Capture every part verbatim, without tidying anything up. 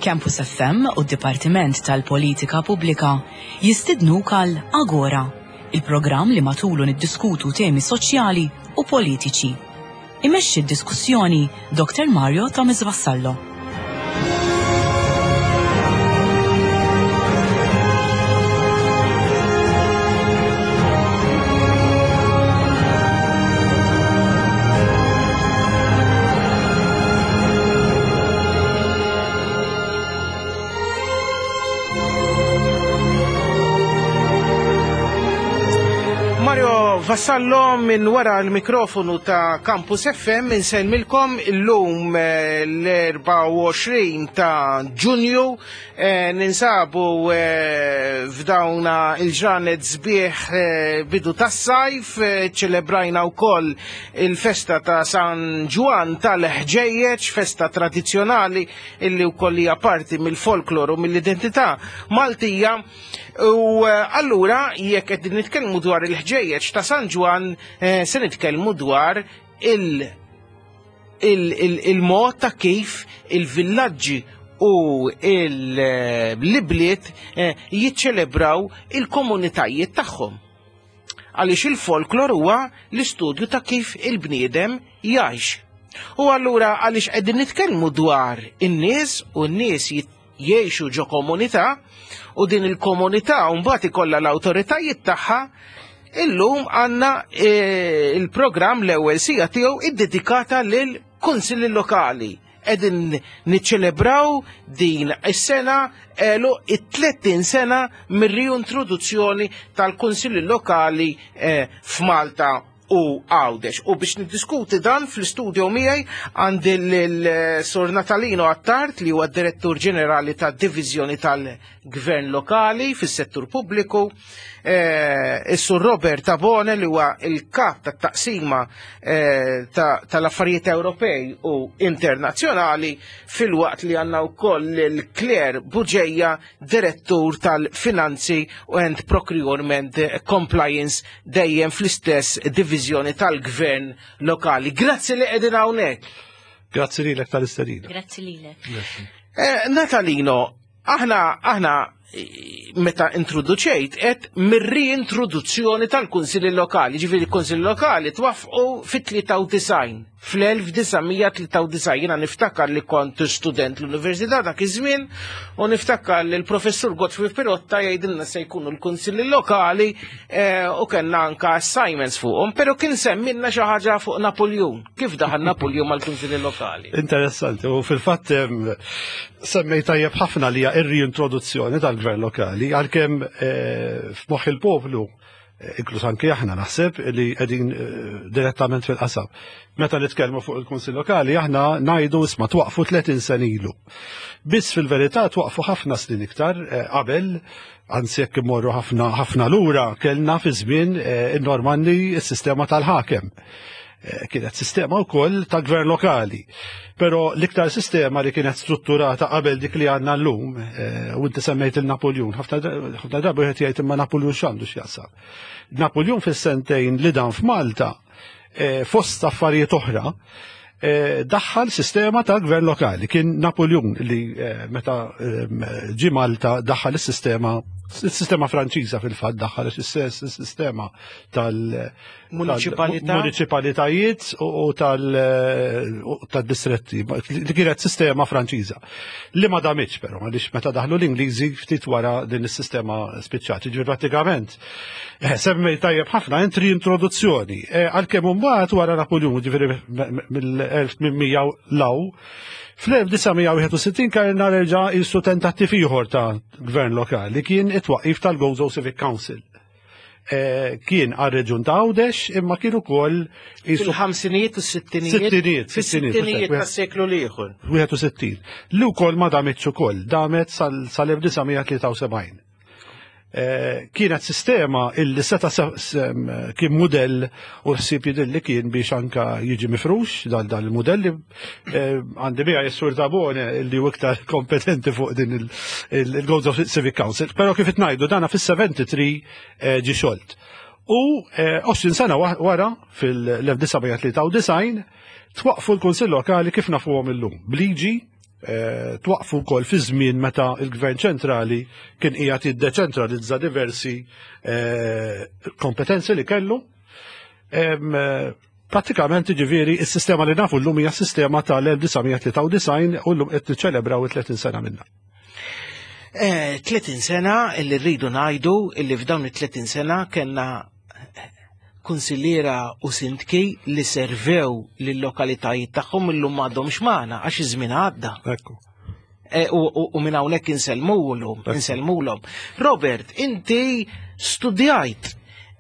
Campus F M u d-Dipartiment tal-Politika Pubblika jistidnuk għal Agora, il-programm li matulu niddiskutu temi soċjali u politiċi. Imexxi d-diskussjoni Doktor Mario Thomas Vassallo. Mario Vassallo minn wara l-mikrofonu ta' Campus F M insellmilkom illum eh, l-erbgħa u għoxrin ta' Ġunju, eh, ninsabu eh, f'dawna il-ġranet sbieħ, bidu tas-sajf, ċelebrajna wkoll il-festa ta' San Ġwann tal-Ħġejjeġ, festa tradizzjonali illi wkoll hija parti mill-folklor u mill-identità Maltija. U allura jekk qed nitkellmu dwar il-ħġejjeġ ta' San Ġwann, se nitkellmu dwar il- il-mod ta' kif il-villaġġi u l-bliet jiċċelebraw il-komunitajiet tagħhom. Għaliex il-folklor huwa l-istudju ta' kif il-bniedem jgħix. U allura għaliex qegħdin nitkellmu dwar in-nies u n-nies jgħixu ġo komunità u din il-komunità mbagħad ikollha l-awtoritajiet tagħha, illum għandna il-programm l-ewwel siegħa tiegħu iddedikata lil kunsilli lokali. Qegħdin niċċelebraw din is-sena għeluq it-tletin sena mir-riintroduzzjoni tal-kunsilli lokali f'Malta u Għawdex. U biex niddiskuti dan, fl-studio miegħi għandi l-Sur Natalino Attard, li huwa direttur ġenerali tad-Divizjoni tal-Gvern Lokali fis-settur pubbliku, is-Sur Robert Tabone, li huwa il-kap tat-taqsima tal-affarijiet Ewropej u internazzjonali, filwaqt li għandna wkoll il-Claire Bugeja, direttur tal-Finanzi and Procurement Compliance, dejjem fl-istess divizjoni tal-Gvern Lokali. Grazzi li qegħdin hawnhekk. Grazzi lilek tal-istedina. Grazzi lilek. Eh, Natalino, aħna aħna meta introduċejt et mir-reintroduzzjoni tal-Kunsilli Lokali, ġifieri l-Kunsilli Lokali twaffqu fit-tlieta u disgħin, fl-elf disa' mija tlieta u disgħin. Jiena niftakar li kont student l-università dak iż-żmien u niftakar li l-professur Godfrey Pirotta jgħidilna se jkunu l-kunsilli lokali eh, u kellna anka assignments fuqhom, però kien semmilna xi ħaġa fuq Napoleon. Kif daħal Napoleon mal-kunsilli lokali? Interessanti, u fil-fatt semmej tajjeb ħafna li hija ir-reintroduzzjoni tal-gvern lokali, għalkemm eh, f'moħħ il-poplu, eh, inkluż anki aħna naħseb li qegħdin eh, direttament fil-qasam. Meta nitkellmu fuq il-Kunsill Lokali, aħna ngħidu isma' twaqfu tletin sena ilu. Biss fil-verità twaqfu ħafna snin iktar qabel, anzi jekk immorru ħafna ħafna lura, kellna fi żmien in-Normanni s-sistema tal-ħakem. Kienet sistema wkoll ta' gvern lokali. Però l-iktar sistema li kienet strutturata qabel dik li għandna llum, u inti semmejt il-Napoleon, ħafna drabi wieħed jgħid imma Napoleon x'għandu x'jaqsam? Napoleon fis-sentejn li dan f'Malta, fost affarijiet oħra, daħħal sistema ta' gvern lokali. Kien Napoleon li meta ġi Malta daħħal is-sistema, il-sistema Franċiża fil-fatt daħħal is-sistema tal- Municipalità. Municipalitajiet u tal-distretti, li kienet sistema Franċiża. Li ma damitx però, għaliex meta daħlu l-Ingliżi ftit wara din is-sistema spiċċat. Ġifieri prattikament eh, semmej tajjeb ħafna entri introduzzjoni. Eh, għalkemm imbagħad wara Napoleon, ġifieri mill-elf tmien mija law, fl-elf disa' mija wieħed u sittin kellna reġa' jisu tentattiv ieħor ta' gvern lokali, kien it-twaqif tal-Gozo Civic Council. Eh, kien għal-reġun ta' Għawdex, imma kien ukoll fil-ħamsinijiet u s-sittinijiet. Sittinijiet, fis-sittinijiet tas-seklu l-ieħor. wieħed u sittin. Li wkoll ma damitx ukoll, damet sal-elf disa' mija tlieta u sebgħin. Eh, kienet sistema illi seta kien modell u ħsieb li kien biex anka jiġi mifrux dal dal il-modelli, eh, għandi bija jessur Tabone illi u iktar kompetenti fuq din il-Gozo Civic Council, pero kif ngħidu dana fis-sebgħa u sebgħin eh, ġi xolt. U għoxrin sena wara, fil-elf disa' mija tlieta u disgħin, twaqfu l-Kunsill Lokali kif nafuhom illum. Bliġi Eh, twaqfu wkoll fi żmien meta il-Gvern ċentrali kien qiegħed jiddeċentralizza diversi eh, kompetenzi li kellu. Eh, pratikament, ġifieri, is-sistema li nafu llum hija sistema tal-elf disa' mija tlieta u disgħin u llum qed niċċelebraw it-tletin sena minnha. tletin sena illi rridu ngħidu illi f'dawn it-tletin sena kellna kunsilliera u sindki li servew lill-lokalitajiet tagħhom, illum m'għadhomx magħna għax iż-żmien għadda. Ekku. E, u minn hawnhekk insellmulhom, insellmulhom. Robert, inti studjajt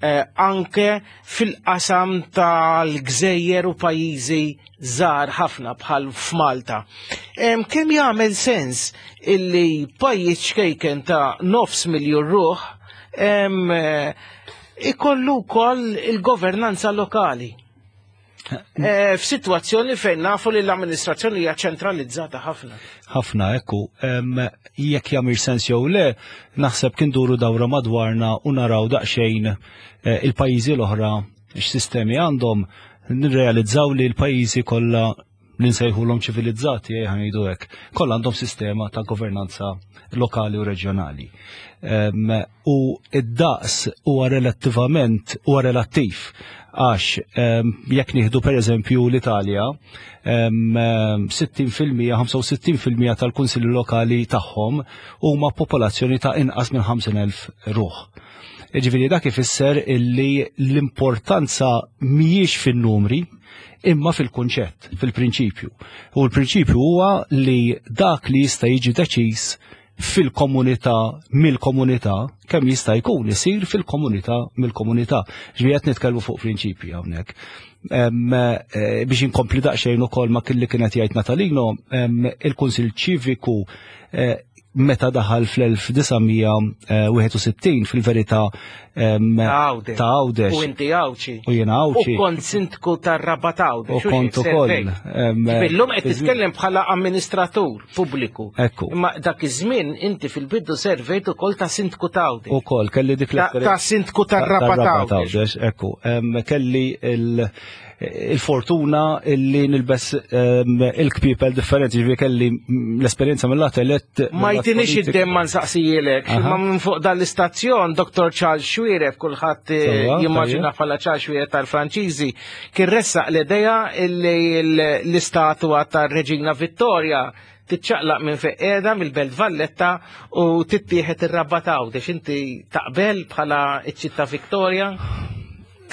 eh, anke fil-qasam tal-gżejjer u pajjiżi żgħar ħafna bħal f'Malta. Kemm jagħmel sens illi pajjiż ċkejken ta' nofs miljun ruħ eh, ikollu wkoll il-governanza lokali? Eh, f'sitwazzjoni fejn nafu li l-amministrazzjoni hija ċentralizzata ħafna. Ħafna, ekku, jekk jagħmel sens jew le, naħseb kien duru dawra madwarna u naraw daqsxejn eh, il-pajjiżi l-oħra x'sistemi għandhom, nirrealizzaw li l-pajjiżi kollha li nsejħulhom ċivilizzati, eh, ngħidu hekk, kollha għandhom sistema ta' governanza lokali u reġjonali. U id-daqs huwa relattivament huwa relattiv għax jekk nieħdu per eżempju l-Italja, sittin fil-mija, ħamsa u sittin fil-mija tal-kunsilli lokali tagħhom huma popolazzjoni ta' inqas minn ħamsin elf ruħ. Ġifieri dak ifisser illi l-importanza mhijiex fin-numri imma fil-kunċett, fil-prinċipju. U l-prinċipju huwa li dak li jista' jiġi deċiż fil-komunità mill-komunità, kemm jista' jkun isir fil-komunità mill-komunità. Ġifieri qed nitkellmu fuq prinċipji hawnhekk. Eh, biex inkompli daqsxejn ukoll ma kelli kienet jgħid Natalino, il-Kunsill Ċiviku eh, meta daħal fl-elf disa' mija wieħed u sittin fil-verità ta' ta' Għawdex. U inti Għawdxi. U jiena Għawdxi. U kont sindku tar-Rabat Għawdex. U kont ukoll. Illum qed titkellem bħala amministratur pubbliku. Ekku. Imma dak iż-żmien inti fil-bidu servejt ukoll ta' sindku ta' Għawdex. Ukoll kelli dik Ta' sindku tar-Rabat Għawdex. Ekku. Kelli il- il-fortuna illi nilbes il-kpipel differenti, ġifieri kelli l-esperjenza mill-lat elett. Ma jtinix id-dem ma nsaqsijilek, ma minn fuq dal-istazzjon, Doktor Charles Xuereb, kulħadd eh, jimmaġina bħala Charles Xuereb tal-Franċiżi, kien ressaq l-idea illi l-istatwa tar-Reġina Vittoria titċaqlaq minn fejn qiegħda mill-Belt Valletta u tittieħed ir-Rabat Għawdex. Inti taqbel bħala iċ-ċittà Victoria?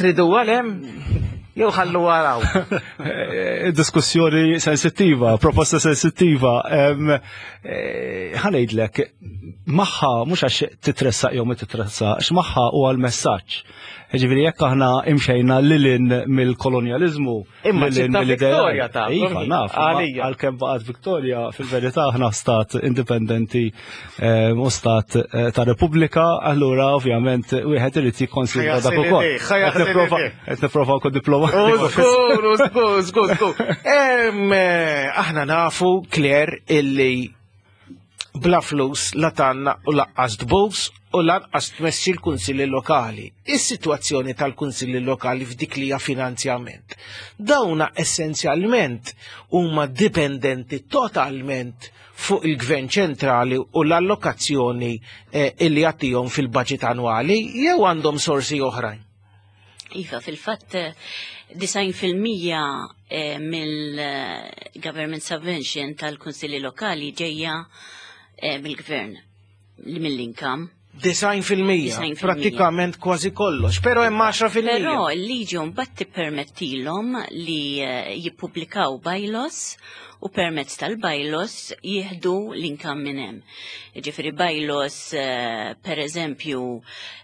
Tridu għalem? Jew ħallu waraw. Eh, diskussjoni sensittiva, proposta sensittiva. Eh, ħa ngħidlek, magħha mhux għax titressaq jew ma titressaq, magħha huwa l-messaġġ. Ġifieri jekk aħna imxejna lilin mill-kolonjalizmu, Imma lilin ċittà mill-idea- Victoria ta' Iva, naf, għalija. għalkemm baqgħet Victoria, fil-verità aħna stat indipendenti eh, u stat eh, ta' Repubblika, allura ovvjament wieħed irid jikkonsidra dak ukoll. ħa jaħsel Qed nipprova- idejh. Qed nipprova nkun diplomatiku. Żgur, żgur, żgur, żgur. Em, eh, Aħna nafu, Claire, illi bla flus la tanna u laqqas tbus u lanqas tmexxi l-kunsilli lokali. Is-sitwazzjoni tal-kunsilli lokali f'dik li hija finanzjament. Dawna essenzjalment huma dipendenti totalment fuq il-gvern ċentrali u l-allokazzjoni eh, illi jagħtihom fil-budget annwali jew għandhom sorsi oħrajn. Iva, fil-fatt, disgħin fil-mija mill-government subvention tal-kunsilli lokali ġejja eh, mill-gvern, li mill-income. Disgħin fil-mija, Disgħin fil-mija. Pratikament kważi kollox, però hemm għaxra fil-mija. Però l-liġi mbagħad tippermettilhom li, eh, jippubblikaw bylaws u permezz tal-bylaws jieħdu l-income minn hemm. Ġifieri bylaws, eh, per eżempju,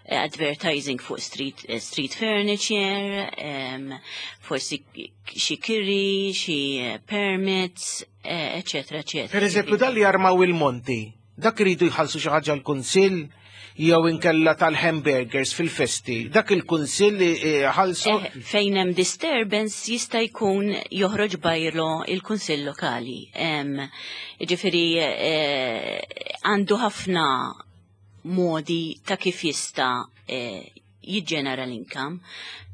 eh, advertising fuq street, eh, street furniture, em, forsi xi kiri, xi permits, eh, eccetera, eccetera. Per eżempju, dal li jarmaw il-monti, dak iridu jħallsu xi ħaġa l-kunsill jew inkella tal-hamburgers fil-festi, dak il-kunsill li ħallsu. Eh, fejn hemm disturbance jista' jkun joħroġ bylaw il-kunsill lokali. Em, Ġifieri eh, għandu ħafna modi ta' kif jista' eh, jiġġenera l-income,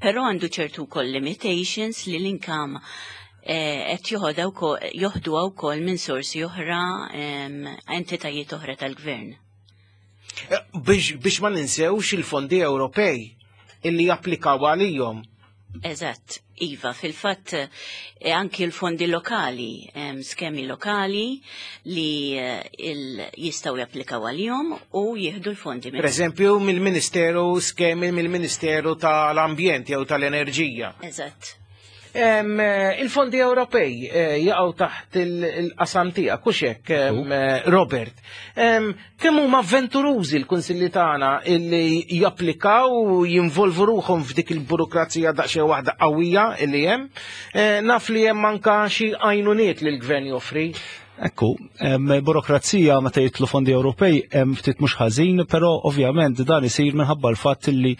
però għandu ċertu wkoll limitations li l-income eh, qed joħodha wkoll- joħduha wkoll minn sorsi oħra, em, entitajiet oħra tal-gvern. Eh, Biex, biex ma ninsewx il-fondi Ewropej illi japplikaw għalihom. Eżatt, iva, fil-fatt eh, anki l-fondi lokali, em, skemi lokali li eh, il- jistgħu japplikaw għalihom u jieħdu l-fondi Per eżempju, mill-Ministeru, skemi mill-Ministeru tal-Ambjent jew tal-Enerġija. Eżatt. Em, eh, Il-fondi Ewropej eh, jaqgħu taħt il- il-qasam tiegħek, hux hekk, em, eh, Robert. Em, Kemm huma avventurużi l-kunsilli tagħna illi japplikaw u jinvolvu ruħhom f'dik il-burokrazija daqsxejn waħda qawwija illi hemm. Eh, Naf li hemm anka xi għajnuniet li l-gvern joffri. Ekku, em, burokrazija meta jidħlu fondi Ewropej hemm ftit mhux ħażin, però ovvjament dan isir minħabba l-fatt li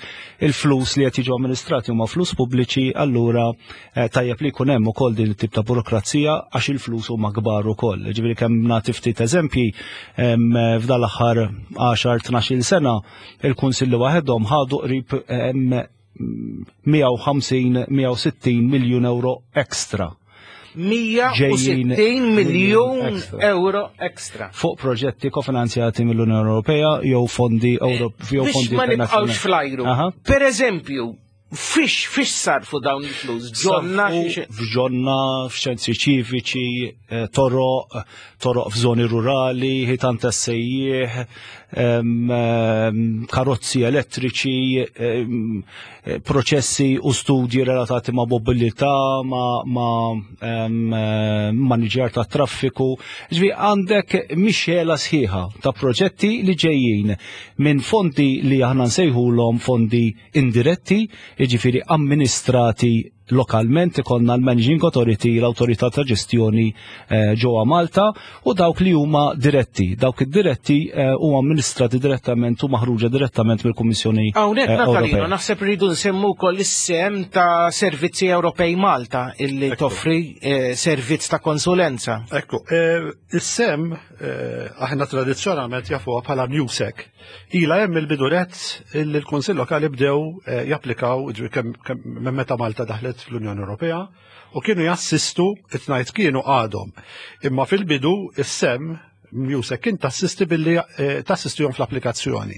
il-flus li qed jiġu amministrati huma flus pubbliċi, allura eh, tajjeb li jkun hemm ukoll din it-tip ta' burokrazija għax il-flus huma kbar ukoll. Ġifieri kemm nagħti ftit eżempji, em, f'dan l-aħħar għaxar tnax-il sena il-kunsilli waħedhom ħadu qrib em, mija u ħamsin mija u sittin miljun euro ekstra mija u sittin miljun ekstra. euro ekstra. Fuq proġetti kofinanzjati mill-Unjoni Ewropea jew fondi Euro jew Biex fondi ma nibqgħux internazzjonali. flajru. Aha. Per eżempju, fiex fiex sarfu dawn il-flus? Ġonna? Sarfu f'ġonna, f'ċentri ċiviċi, eh, toroq, toroq f'żoni rurali, ħitan tas-sejjieħ, em, em, karozzi elettriċi, em, eh, proċessi u studji relatati ma' mobilità, ma' ma' em, eh, maniġjar ta' traffiku. Ġifieri għandek mixela sħiħa ta' proġetti li ġejjin minn fondi li aħna nsejħulhom fondi indiretti, jiġifieri amministrati lokalment, ikollna l-Managing Authority, l-Autorità ta' Ġestjoni eh, ġewwa Malta, u dawk li huma diretti. Dawk id-diretti eh, huma amministrati direttament u maħruġa direttament mill-Kummissjoni Hawnhekk, eh, Natalino, Ewropea. naħseb rridu nsemmu wkoll is-sehem ta' Servizzi Ewropej Malta illi toffri eh, servizz ta' konsulenza. Ekku, eh, is-SEM eh, aħna tradizzjonalment jafuha bħala MUSEC. Ila hemm il-biduret illi l-Kunsill Lokali bdew eh, japplikaw, ġifieri kemm kemm minn meta Malta daħlet fl-Unjoni Ewropea u kienu jassistu, it-ngħid kienu, għadhom. Imma fil-bidu is-SEM MUSEC kien tassisti billi eh, tassistihom fl-applikazzjoni.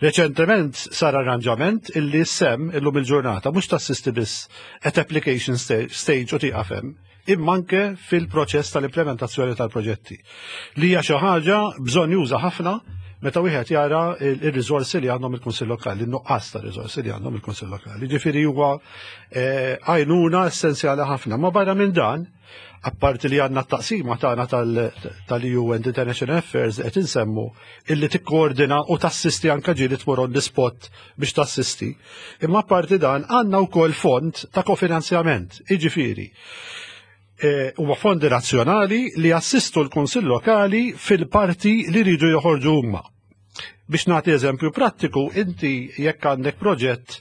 Reċentement sar arranġament illi S-SEM illum il-ġurnata mhux tassisti biss at application sta- stage u tieqaf hemm, imma anke fil-proċess tal-implementazzjoni tal-proġetti. Li hija xi ħaġa bżonn juża ħafna meta wieħed jara il- ir-riżorsi li għandhom il-Kunsill Lokali, in-nuqqas ta' riżorsi li għandhom il-Kunsill Lokali. Ġifieri huwa eh, għajnuna essenzjali ħafna. Ma barra minn dan, apparti li għandna t-taqsima tagħna tal-E U and International Affairs qed insemmu illi tikkoordina u tassisti, anka ġieli tmur on the spot biex tassisti. Imma apparti dan għandna wkoll fond ta' kofinanzjament, jiġifieri eh, huwa fondi nazzjonali li assistu l-Kunsill Lokali fil-parti li rridu joħorġu huma. Biex nagħti eżempju prattiku, inti jekk għandek proġett,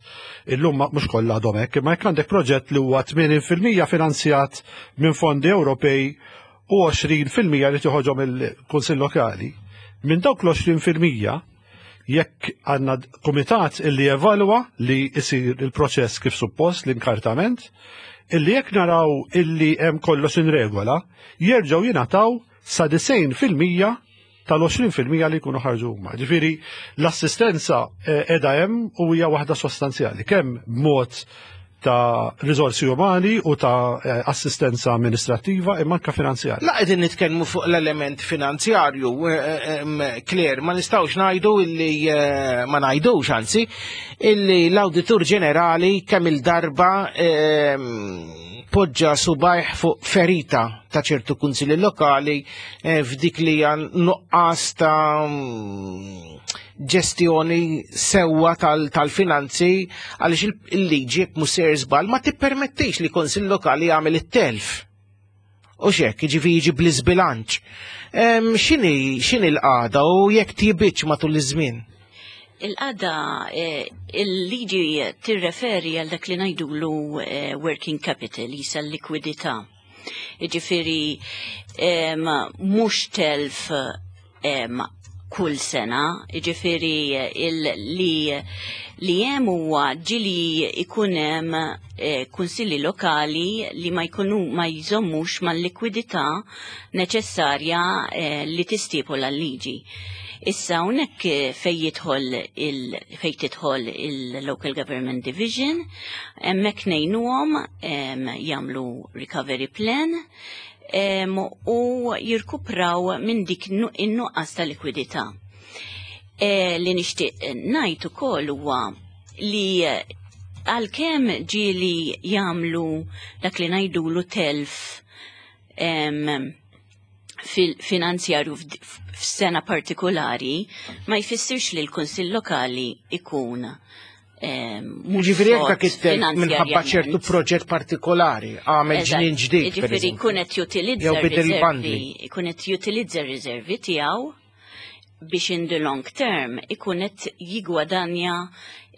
illum ma- mhux kollha għadhom hekk, imma jekk għandek proġett li huwa tmenin fil-mija finanzjat minn fondi Ewropej u għoxrin fil-mija li toħroġhom il-Kunsill Lokali, minn dawk l-għoxrin fil-mija jekk għandna komitat illi evalwa li isir il-proċess kif suppost, l-inkartament, illi jekk naraw illi hemm kollox in regola, jerġgħu jingħataw sa disgħin fil-mija tal-għoxrin fil-mija li jkunu ħarġu huma. Ġifieri l-assistenza eh, qiegħda hemm u hija waħda sostanzjali, kemm b'mod ta' riżorsi umani u ta' eh, assistenza amministrattiva imma anke finanzjarja. La qegħdin nitkellmu fuq l-element finanzjarju, eh, em, Claire, ma nistgħux ngħidu illi eh, ma ngħidux anzi illi l-Awditur Ġenerali kemm il-darba em, poġġa subgħajh fuq ferita ta' ċertu kunsilli lokali eh, f'dik li hija nuqqas ta' mm, ġestjoni sewwa tal- tal-finanzi għaliex il- il-liġi jekk mhux sejjer żball ma tippermettix li kunsill lokali jagħmel it-telf. U xek, ġifi jiġi bl-izbilanċ. Em, X'inhi x'inhi l-qagħda u jekk tjiebitx matul iż-żmien? Il-qagħda, eh, il-liġi tirreferi għal dak li ngħidulu eh, working capital, jisa l-likwidità. Ġifiri, em, mhux telf em, kull sena, ġifiri il, li, li hemm huwa ġieli ikun hemm eh, kunsilli lokali li ma jkunu ma jżommux mal-likwidità neċessarja eh, li tistipula l-liġi. Issa hawnhekk eh, fej jidħol il fej tidħol il-Local Government Division, hemmhekk ngħinuhom em, jagħmlu recovery plan em, u jirkupraw minn dik nu- in-nuqqas ta' likwidità. E, li nixtieq ngħid ukoll huwa li eh, għalkemm ġieli jagħmlu dak li ngħidulu telf em, fil-finanzjarju f'd- f'sena partikolari ma jfissirx li l-Kunsill Lokali ikun em, mhux Ġifieri jekk sod dak it-telf minħabba ċertu finanzjarjament. proġett partikolari, għamel Eżatt. ġnien ġdid. per Ġifieri eżempju. jkun qed jutilizza Jew bidel r-riservi, bandli. ikun qed jutilizza r-riservi tiegħu biex in the long term ikun qed jigwadanja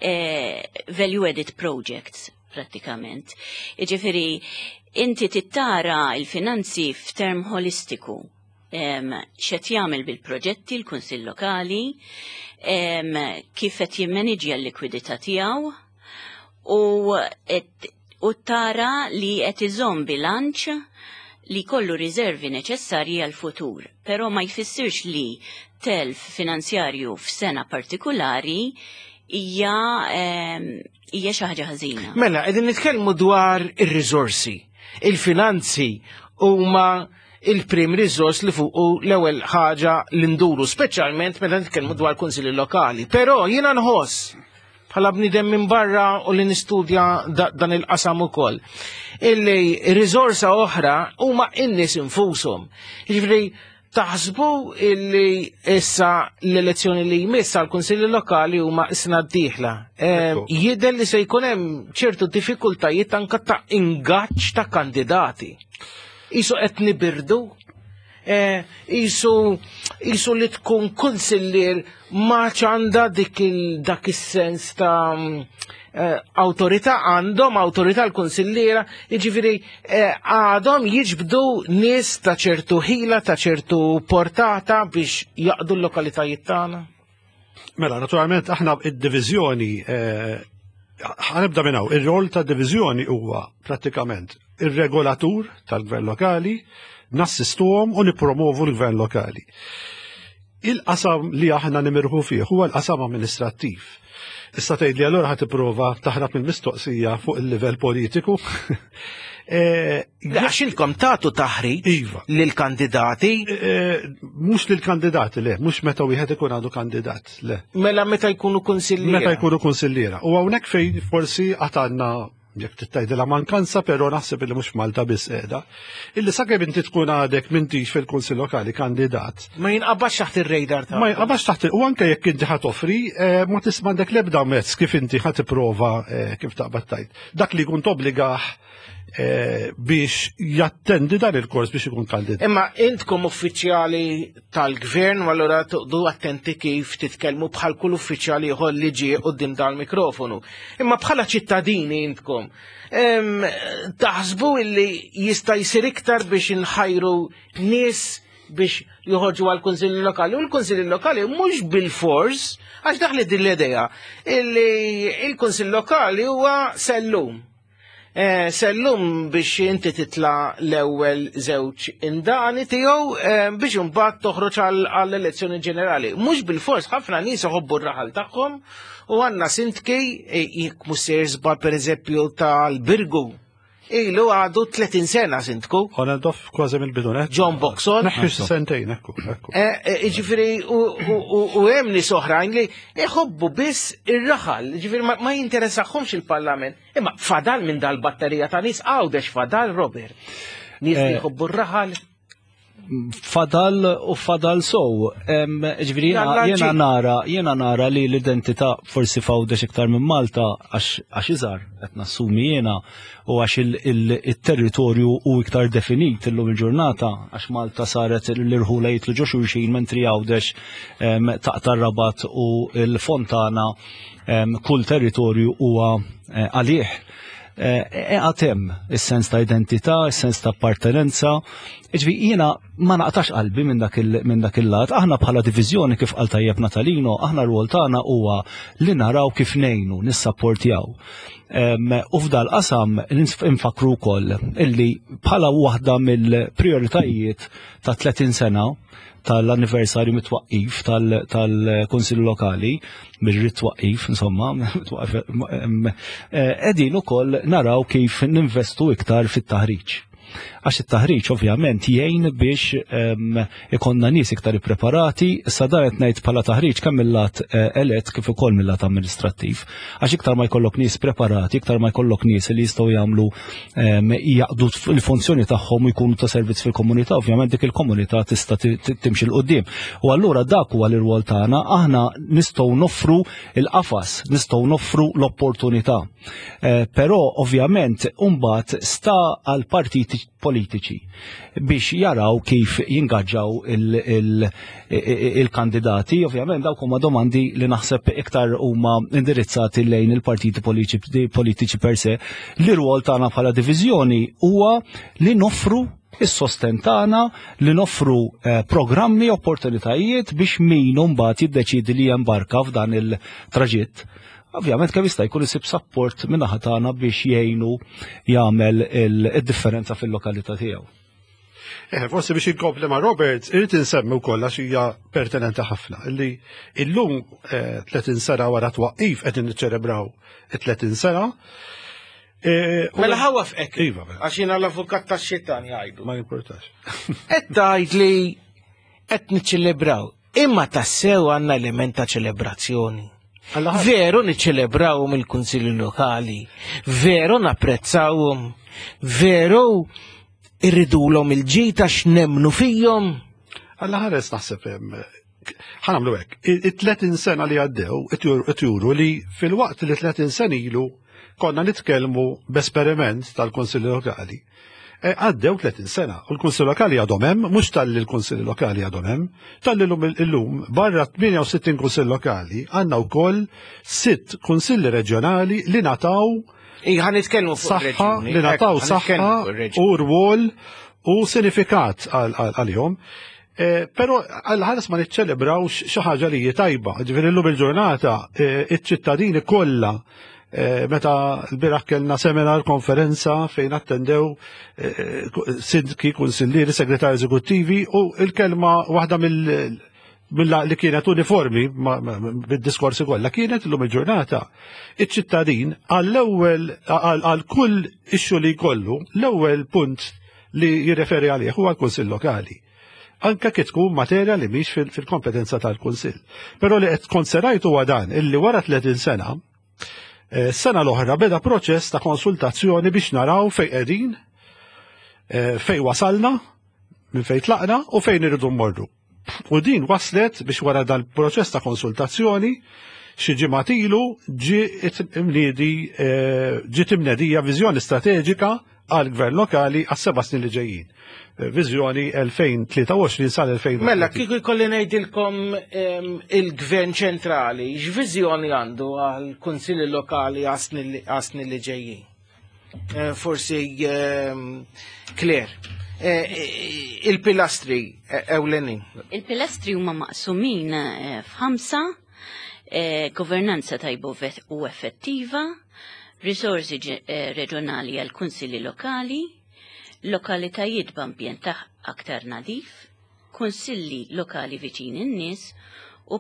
eh, value added projects prattikament. Ġifieri inti tittara il-finanzi f'term holistiku. Em, x'qed jagħmel bil-proġetti l-Kunsill Lokali, em, kif qed jimmaniġja l-likwidità tiegħu u et, u tara li qed iżomm bilanċ li kollu riservi neċessarji għal futur, però ma jfissirx li telf finanzjarju f'sena partikolari hija em, hija xi ħaġa ħażina. Mela, qegħdin nitkellmu dwar ir-riżorsi. Il-finanzi huma il-prim riżors li fuq l-ewwel ħaġa li nduru, speċjalment meta nitkellmu dwar kunsilli lokali. Però jiena nħoss bħala bniedem minn barra u li nistudja da, dan il-qasam ukoll. Illi riżorsa oħra huma in-nies infushom. Jiġifieri taħsbu illi issa l-elezzjoni li jmiss għal kunsilli lokali huma s-sena d-dieħla. Eh, Ekku. Jidher li se jkun hemm ċertu diffikultajiet anka ta' ingaġġ ta' kandidati. Isu qed nibirdu, eh, isu isu li tkun kunsillier ma għandha dik il dak is-sens ta' mm, eh, awtorità għandhom awtorità l-kunsilliera, jiġifieri eh, għadhom jiġbdu nies ta' ċertu ħila, ta' ċertu portata biex jaqdu l-lokalitajiet tagħna. Mela, naturalment, aħna id-divizjoni, eh, ħa nibda minn hawn, ir-rol ta' divizjoni huwa prattikament ir-regolatur tal-gvern lokali, nassistuhom u nipromovu l-gvern lokali. Il-qasam li aħna nimirħu fih huwa l-qasam amministrattiv. Issa tgħid li allura ħa tipprova taħrab mill-mistoqsija fuq il-livell politiku. Eh, Għax intkom tagħtu taħriġ Iva. lill-kandidati eh, Mhux lill-kandidati, le, mhux meta wieħed ikun għadu kandidat, le. mela meta jkunu kunsilliera. Meta jkunu kunsilliera. U hawnhekk fejn forsi għatanna jekk tgħidilha mankanza, però naħseb li mhux Malta biss qiegħda. Illi sakemm inti tkun għadek m'intix fil-Kunsill Lokali kandidat, Ma jinqabax taħt ir-radar ta' ma jinqabax taħt u anke jekk inti ħa toffri, eh, ma tisma' għandek l-ebda mezz kif inti ħa tipprova eh, kif taqbad tajt. Dak li jkun tobbligah eh, biex jattendi dan il-kors biex ikun kandidat. Imma intkom uffiċjali tal-gvern, u allura toqogħdu attenti kif titkellmu bħal kull uffiċjali ieħor li ġie quddiem dal-mikrofonu. Imma bħala ċittadini intkom, em, taħsbu illi jista' jsir iktar biex inħajru nies biex joħorġu għal kunsilli lokali. U l-kunsilli lokali mhux bil-fors, għax daħli din l-idea, illi il-kunsill lokali huwa sellum. Eh, Sellum biex inti titla l-ewwel żewġ indani tiegħu eh, biex imbagħad toħroġ għall-elezzjoni ġenerali. Mhux bil-fors, ħafna nies iħobbu r-raħal tagħhom u għandna sindki eh, jekk mhux sejjer żball, pereżempju tal-Birgu. Ilu għadu tletin sena sindku. Onedoff kważi mill-bidu net. John Boxall. Neħħi xi sentejn, ekku, ekku. Ġifieri, u hemm nies oħrajn li jħobbu biss ir-raħal, ġifieri ma ma jinteressahomx il-Parlament. Imma fadal minn dal-batterija ta' nies Għawdex, fadal, Robert? Nies li Eh, jħobbu r-raħal. Fadal u fadal sow. Em, Ġifieri jena, Jalla jena ġi. nara, jena nara li l-identità forsi f'Għawdex iktar minn Malta għax għax iżgħar, qed nassumi jiena, u għax il-territorju u iktar definit illum il-ġurnata, għax Malta saret l-irħula jitlu ġo xulxin, mentri Għawdex em, taqta' Rabat u l-Fontana, em, kull territorju huwa eh, għalih. Għad hemm is-sens ta' identità, is-sens ta' appartenenza. Ġifieri jiena ma naqtax qalbi minn dak il- minn dak il-lat. Aħna bħala diviżjoni, kif qal tajjeb Natalino, aħna r-rwol tagħna huwa li naraw kif ngħinu, nissapportjaw. Em, U f'dal qasam infakru wkoll illi bħala waħda mill-prioritajiet ta' tletin sena tal-anniversarju mit-twaqqif tal-Kunsill Lokali, mir twaqqif, insomma, qegħdin ukoll naraw kif ninvestu iktar fit-taħriġ. Għax it-taħriġ ovvjament jgħin biex em, ikonna nies iktar ippreparati, issa dan qed ngħid bħala taħriġ kemm mill-lat eh, elett kif ukoll mill-lat amministrattiv. Għax iktar ma jkollok nies preparati, iktar ma jkollok nies li jistgħu jagħmlu em, jaqdu il-funzjoni tagħhom u jkunu ta' servizz fil-komunità, ovvjament dik il-komunità tista' ti- ti- timxi 'l quddiem. U allura dak huwa l-irwol tagħna, aħna nistgħu noffru il-qafas, nistgħu noffru l-opportunità. Eh, Però ovvjament mbagħad sta għal partiti politiċi biex jaraw kif jingaġġaw il-kandidati. Ovvjament dawk huma domandi li naħseb iktar huma indirizzati lejn il-partiti politiċi per se. L-irwol tagħna bħala diviżjoni huwa li noffru is-sosten tagħna, li noffru eh, programmi, opportunitajiet biex min mbagħad jiddeċidi li jembarka f'dan il-traġitt. Ovvjament kemm jista' jkun isib support min-naħa tagħna biex jgħinu jagħmel il-differenza fil-lokalità tiegħu. Eh, forsi biex inkompli ma' Robert, irrid insemmi wkoll għax hija pertinenti ħafna illi illum tletin sena wara twaqqif qegħdin niċċelebraw tletin sena. Eh, u- Mela ħa nwaqqfek. Iva, mela. Għax jiena l-avukat tax-xitan jgħidu. Ma jimportax. Qed tgħid li qed niċċelebraw. Imma tassew għandna element ta' ċelebrazzjoni? Alla ħares. Veru niċċelebraw il-kunsilli lokali, veru napprezzawhom, veru irridulhom il-ġid għax nemmnu fihom? Alla ħares naħseb hemm, ħa nagħmlu hekk. It-tletin sena li għaddew qed juru li fil-waqt li tletin sena ilu konna nitkellmu b'esperiment tal-Kunsilli Lokali. E, Għaddew tletin sena u l-Kunsilli Lokali għadhom hemm, mhux talli l-Kunsilli Lokali għadhom hemm, talli llum illum barra tmienja u sittin Kunsill Lokali għandna wkoll sitt kunsilli reġjonali li ngħataw Ija, ħa nitkellmu fuq saħħa ir-reġjuni. li ngħataw Ekku, ħa saħħa nitkellmu fuq ir-reġjuni. u rwol u sinifikat għal- għal- għalihom. Eh, Però għal ħares ma niċċelebrawx xi ħaġa li hi tajba. Ġifieri llum il-ġurnata eh, iċ-ċittadini kollha, eh, meta l-bieraħ kellna seminar, konferenza fejn attendew eh, sindki, kunsillieri, segretari eżekuttivi, u il-kelma waħda mill mill li kienet uniformi ma- ma- bid-diskorsi kollha kienet illum il-ġurnata. Iċ-ċittadin għall-ewwel għal għal kull issue li jkollu, l-ewwel punt li jirreferi għalih huwa l-Kunsill Lokali. Anka kif tkun materja li mhix fil- fil-kompetenza tal-Kunsill. Però li qed konserajt huwa dan illi wara tletin sena, eh, sena l-oħra beda proċess ta' konsultazzjoni biex naraw fej qegħdin, eh, fej wasalna, minn fejn tlaqna u fejn irridu mmorru. U din waslet biex wara dal-proċess ta' konsultazzjoni xi ġimgħat ilu ġi imniedi eh, ġiet imnedija viżjoni strateġika għal gvern lokali għas seba' snin li ġejjin. Eh, Viżjoni elfejn u tlieta u għoxrin sal-elfejn. Mela, kieku jkolli ngħidilkom em, il-gvern ċentrali, x'viżjoni għandu għal kunsilli lokali għas-snin li ġejjin? Eh, Forsi em, Claire, eh, eh, il-pilastri eh, ewlenin. Il-pilastri huma maqsumin eh, f'ħamsa: eh, governanza tajba u vet- u effettiva, Risorsi eh, reġjonali għal kunsilli lokali, lokalitajiet b'ambjent aktar nadif, kunsilli lokali viċin in-nies u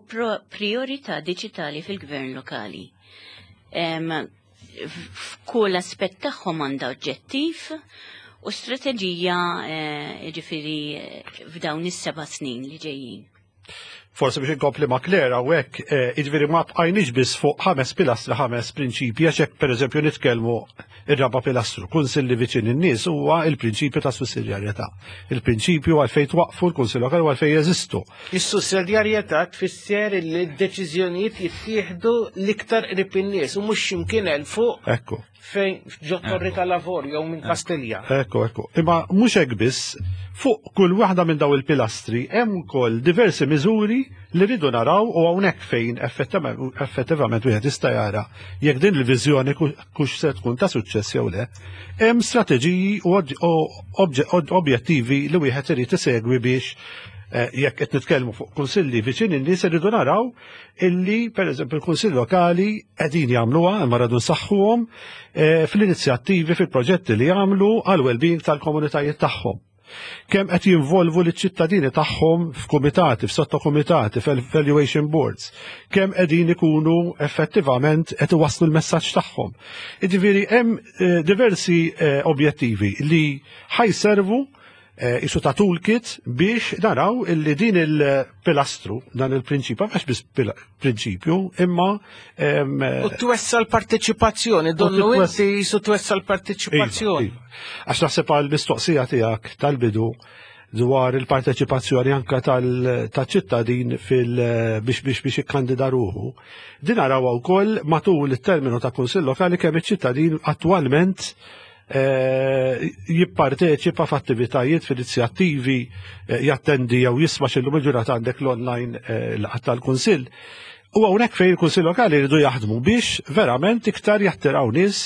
priorità diġitali fil-gvern lokali. F'kull aspett tagħhom għandha oġġettiv u strateġija eh, ġifieri f'dawn is-seba' snin li ġejjin. Forse biex inkompli ma' Claire hawnhekk, eh, jiġifieri ma bqajniex biss fuq ħames pilastri, ħames prinċipji, għax hekk pereżempju nitkellmu ir-raba' pilastru, kunsilli viċin in-nies, huwa il-prinċipju ta' sussidjarjetà. Il-prinċipju għalfejn twaqfu l-kunsill lokali u għalfejn jeżistu. Is-sussidjarjetà tfisser li d-deċiżjonijiet jittieħdu l-iktar qrib in-nies u mhux x'imkien 'l fuq. Ekku. Fejn ġo Torri tal-Avorju jew minn Kastilja. Ekku, ekku. Imma mhux hekk biss, fuq kull waħda minn daw il-pilastri hemm ukoll diversi miżuri li rridu naraw u hawnhekk fejn effettivament wieħed jista' jara jekk din il-viżjoni kux se tkun ta' suċċess jew le. Hemm strateġiji u objettivi li wieħed irid isegwi biex eh, jekk qed nitkellmu fuq kunsilli viċin in-nies, irridu naraw illi pereżempju il-kunsill lokali qegħdin jagħmluha, imma rridu nsaħħuhom eh, fl-inizjattivi, fil-proġetti li jagħmlu għal well-being tal-komunitajiet tagħhom. Kemm qed jinvolvu liċ-ċittadini tagħhom f'kumitati, f'sottokumitati, f'evaluation boards, kemm qegħdin ikunu effettivament qed iwasslu l-messaġġ tagħhom. Jiġifieri hemm eh, diversi eh, objettivi li ħa jservu eh, isu ta' toolkit biex naraw illi din il-pilastru, dan il-prinċipju, mhux biss prinċipju, imma U twessa l-parteċipazzjoni, donnu inti jisu twessa l-parteċipazzjoni. Iva, iva. Għax naħseb għal mistoqsija tiegħek tal-bidu dwar il-parteċipazzjoni anka tal-ċittadin fil biex biex biex ikkandida ruħu. Din naraw wkoll matul it-terminu ta' kunsill lokali kemm iċ-ċittadin attwalment eh, jipparteċipa f'attivitajiet, f'inizjattivi, eh, jattendi jew jisma' x'illum il-ġurnata għandek l-online eh, laqgħat tal-kunsill. U hawnhekk fejn il-Kunsill Lokali jridu jaħdmu biex verament iktar jattiraw nies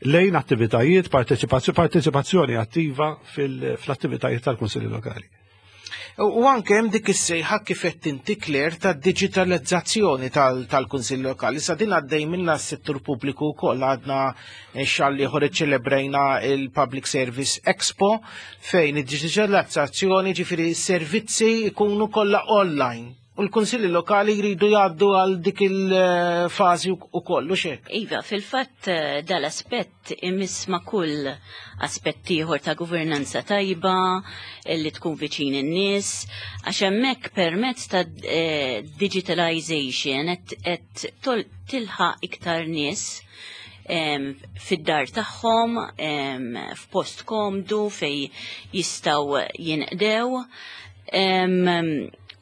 lejn attivitajiet, parteċipazzjoni attiva fil-attivitajiet tal-Kunsilli Lokali. U anke hemm dik is-sejħa kif qed inti, Claire, ta' digitalizzazzjoni tal-Kunsill Lokali. Sa din għaddej minna s-settur pubbliku wkoll, għadna xahar ieħor iċċelebrejna il-Public Service Expo fejn id-digitalizzazzjoni, ġifieri servizzi jkunu kollha online. U l-kunsilli lokali jridu jgħaddu għal dik il-fażi u kollu xek. Iva, fil-fatt eh, dal-aspett imiss ma' kull aspett ieħor ta' governanza tajba li tkun viċin in-nies, għax hemmhekk permezz ta' eh, digitalization qed tilħaq iktar nies fid-dar tagħhom, f'post komdu fej jistgħu jinqdew.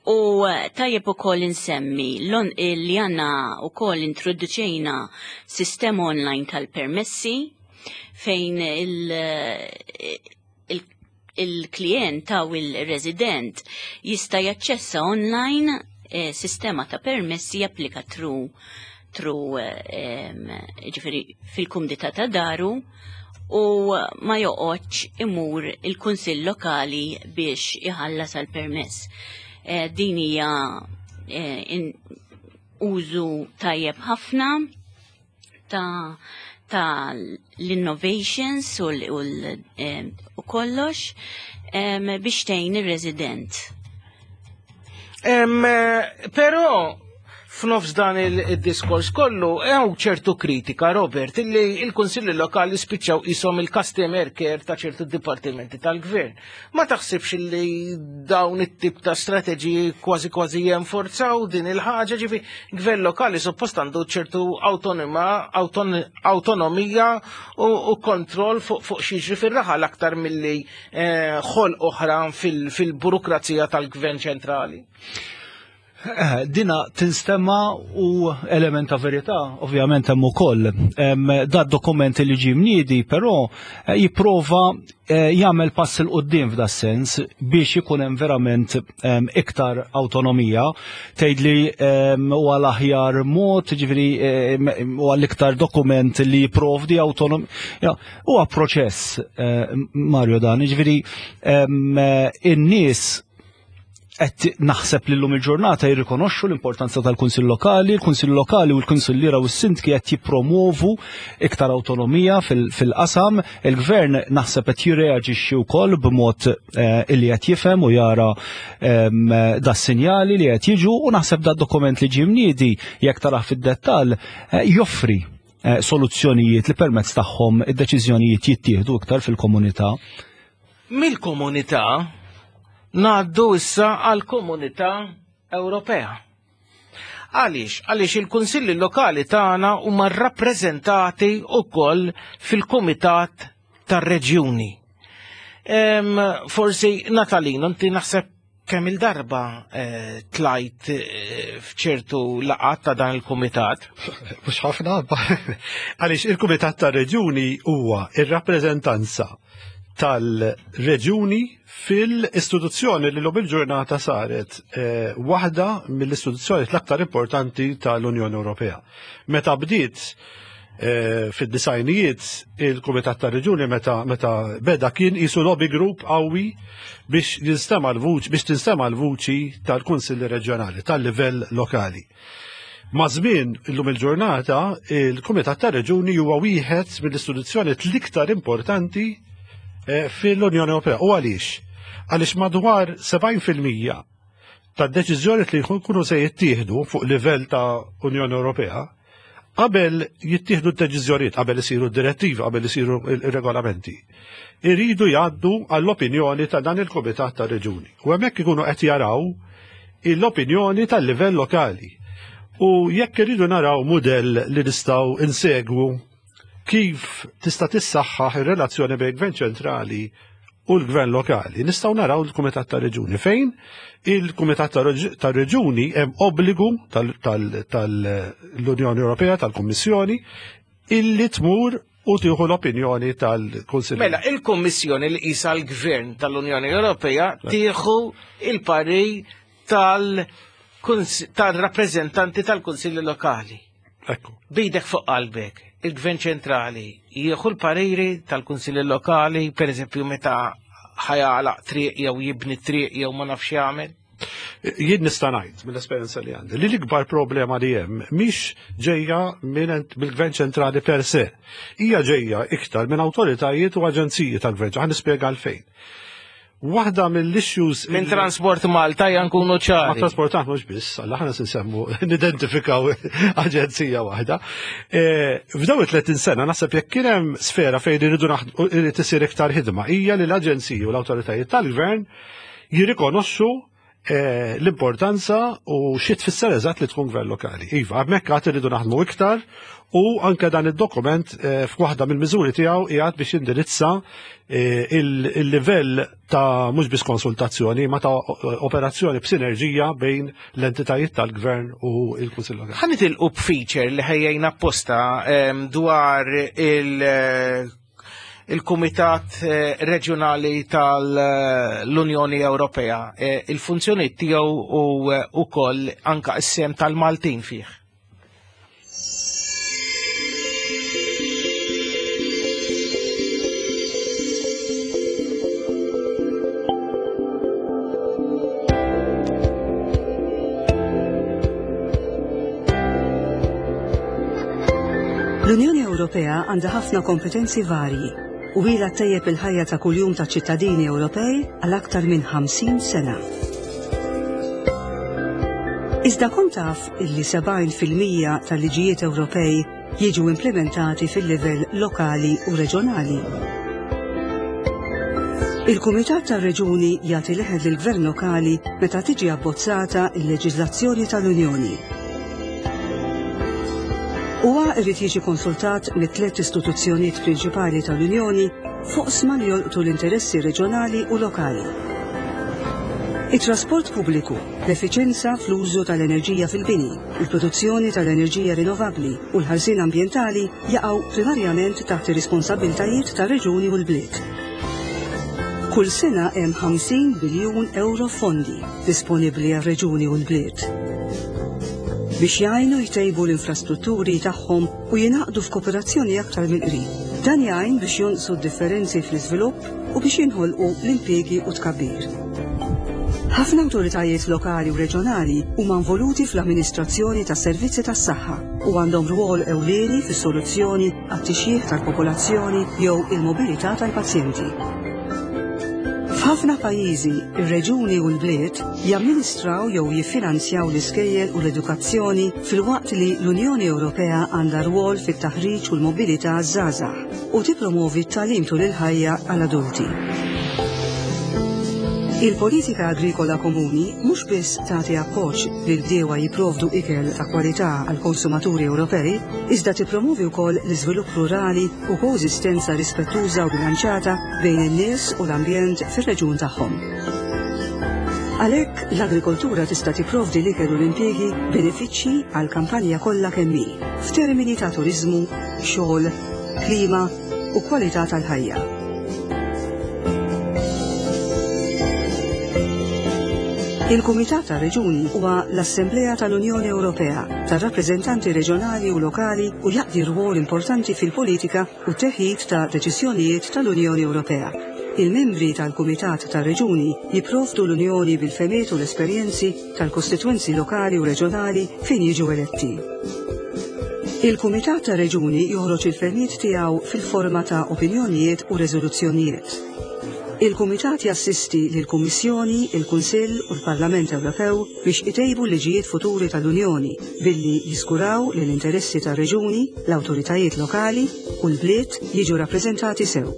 U tajjeb ukoll insemmi li għandna ukoll introduċejna sistema online tal-permessi fejn il-klient taw il-resident jista' jaċċessa online eh, sistema ta' permessi, japplika through through ġifieri fil-kumdità ta' daru u ma joqgħodx imur il-kunsill lokali biex iħallas għal permess. Eh, din hija eh, użu tajjeb ħafna ta' ta' l-innovations u, eh, u kollox biex tgħin ir-resident. Però f'nofs dan il-diskors kollu hemm ċertu kritika, Robert, illi il-Kunsilli Lokali spiċċaw qishom il-customer care ta' ċertu dipartimenti tal-gvern. Ma taħsibx li dawn it-tip ta' strateġiji kważi kważi jenforzaw din il-ħaġa? Ġifi gvern lokali suppost għandu ċertu autonoma, autonomija u, u kontroll fuq fu x'jiġri fir-raħal aktar milli eh, ħol oħra fil-burokrazija tal-gvern ċentrali. Eh, dina tinstema u element ta' verità, ovvjament hemm ukoll. Da dokument li ġie mniedi, però eh, jipprova eh, jagħmel pass 'il quddiem f'da sens biex ikun hemm verament iktar autonomija. Tgħidli huwa l-aħjar mod, ġifieri huwa l-iktar dokument li jipprovdi autonomija. Huwa proċess, Mario, dan, ġifieri in-nies Qed naħseb li llum il-ġurnata jirrikonoxxu l-importanza tal-Kunsill Lokali, il-Kunsill Lokali u l-Kunsilliera u s-Sindki qed jippromovu iktar awtonomija fil-qasam. Il-Gvern naħseb qed jirreaġixxi wkoll b'mod illi qed jifhem u jara da sinjali li qed jiġu, u naħseb da dokument li ġie mniedi jekk tarah fid-dettall joffri soluzzjonijiet li permezz tagħhom id-deċiżjonijiet jittieħdu iktar fil-komunità. Mill-komunità ngħaddu issa għall-Komunità Ewropea. Għaliex? Għaliex il-kunsilli lokali tagħna huma rrappreżentati wkoll fil-Kumitat tar-Reġjuni. Forsi Natalino, inti naħseb kemm il-darba eh, tlajt eh, f'ċertu laqgħat ta' dan il-kumitat? Mhux ħafna, għaliex il-Kumitat tar-Reġjuni huwa ir-rappreżentanza tal-reġjuni fil-istituzzjoni li l-lum il-ġurnata saret eh, waħda mill-istituzzjoni l-aktar importanti tal-Unjoni Ewropea. Meta bdiet eh, fid-disajnijiet il-Kumitat tar-Reġjuni meta, meta beda kien isu lobby group qawwi biex jinstema' l-vuċi, biex tinstema' l-vuċi tal-Kunsilli Reġjonali tal-livell lokali. Ma' żmien illum il-ġurnata il-Kumitat tar-Reġjuni huwa wieħed mill-istituzzjoni l-iktar importanti fil-Unjoni Ewropea. U għaliex? Għaliex madwar sebgħin fil-mija tad-deċiżjoni li jkunu se jittieħdu fuq livell ta' Unjoni Ewropea, qabel jittieħdu d-deċiżjonijiet, qabel isiru d-direttivi, qabel isiru il-regolamenti, iridu jgħaddu għall-opinjoni ta' dan il-Kumitat ta' Reġjuni. U hemmhekk ikunu qed jaraw l-opinjoni tal-livell lokali. U jekk iridu naraw mudell li nistgħu insegwu kif tista' tissaħħaħ ir-relazzjoni bejn gvern ċentrali u l-gvern lokali, nistgħu naraw il-Kumitat ta' Reġjuni fejn il-Kumitat ta' Reġjuni hemm obbligu tal-Unjoni Ewropea, tal-Kummissjoni, illi tmur u tieħu l-opinjoni tal-Kunsill. Mela, il-Kummissjoni li qisha l-Gvern tal-Unjoni Ewropea tieħu il-pari tal-rappreżentanti tal-Kunsilli Lokali. Ekku. Bidek fuq qalbek, il-Gvern ċentrali jieħu l-pariri tal-Kunsilli Lokali, per eżempju meta ħajalaq triq jew jibni triq jew ma nafx jagħmel? Jien nista' ngħid mill-esperjenza li għandi li l-ikbar problema li hemm mhix ġejja mill-Gvern ċentrali per se, hija ġejja iktar minn awtoritajiet u aġenziji tal-Gvern. Ħa nispjega għalfejn. Waħda mill-issues minn Transport Malta jankunu ċari. Ma Transport Malta mhux biss, alla ħana se nsemmu nidentifikaw aġenzija waħda. F'dawn it-tletin sena naħseb jekk kien hemm sfera fejn iridu irid isir iktar ħidma hija li l-aġenziji u l-awtoritajiet tal-gvern jirrikonoxxu l-importanza u xi tfisser eżatt li tkun gvern lokali. Iva, hemmhekk għad iridu naħdmu iktar u anke dan id-dokument f'waħda mill-miżuri tiegħu qiegħed biex jindirizza il-livell ta' mhux biss konsultazzjoni ma ta' operazzjoni b'sinerġija bejn l-entitajiet tal-gvern u l-Kunsill Lokali. Ħa nitilqu b'feature li ħejjejna apposta dwar il- il-Kumitat Reġjonali tal-Unjoni Ewropea, il-funzjoni tiegħu u wkoll anka s-sem tal-Maltin fih. L-Unjoni Ewropea għandha ħafna kompetenzi varji u ilha ttejjeb il-ħajja ta' kuljum ta' ċittadini Ewropej għal aktar minn ħamsin sena. Iżda kont taf illi sebgħin fil-mija tal-liġijiet Ewropej jiġu implementati fil-livell lokali u reġjonali. Il-Kumitat tar-Reġuni jagħti leħen lill-Gvern Lokali meta tiġi abbozzata l-leġiżlazzjoni tal-Unjoni. Huwa irid jiġi konsultat mit-tliet istituzzjonijiet prinċipali tal-Unjoni fuq sma li jolqtu l-interessi reġjonali u lokali. It-trasport pubbliku, l-effiċenza fl-użu tal-enerġija fil-bini, il-produzzjoni tal-enerġija rinnovabbli u l-ħarsien ambjentali jaqgħu primarjament taħt ir-responsabbiltajiet tar-reġuni u l-bliet. Kull sena hemm ħamsin biljun euro fondi disponibbli għar-reġuni u l-bliet biex jgħinu jtejbu l-infrastrutturi tagħhom u jingħaqdu f'kooperazzjoni aktar mill-qrib. Dan jgħin biex jonqsu d-differenzi fl-iżvilupp u biex jinħolqu l-impjiegi u tkabbir. Ħafna awtoritajiet lokali u reġjonali huma involuti fl-amministrazzjoni tas-servizzi tas-saħħa u għandhom rwol ewlieni fis-soluzzjoni għat-tixjih tal-popolazzjoni jew il-mobilità tal-pazjenti. F'ħafna pajjiżi, ir-reġuni u l-bliet jamministraw jew jiffinanzjaw l-iskejjel u l-edukazzjoni filwaqt li l-Unjoni Ewropea għandha rwol fit-taħriġ u l-mobilità żgħażagħ u tippromovi t-tagħlim tul il-ħajja għall-adulti. Il-politika agrikola komuni mhux biss tagħti appoġġ lil bdiewa jipprovdu ikel ta' kwalità għal konsumaturi Ewropej, iżda tippromovi wkoll l-iżvilupp rurali u koeżistenza rispettuża u bilanċata bejn in-nies u l-ambjent fir-reġjun tagħhom. Għalhekk l-agrikoltura tista' tipprovdi l-ikel u l-impjiegi benefiċċji għal kampanja kollha kemm hi, f'termini ta' turiżmu, xogħol, klima u kwalità tal-ħajja. Il-Kumitat tar-Reġuni huwa l-Assemblea tal-Unjoni Ewropea tar-rappreżentanti reġjonali u lokali u jaqdi rwol importanti fil-politika u t-teħid ta' deċiżjonijiet tal-Unjoni Ewropea. Il-membri tal-Kumitat tar-Reġuni jipprovdu l-Unjoni bil-fehmiet u l-esperjenzi tal-kostitwenzi lokali u reġjonali fejn jiġu eletti. Il-Kumitat tar-Reġuni joħroġ il-fehmiet tiegħu fil-forma ta' opinjonijiet u reżoluzzjonijiet. Il-Kumitat jassisti lill-Kummissjoni, il-Kunsill u l-Parlament Ewropew biex itejbu l-liġijiet futuri tal-Unjoni billi jiżguraw li l-interessi tar-reġuni, l-awtoritajiet lokali u l-bliet jiġu rappreżentati sew.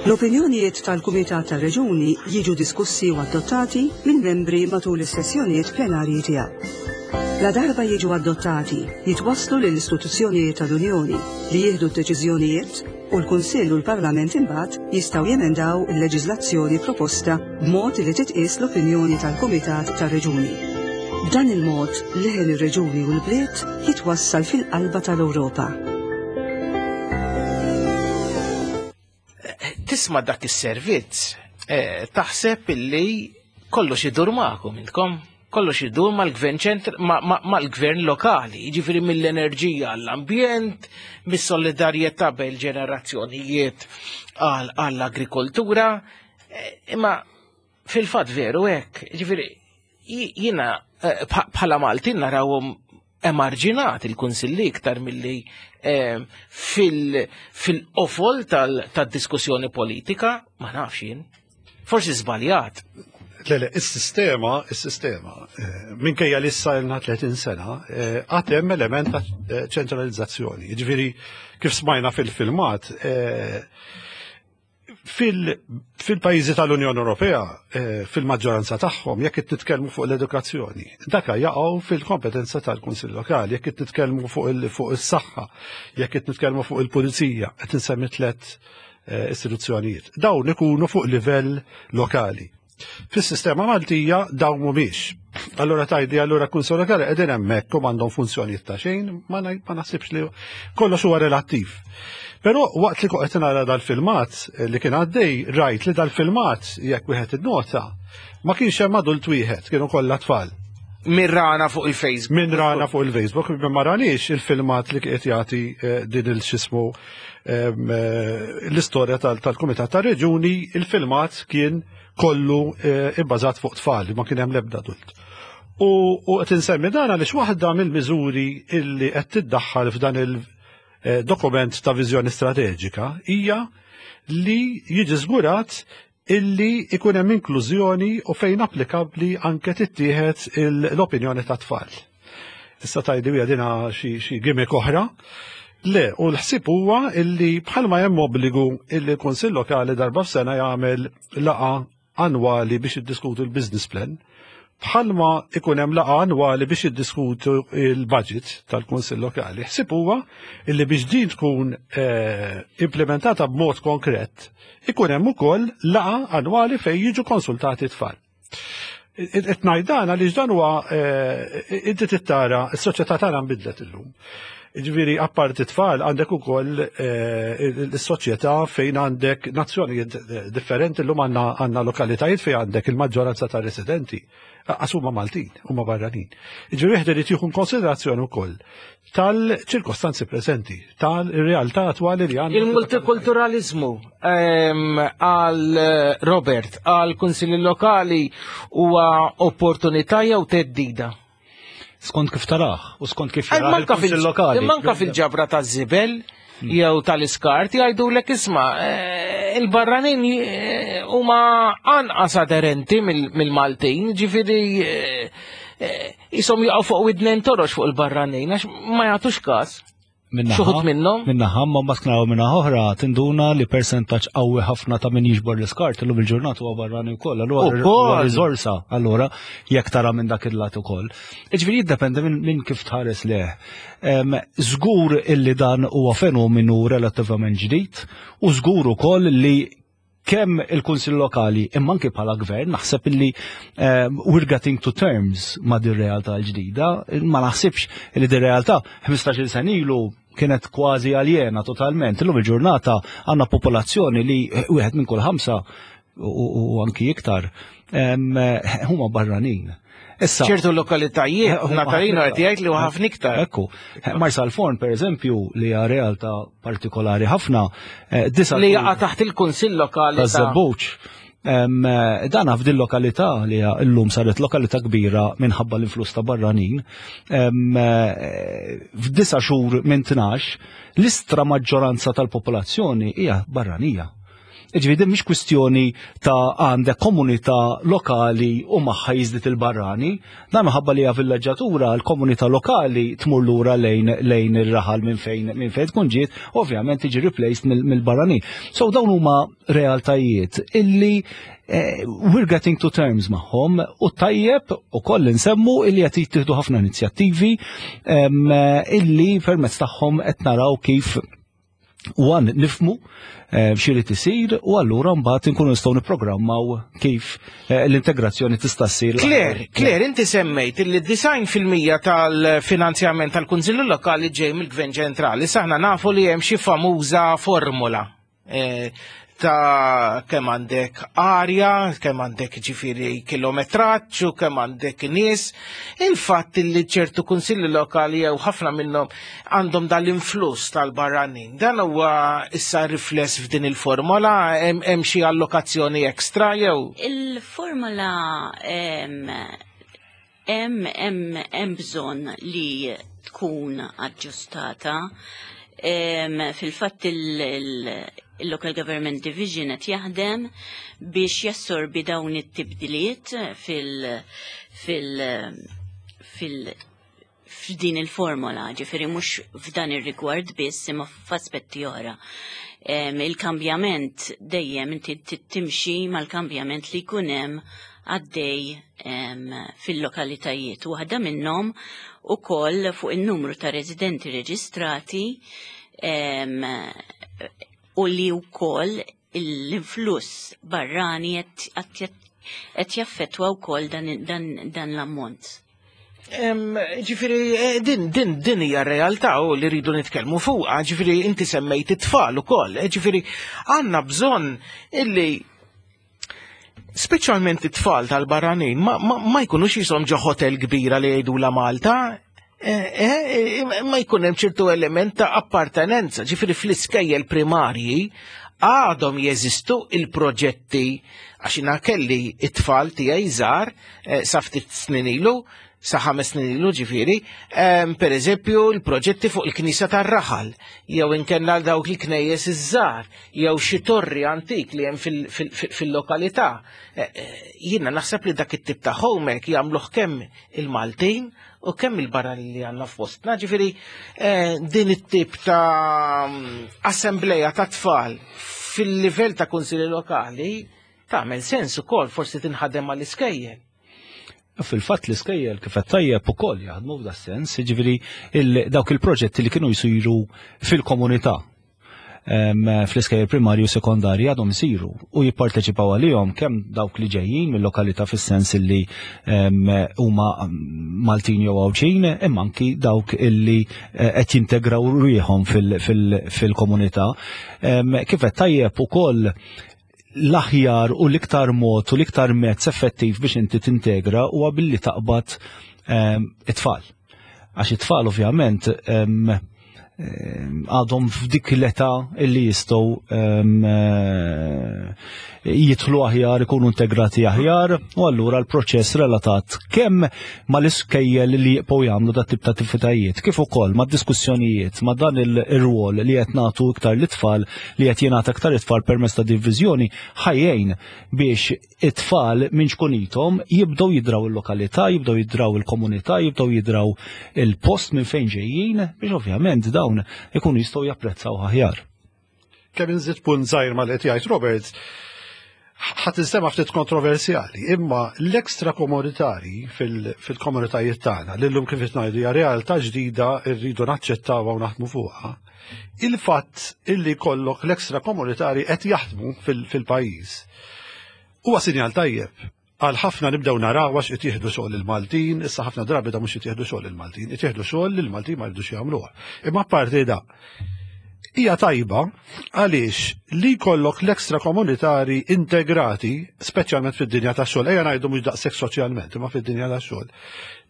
L-opinjonijiet tal-Kumitat tar-Reġuni jiġu diskussi u adottati minn membri matul is-sessjonijiet plenarji tiegħu. La darba jiġu adottati, jitwasslu lill-istituzzjonijiet tal-Unjoni li jieħdu d-deċiżjonijiet u l-Kunsill u l-Parlament imbagħad jistgħu jemendaw il-leġiżlazzjoni proposta b'mod li titqies l-opinjoni tal-Kumitat tar-Reġuni. B'dan il-mod, leħen ir-reġuni u l-bliet jitwassal fil-qalba tal-Ewropa. Tisma' dak is-servizz, eh, taħseb illi kollox idur magħkom intkom, kollox idur mal-gvern ċentr, mal-gvern lokali, jiġifieri mill-enerġija għall-ambjent, mis-solidarjetà bejn ġenerazzjonijiet għall-agrikoltura, imma fil-fatt veru hekk, jiġifieri jiena bħala Maltin narawhom emarġinat il-kunsilli iktar milli fil-qofol tad-diskussjoni politika, ma nafx jien. Forsi żbaljat. Le, le, is-sistema, is-sistema, minkejja li issa ilna tletin sena, għad hemm element ta' ċentralizzazzjoni. Jiġifieri kif smajna fil-filmat, fil-pajjiżi tal-Unjoni Ewropea, fil-maġġoranza tagħhom, jekk qed nitkellmu fuq l-edukazzjoni, dak jaqgħu fil-kompetenza tal-Kunsill Lokali, jekk qed nitkellmu fuq is-saħħa, jekk qed nitkellmu fuq il-pulizija, qed insemmi tliet istituzzjonijiet. Dawn ikunu fuq livell lokali. Fis-sistema Maltija dawn mhumiex. Allura tajdi, allura kunsill lokali qegħdin hemmhekk u m'għandhom funzjonijiet ta' xejn, ma naħsibx li kollox huwa relattiv. Però waqt li qed nara dal-filmat li kien għaddej, rajt li dal-filmat jekk wieħed innota, ma kienx hemm adult wieħed, kienu kollha tfal. Min rana fuq il-Facebook. Min rana fuq il-Facebook, ma ranix il-filmat li qed jagħti din il-xismu l-istorja tal-Kumitat tar-Reġuni, il-filmat kien kollu ibbażat fuq tfal, ma kien hemm l-ebda adult. U qed insemmi dan għaliex waħda mill-miżuri illi qed tiddaħħal f'dan il-dokument ta' viżjoni strateġika hija li jiġi żgurat illi ikun hemm inklużjoni u fejn applikabbli anke tittieħed l-opinjoni ta' tfal. Issa tajdi hija dina xi gimmick oħra. Le, u l-ħsieb huwa illi bħalma hemm obbligu illi l-Kunsill Lokali darba f'sena jagħmel laqgħa annwali biex jiddiskutu l-business plan, bħalma ikun hemm laqgħa annwali biex jiddiskutu il-budget tal-Kunsill Lokali. Ħsieb huwa illi biex din tkun implementata b'mod konkret, ikun hemm ukoll laqgħa annwali fejn jiġu konsultati tfal. Qed ngħid dan għaliex dan huwa inti tittara s-soċjetà tagħna nbidlet illum. Ġifieri, apparti tfal, għandek ukoll eh, il-soċjetà fejn għandek nazzjonijiet eh, differenti. Llum għandna għandna lokalitajiet fejn għandek il-maġġoranza ta' residenti għax huma Maltin, huma barranin. Ġifieri wieħed irid jieħu konsiderazzjoni wkoll tal-ċirkostanzi preżenti, tal-realtà attwali li għandna. Il-multikulturalizmu ehm, għal eh, Robert, għal kunsilli lokali huwa opportunità jew theddida? Skont kif tarah u skont kif Eh, jarah Manka il-Kunsill fil- lokali. Manka fil-ġabra ta' żibel jew tal-iskart jgħidulek, isma', eh, il-barranin eh, huma anqas aderenti mill- mill-Maltin, ġifieri eh, eh, jisom jaqgħu fuq widnejn torox fuq il-barranin għax ma jagħtux każ. Minn naħa, Xi wħud minnhom? Minn naħa, ma mbagħad minn naħa oħra tinduna li percentaġġ qawwi ħafna ta' min jiġbor l-iskart illum il-ġurnata huwa barrani wkoll, allura Ukoll. huwa riżorsa, allura jekk tara minn dak il-lat ukoll. Jiġifieri jiddependi minn min kif tħares leh. Em, Żgur illi dan huwa fenomenu relattivament ġdid u żgur ukoll li kemm il-Kunsill Lokali imma anke bħala gvern naħseb illi um, we're getting to terms ma' din realtà l-ġdida. Ma naħsibx li din realtà ħmistax-il sena ilu kienet kważi aljena totalment. Illum il-ġurnata għandna popolazzjoni li wieħed minn kull ħamsa u, u, u anki iktar em, huma barranin. Issa, ċertu lokalitajiet, Huma Natalino ħafna qed jgħid li huwa ħafna iktar. Ekku, Marsalforn per eżempju, li hija realtà partikolari ħafna, eh, disa' Li jaqa' taħt il-kunsill lokali ta' taż-Żebbuġ. Em, eh, Dan f'din lokalità li hija llum saret lokalità kbira minħabba l-influss ta' barranin. em, eh, F'disa' xhur minn tnax, l-istra maġġoranza tal-popolazzjoni hija barranija. Ġifieri din mhix kwistjoni ta' għandek komunità lokali u magħha jiżdied il-barrani, dan minħabba li hija villaġġatura, l-komunità lokali tmur lura lejn lejn ir-raħal minn fejn minn fejn tkun ġiet, ovvjament tiġi replaced mill- mill-barranin. So dawn huma realtajiet illi eh, we're getting to terms magħhom u tajjeb ukoll nsemmu illi qed jittieħdu ħafna inizjattivi em, illi permezz tagħhom qed naraw kif one nifhmu eh, x'irid isir u allura mbagħad inkunu nistgħu nipprogrammaw kif eh, l-integrazzjoni tista' ssir. Claire, Claire, inti semmejt li disgħin fil-mija tal-finanzjament tal-Kunsillu Lokali ġej mill-Gvern Ċentrali. Aħna nafu li hemm xi famuża formula eh, ta' kemm għandek arja, kemm għandek ġifieri kilometraġġ u kemm għandek nies. Il-fatt li ċertu kunsilli lokali jew ħafna minnhom għandhom dal-influss tal-barranin. Dan huwa issa rifless f'din il-formola, hemm hemm xi allokazzjoni ekstra jew Il-formola em, hemm hemm hemm bżonn li tkun aġġustata. Em, Fil-fatt il-Local Government Division qed jaħdem biex jassorbi dawn it-tibdiliet fil- fil- fil- f'din il-formola, ġifieri mhux f'dan ir-rigward biss imma f'aspetti oħra. Em, Il-kambjament dejjem inti timxi mal-kambjament li jkun hemm għaddej em, fil-lokalitajiet. Waħda minnhom ukoll fuq in-numru ta' residenti reġistrati em, u li wkoll l-influss barrani qed qed jaffettwa wkoll dan, dan, dan l-ammont. Em, Ġifieri, eh, din, din, din hija realtà u li rridu nitkellmu fuqha, ġifieri inti semmejt it-tfal ukoll, eh, ġifieri għandna bżonn illi speċjalment it-tfal tal-barranin ma, ma, ma jkunux jisom ġo hotel kbira li jgħidu la Malta, eh, eh, ma jkun hemm ċertu element ta' appartenenza, ġifieri fl-iskejjel primarji għadhom jeżistu il-proġetti, għax jiena kelli it-tfal tiegħi żgħar eh, sa ftit snin ilu, sa ħames snin ilu ġifieri, em, per eżempju il-proġetti fuq il-Knisja tar-Raħal, jew inkella dawk il-knejjes iż-żgħar, jew xi torri antik li hemm fil- fil- fil- fil-lokalità. Eh, eh, Jiena naħseb li dak it-tip ta' homework jagħmluh kemm il-Maltin u kemm il-barranin li għandna fostna. Ġifieri eh, din it-tip ta' assembleja ta' tfal fil-livell ta' kunsilli lokali tagħmel sens ukoll, forsi tinħadem mal-iskejjel. Fil-fatt l-iskejjel kif qed tajjeb ukoll jaħdmu f'da sens, jiġifieri il- dawk il-proġetti li kienu jsiru fil-komunità. fl-iskejjel primarju u sekondarji għadhom isiru u jipparteċipaw għalihom kemm dawk li ġejjin mill-lokalità fis-sens illi huma Maltin jew Għawdxin, imma anki dawk illi eh, qed jintegraw ruħhom fil-komunità. Kif qed tajjeb ukoll, l-aħjar u l-iktar mod u l-iktar mezz effettiv biex inti tintegra huwa billi taqbad it-tfal. Għax it-tfal ovvjament għadhom f'dik l-età illi jistgħu eh, jidħlu aħjar, ikunu integrati aħjar, u allura l-proċess relatat kemm mal-iskejjel li jibqgħu jagħmlu dat tip ta' attivitajiet, kif ukoll ma' diskussjonijiet, ma' dan il-rwol li qed nagħtu iktar l-itfal, li qed jingħata iktar it-tfal permezz ta' diviżjoni, ħa jgħin biex it-tfal minn ċkunithom jibdew jidraw il-lokalità, jibdew jidraw il-komunità, jibdew jidraw il-post minn fejn ġejjin, biex ovvjament dawn ikunu jistgħu japprezzaw aħjar. Kemm inżid punt żgħir ma' li qed jgħid Robert, ħa tinstema' ftit kontroversjali, imma l-ekstra komunitari fil-komunitajiet tagħna, li llum kif qed ngħidu hija realtà ġdida, rridu naċċettawha u naħdmu fuqha. Il-fatt illi kollok l-ekstra komunitari qed jaħdmu fil-pajjiż huwa sinjal tajjeb. Għal ħafna nibdew naraw għax qed jieħdu xogħol il-Maltin, issa ħafna drabi da mhux qed jieħdu xogħol il-Maltin, qed jieħdu xogħol li l-Maltin ma jridux jagħmluha. Imma apparti da, hija tajba għaliex li jkollok l-ekstra komunitari integrati, speċjalment fid-dinja tax-xogħol, ejja ngħidu mhux daqshekk soċjalment, imma fid-dinja tax-xogħol.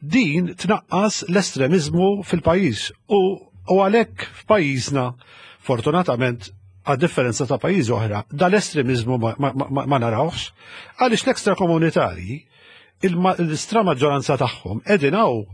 Din tnaqqas l-estremiżmu fil-pajjiż u u għalhekk f'pajjiżna, fortunatament, għad differenza ta' pajjiżi oħra, dal-estremizmu ma, ma, ma, ma narawx, għaliex l-ekstra komunitari, l-istra maġġoranza tagħhom qegħdin hawn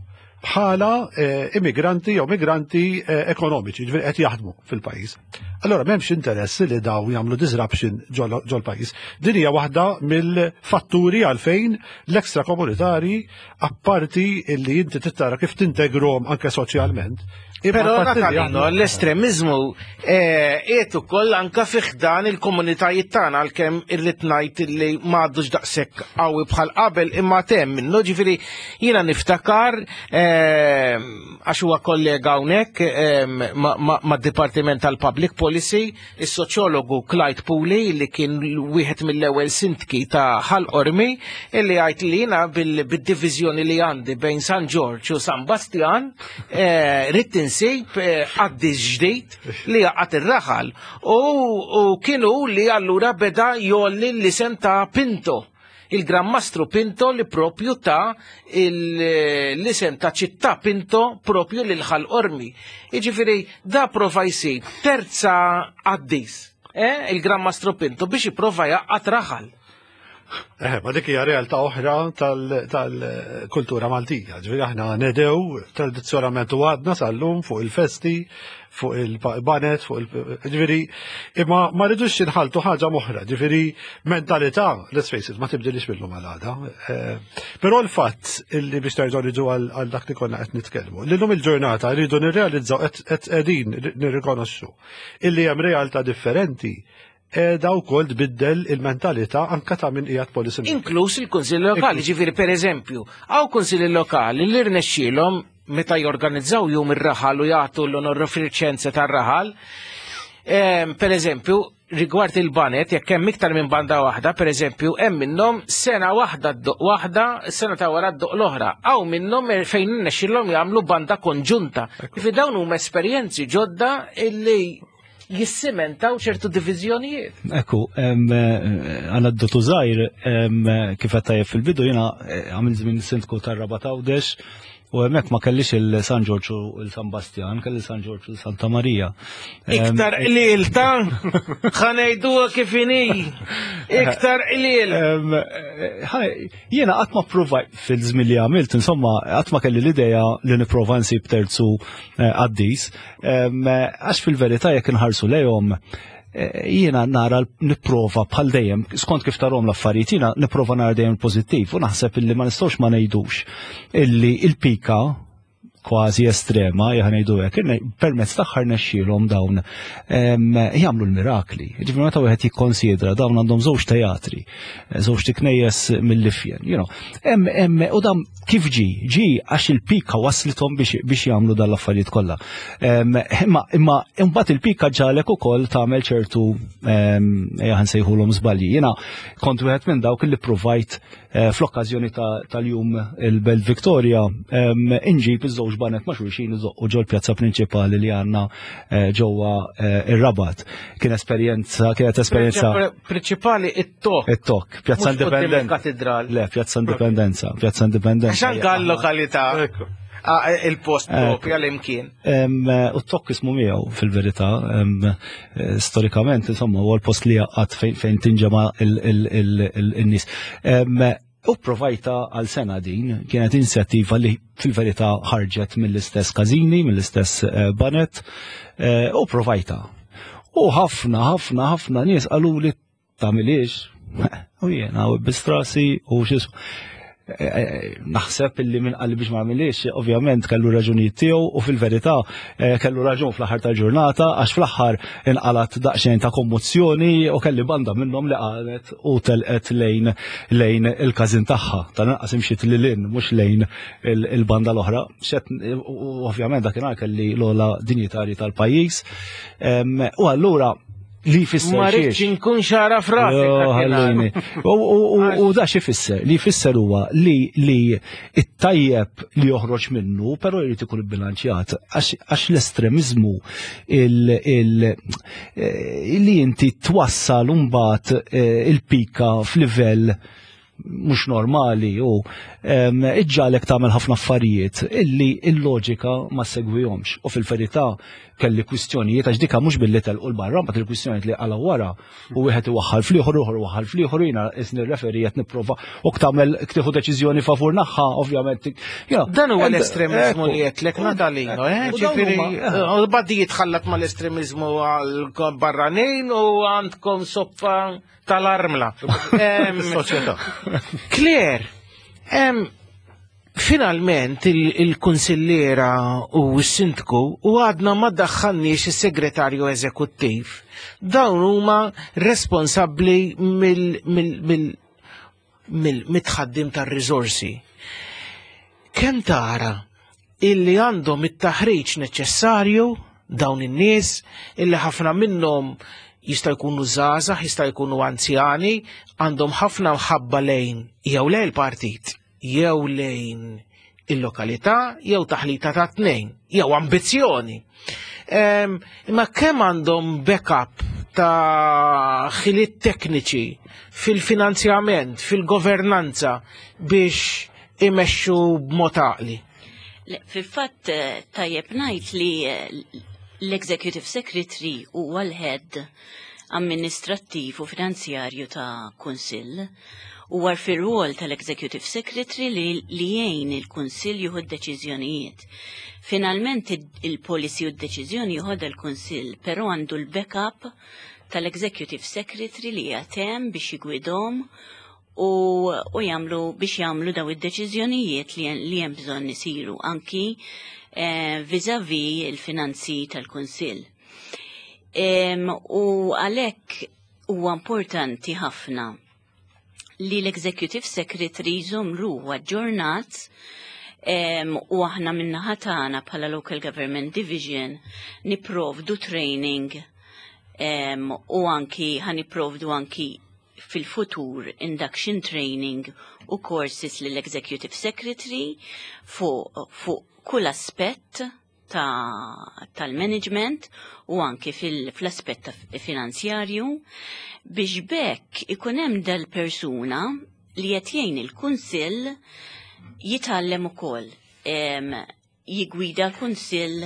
bħala eh, immigranti jew migranti eh, ekonomiċi, ġifieri qed jaħdmu fil-pajjiż. Allora m'hemmx interess li daw jagħmlu disruption ġol pajjiż. Din hija waħda mill-fatturi għalfejn l-ekstra komunitari, apparti illi inti tittara kif tintegrom anke soċjalment. Però, Natalino, l-estremizmu qiegħed ukoll anka fi ħdan il-komunitajiet tagħna, għalkemm irrid ngħid li m'għadux daqshekk qawwi bħal qabel, imma hemm minnu. Ġifieri jiena niftakar, eh, għax huwa kollega hawnhekk eh, mad-Dipartiment tal-Public Policy, is-soċjologu Clyde Puli, li kien wieħed mill-ewwel sindki ta' Ħal Qormi, illi għajt li jiena bil-diviżjoni li għandi bejn San Ġorġ u San Bastian eh, ridt insib qaddis ġdid li jgħaqqad ir-raħal u u kienu li allura beda jgħolli l-isem ta' Pinto, il-Gran Mastru Pinto, li propju ta' l-isem ta' ċittà Pinto propju lil Ħal Qormi. Iġifiri, da prova jsib terza qaddis, eh, il-Gran Mastru Pinto, biex jipprova jgħaqqad raħal. Eh, ma dik hija realtà oħra tal-kultura Maltija. Ġifieri aħna nedew tradizzjonalment u għadna sal-lum fuq il-festi, fuq il-banet, fuq il ġifieri, imma ma rridux inħaltu ħaġa m'oħra, ġifieri mentalità, let's face it, ma tibdilix mill-lum għal għada. Eh, però l-fatt illi biex terġgħu niġu għal dak li konna qed nitkellmu, li llum il-ġurnata rridu nirrealizzaw, qed qegħdin nirrikonoxxu illi hemm realtà differenti da wkoll tbiddel il-mentalità anka ta' min qiegħed policy maker. Inkluż il-Kunsilli Lokali, ġifieri per eżempju, hawn kunsilli lokali li rnexxielhom meta jorganizzaw jum ir-raħal u jagħtu l-onorifiċenza tar-raħal, em, per eżempju, rigward il-banet, jekk hemm iktar minn banda waħda, per eżempju, hemm minnhom sena waħda ddoqq waħda, sena ta' wara ddoqq l-oħra. Hawn minnhom fejn nexxilhom jagħmlu banda konġunta. Ġifieri dawn huma esperjenzi ġodda illi jissimentaw ċertu diviżjonijiet. Ekku, aneddotu żgħir, kif qed tajjeb fil-bidu, jiena eh, għamil żmien sindku tar-Rabat Għawdex u hemmhekk ma kellix il-San Ġorġ u il-San Bastian, kelli San Ġorġ u Santa Marija. Em, Iktar qliel ta' ħa ngħidu kif inhi. Iktar qliel. Em, eh, ħaj, jiena qatt ma pprovaj fil-żmien li għamilt, insomma, qatt ma kelli l-idea li nipprova nsib terzu eh, qaddis, Em, eh, għax fil-verità jekk inħarsu lejhom, eh, jiena nara nipprova bħal dejjem, skont kif tarahom l-affarijiet, jiena nipprova nara dejjem pożittiv u naħseb illi ma nistgħux ma ngħidux illi il-pika kważi estrema, ħa ngħidu hekk, permezz tagħha rnexxielhom dawn jagħmlu l-mirakli. Ġifieri meta wieħed jikkonsidra dawn għandhom żewġ teatri, żewġ knejjes mill-ifjen, you know. Hemm hemm u dan kif ġi? Ġi għax il-pika waslithom biex biex jagħmlu dan l-affarijiet kollha. Imma imma imbagħad il-pika ġalek ukoll tagħmel ċertu ejja nsejħulhom żbalji. Jiena kont wieħed minn dawk li provajt fl-okkażjoni tal-jum il-Belt Victoria inġib iż-żewġ baned ma' xulxin iżoqqu ġol pjazza prinċipali li għandna ġewwa ir-Rabat. Kien esperjenza, kienet esperjenza prinċipali it-Tokk. It-Tokk, Pjazza Indipendenza. Katedral. Le, Pjazza Indipendenza, Pjazza Indipendenza. Għax anka l-lokalità il-post propja l-imkien. U t-Tokk ismu miegħu fil-verità, storikament, insomma, huwa l-post li jaqgħad fejn tinġema' il-nies. U provajta għal sena din, kienet inizjattiva li fil-verità ħarġet mill-istess każini, mill-istess baned, u provajta. U ħafna, ħafna, ħafna nies qalu li tagħmilix, u jiena u bistrasi u x'ismu. Naħseb illi minn qalli biex ma nagħmilix, ovvjament kellu raġunijiet tiegħu u fil-verità kellu raġun fl-aħħar tal-ġurnata għax fl-aħħar inqalat daqsxejn ta' kommozzjoni u kelli banda minnhom li qalet u telqet lejn lejn il-każin tagħha. Tal-inqas imxiet lil hinn mhux lejn il-banda l-oħra. U ovvjament dakinhar kelli l-ogħla dinjitari tal-pajjiż. U allura li jfisser Ma rridx inkun xara frasek. U da xi jfisser? Li jfisser huwa li li it-tajjeb li joħroġ minnu, però jrid ikun ibbilanċjat għax l-estremiżmu li inti twassal mbagħad il-pika f'livell mhux normali u iġġalek tagħmel ħafna affarijiet illi il-loġika ma segwihomx. U fil-verità kelli kwistjonijiet għax dika mhux billi telqu l-barra, mbagħad il-kwistjonijiet li qala wara u wieħed iwaħħal fl-ieħor, ieħor iwaħħal fl-ieħor, jiena isni referi qed nipprova u tagħmel tieħu deċiżjoni favur naħħa, ovvjament. Dan huwa l-estremiżmu li qedlek Natalino, eh? Ġifieri badi jitħallat mal-estremiżmu għal barranin u għandkom soppa tal-armla. Soċjetà. Claire, finalment il-kunsillera u s-sindku u għadna ma daħħalniex is-segretarju eżekuttiv. Dawn huma responsabbli mill-mitħaddim tar-riżorsi. Kemm tara illi għandhom it-taħriġ neċessarju dawn in-nies illi ħafna minnhom jista' jkunu żgħażagħ, jista' jkunu anzjani, għandhom ħafna mħabba lejn jew lejn il-partit, jew lejn il-lokalità, jew taħlita ta' tnejn, jew ambizzjoni. Imma kemm għandhom backup ta' ħiliet tekniċi fil-finanzjament, fil-governanza biex imexxu b'mod għaqli? Fil-fatt tajjeb ngħid li l-Executive Secretary huwa l-head amministrattiv u finanzjarju ta' kunsill. U għar fir-rwol tal-Executive Secretary li, li jgħin il-Kunsill jieħu d-deċiżjonijiet. Finalment il-policy u d-deċiżjoni jieħodha l-Kunsill, però għandu l-backup tal-Executive Secretary li jagħtem biex jigwidhom u, u jagħmlu biex jagħmlu daw id-deċiżjonijiet li, li hemm bżonn isiru anki eh, vis-à-vis il-finanzi tal-Kunsill. U għalhekk huwa importanti ħafna li l-Executive Secretary jżomm ruħu aġġornat u aħna min-naħa tagħna bħala Local Government Division niprovdu training u anki ħa nipprovdu anki fil-futur induction training u courses lill-Executive Secretary fuq fu kull aspett tal-management u anki fil-aspett finanzjarju biex bekk ikun hemm dal-persuna li qed jgħin il-Kunsill jitgħallem ukoll jigwida l-Kunsill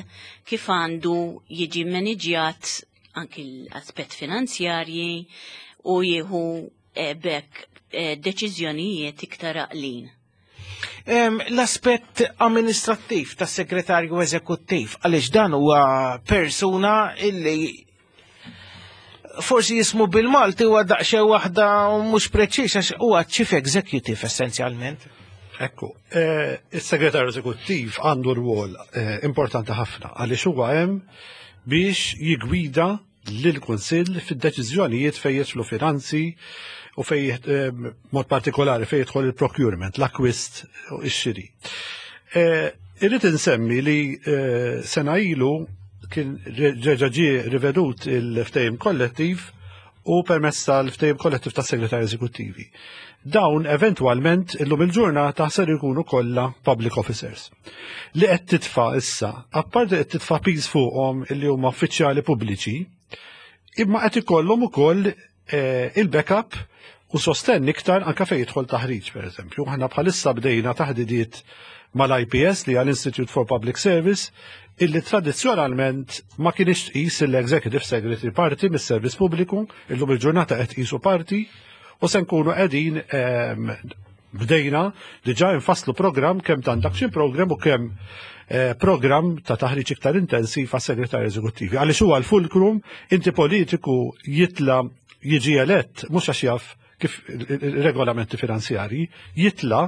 kif għandu jiġi maniġjat anki l-aspett finanzjarji u jieħu bekk deċiżjonijiet iktar għaqlin. L-aspett amministrattiv tas segretarju eżekuttiv, għaliex dan huwa persuna illi forsi jismu bil-Malti huwa daqsxejn waħda mhux preċiż għax huwa chief executive essenzjalment. Ekku, eh, il-segretarju eżekuttiv għandu rwol eh, importanti ħafna għaliex huwa hemm biex jigwida lill-Kunsill fid-deċiżjonijiet fejn jidħlu finanzi u fej eh, mod partikolari fejn jidħol il-procurement, l-akwist u x-xiri. Eh, Irrid insemmi li eh, sena ilu kien reġa' ġie rivedut il-ftehim kollettiv u permezz tal-ftehim kollettiv tas-segretarji eżekuttivi. Dawn eventwalment illum il-ġurnata ser ikunu kollha public officers. Li qed titfa' issa, apparti qed titfa' piż fuqhom illi huma uffiċjali pubbliċi, imma qed ikollhom ukoll eh, il-backup u sostenn iktar anka fejn jidħol taħriġ, pereżempju. Aħna bħalissa bdejna taħdidiet mal-I P S, li għal Institute for Public Service, illi tradizzjonalment ma kienx tqis l-Executive Secretary parti mis-servizz pubbliku. Illum il-ġurnata qed tqisu parti u se nkunu qegħdin ehm, bdejna diġà nfasslu program, kemm ta' induction program u kemm eh, program ta' taħriġ iktar intensiv għas segretarji eżekuttivi. Għaliex huwa l-fulcrum. Inti politiku jitla jiġi elett mhux għax jaf kif il-regolamenti finanzjari, jitla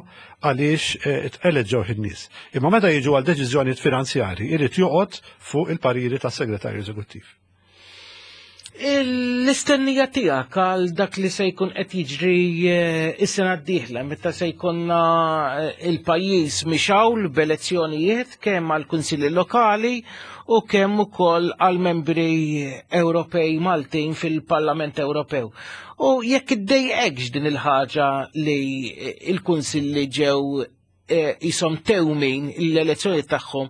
għaliex eh, eleġġew in-nies. Imma meta jiġu għal deċiżjonijiet finanzjari, irid joqgħod fuq il-pariri tas-segretarju eżekuttiv. L-istennija tiegħek għal dak li se jkun qed jiġri eh, is-sena d-dieħla, meta se jkollna eh, il-pajjiż mixgħul b'elezzjonijiet kemm għal kunsilli lokali u kemm ukoll għal membri Ewropej Maltin fil-Parlament Ewropew. U jekk iddejqekx din il-ħaġa li il-kunsilli ġew eh, jisom tewmin l-elezzjoni tagħhom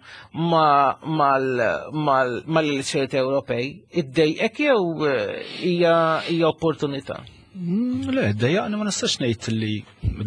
mal-elezzjoni Ewropej, iddejqek jew eh, hija hija opportunità? Mm, Le, dejjaqni ma nistax ngħid li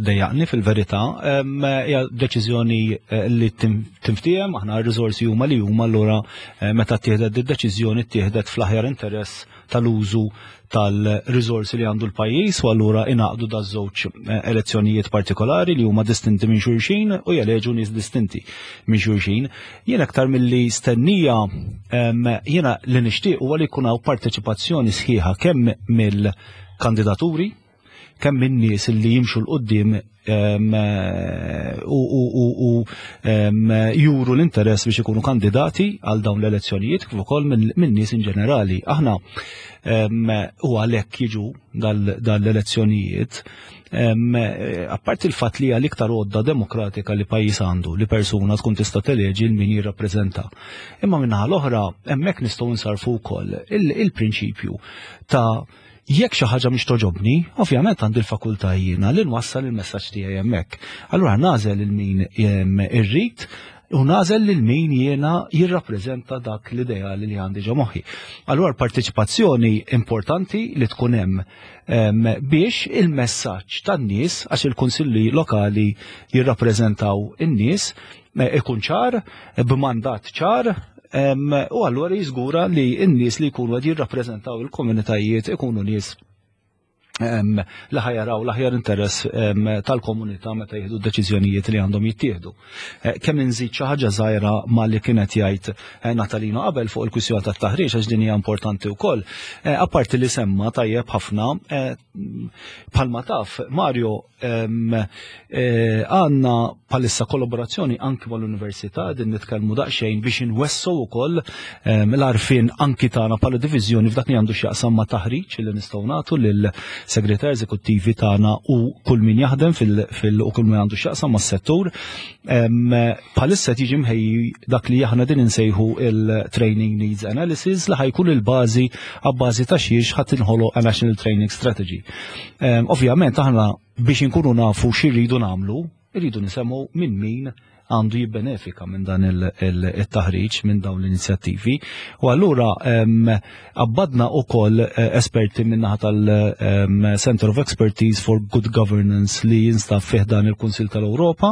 dejjaqni fil-verità, Em, hija deċiżjoni eh, li tim- tinftiehem, aħna r-riżorsi huma li huma, allura eh, meta ttieħdet id-deċiżjoni, ttieħdet fl-aħjar interess tal-użu tal-riżorsi li għandu l-pajjiż u allura ingħaqdu da żewġ eh, elezzjonijiet partikolari li huma distinti minn xulxin u jeleġu nies distinti minn xulxin. Jien aktar milli stennija, em, jiena li nixtieq huwa li jkun hawn parteċipazzjoni sħiħa kemm mill-kandidaturi, kemm minn nies li jimxu 'l quddiem em, eh, u, u, u, u em, juru l-interess biex ikunu kandidati għal dawn l-elezzjonijiet, kif ukoll minn min nies in ġenerali. Aħna em, u għalhekk jiġu dal-elezzjonijiet, em, eh, apparti il-fatt li hija l-iktar għodda demokratika li pajjiż għandu, li persuna tkun tista' teleġi 'l min jirrappreżenta. Imma minnaħa l-oħra hemmhekk nistgħu nsarfu wkoll il- il-prinċipju ta' jekk xi ħaġa mhix toġobni, ovvjament għandi l-fakultà jiena li nwassal il-messaġġ tiegħi hemmhekk. Allura nagħżel lil min em, irrid u nagħżel lil min jiena jirrappreżenta dak l-ideali li għandi ġo moħħi. Allura l-parteċipazzjoni importanti li tkun hemm em, biex il-messaġġ tan-nies, għax il-kunsilli lokali jirrappreżentaw in-nies, eh, ikun ċar, b'mandat ċar, em, u allura jiżgura li n-nies li jkunu qed jirrappreżentaw il-komunitajiet ikunu nies em, li ħa jaraw l-aħjar interess em, tal-komunità meta jieħdu deċiżjonijiet li għandhom jittieħdu. Eh, Kemm inżid xi ħaġa żgħira ma li kienet jgħid eh, Natalino qabel fuq il-kwistjoni tat-taħriġ, għax din hija importanti wkoll. Eh, Apparti li semma tajjeb ħafna, eh, bħalma taf Mario, em, eh, għandna bħalissa kollaborazzjoni anki mal-università, din nitkellmu daqsxejn biex inwessu wkoll em, l-għarfien anki tagħna bħala diviżjoni f'dak li għandu x'jaqsam ma' taħriġ li nistgħu nagħtu lil segretar eżekuttivi tagħna u kull min jaħdem fil, fil u kull min għandu x'jaqsam mas-settur. Em, Bħalissa tiġi mħejji dak li aħna din insejħu il-Training Needs Analysis, li ħa jkun il-bażi għabbażi ta' xiex ħa tinħoloq a National Training Strategy. Em, Ovvjament aħna biex inkunu nafu x'irridu nagħmlu, irridu nisimgħu minn min għandu jibbenefika minn dan il-taħriġ, minn dawn l-inizjattivi. U allura em, abbadna u koll esperti minnaħa tal-Center of Expertise for Good Governance li jinstab fih dan il-Kunsil tal-Europa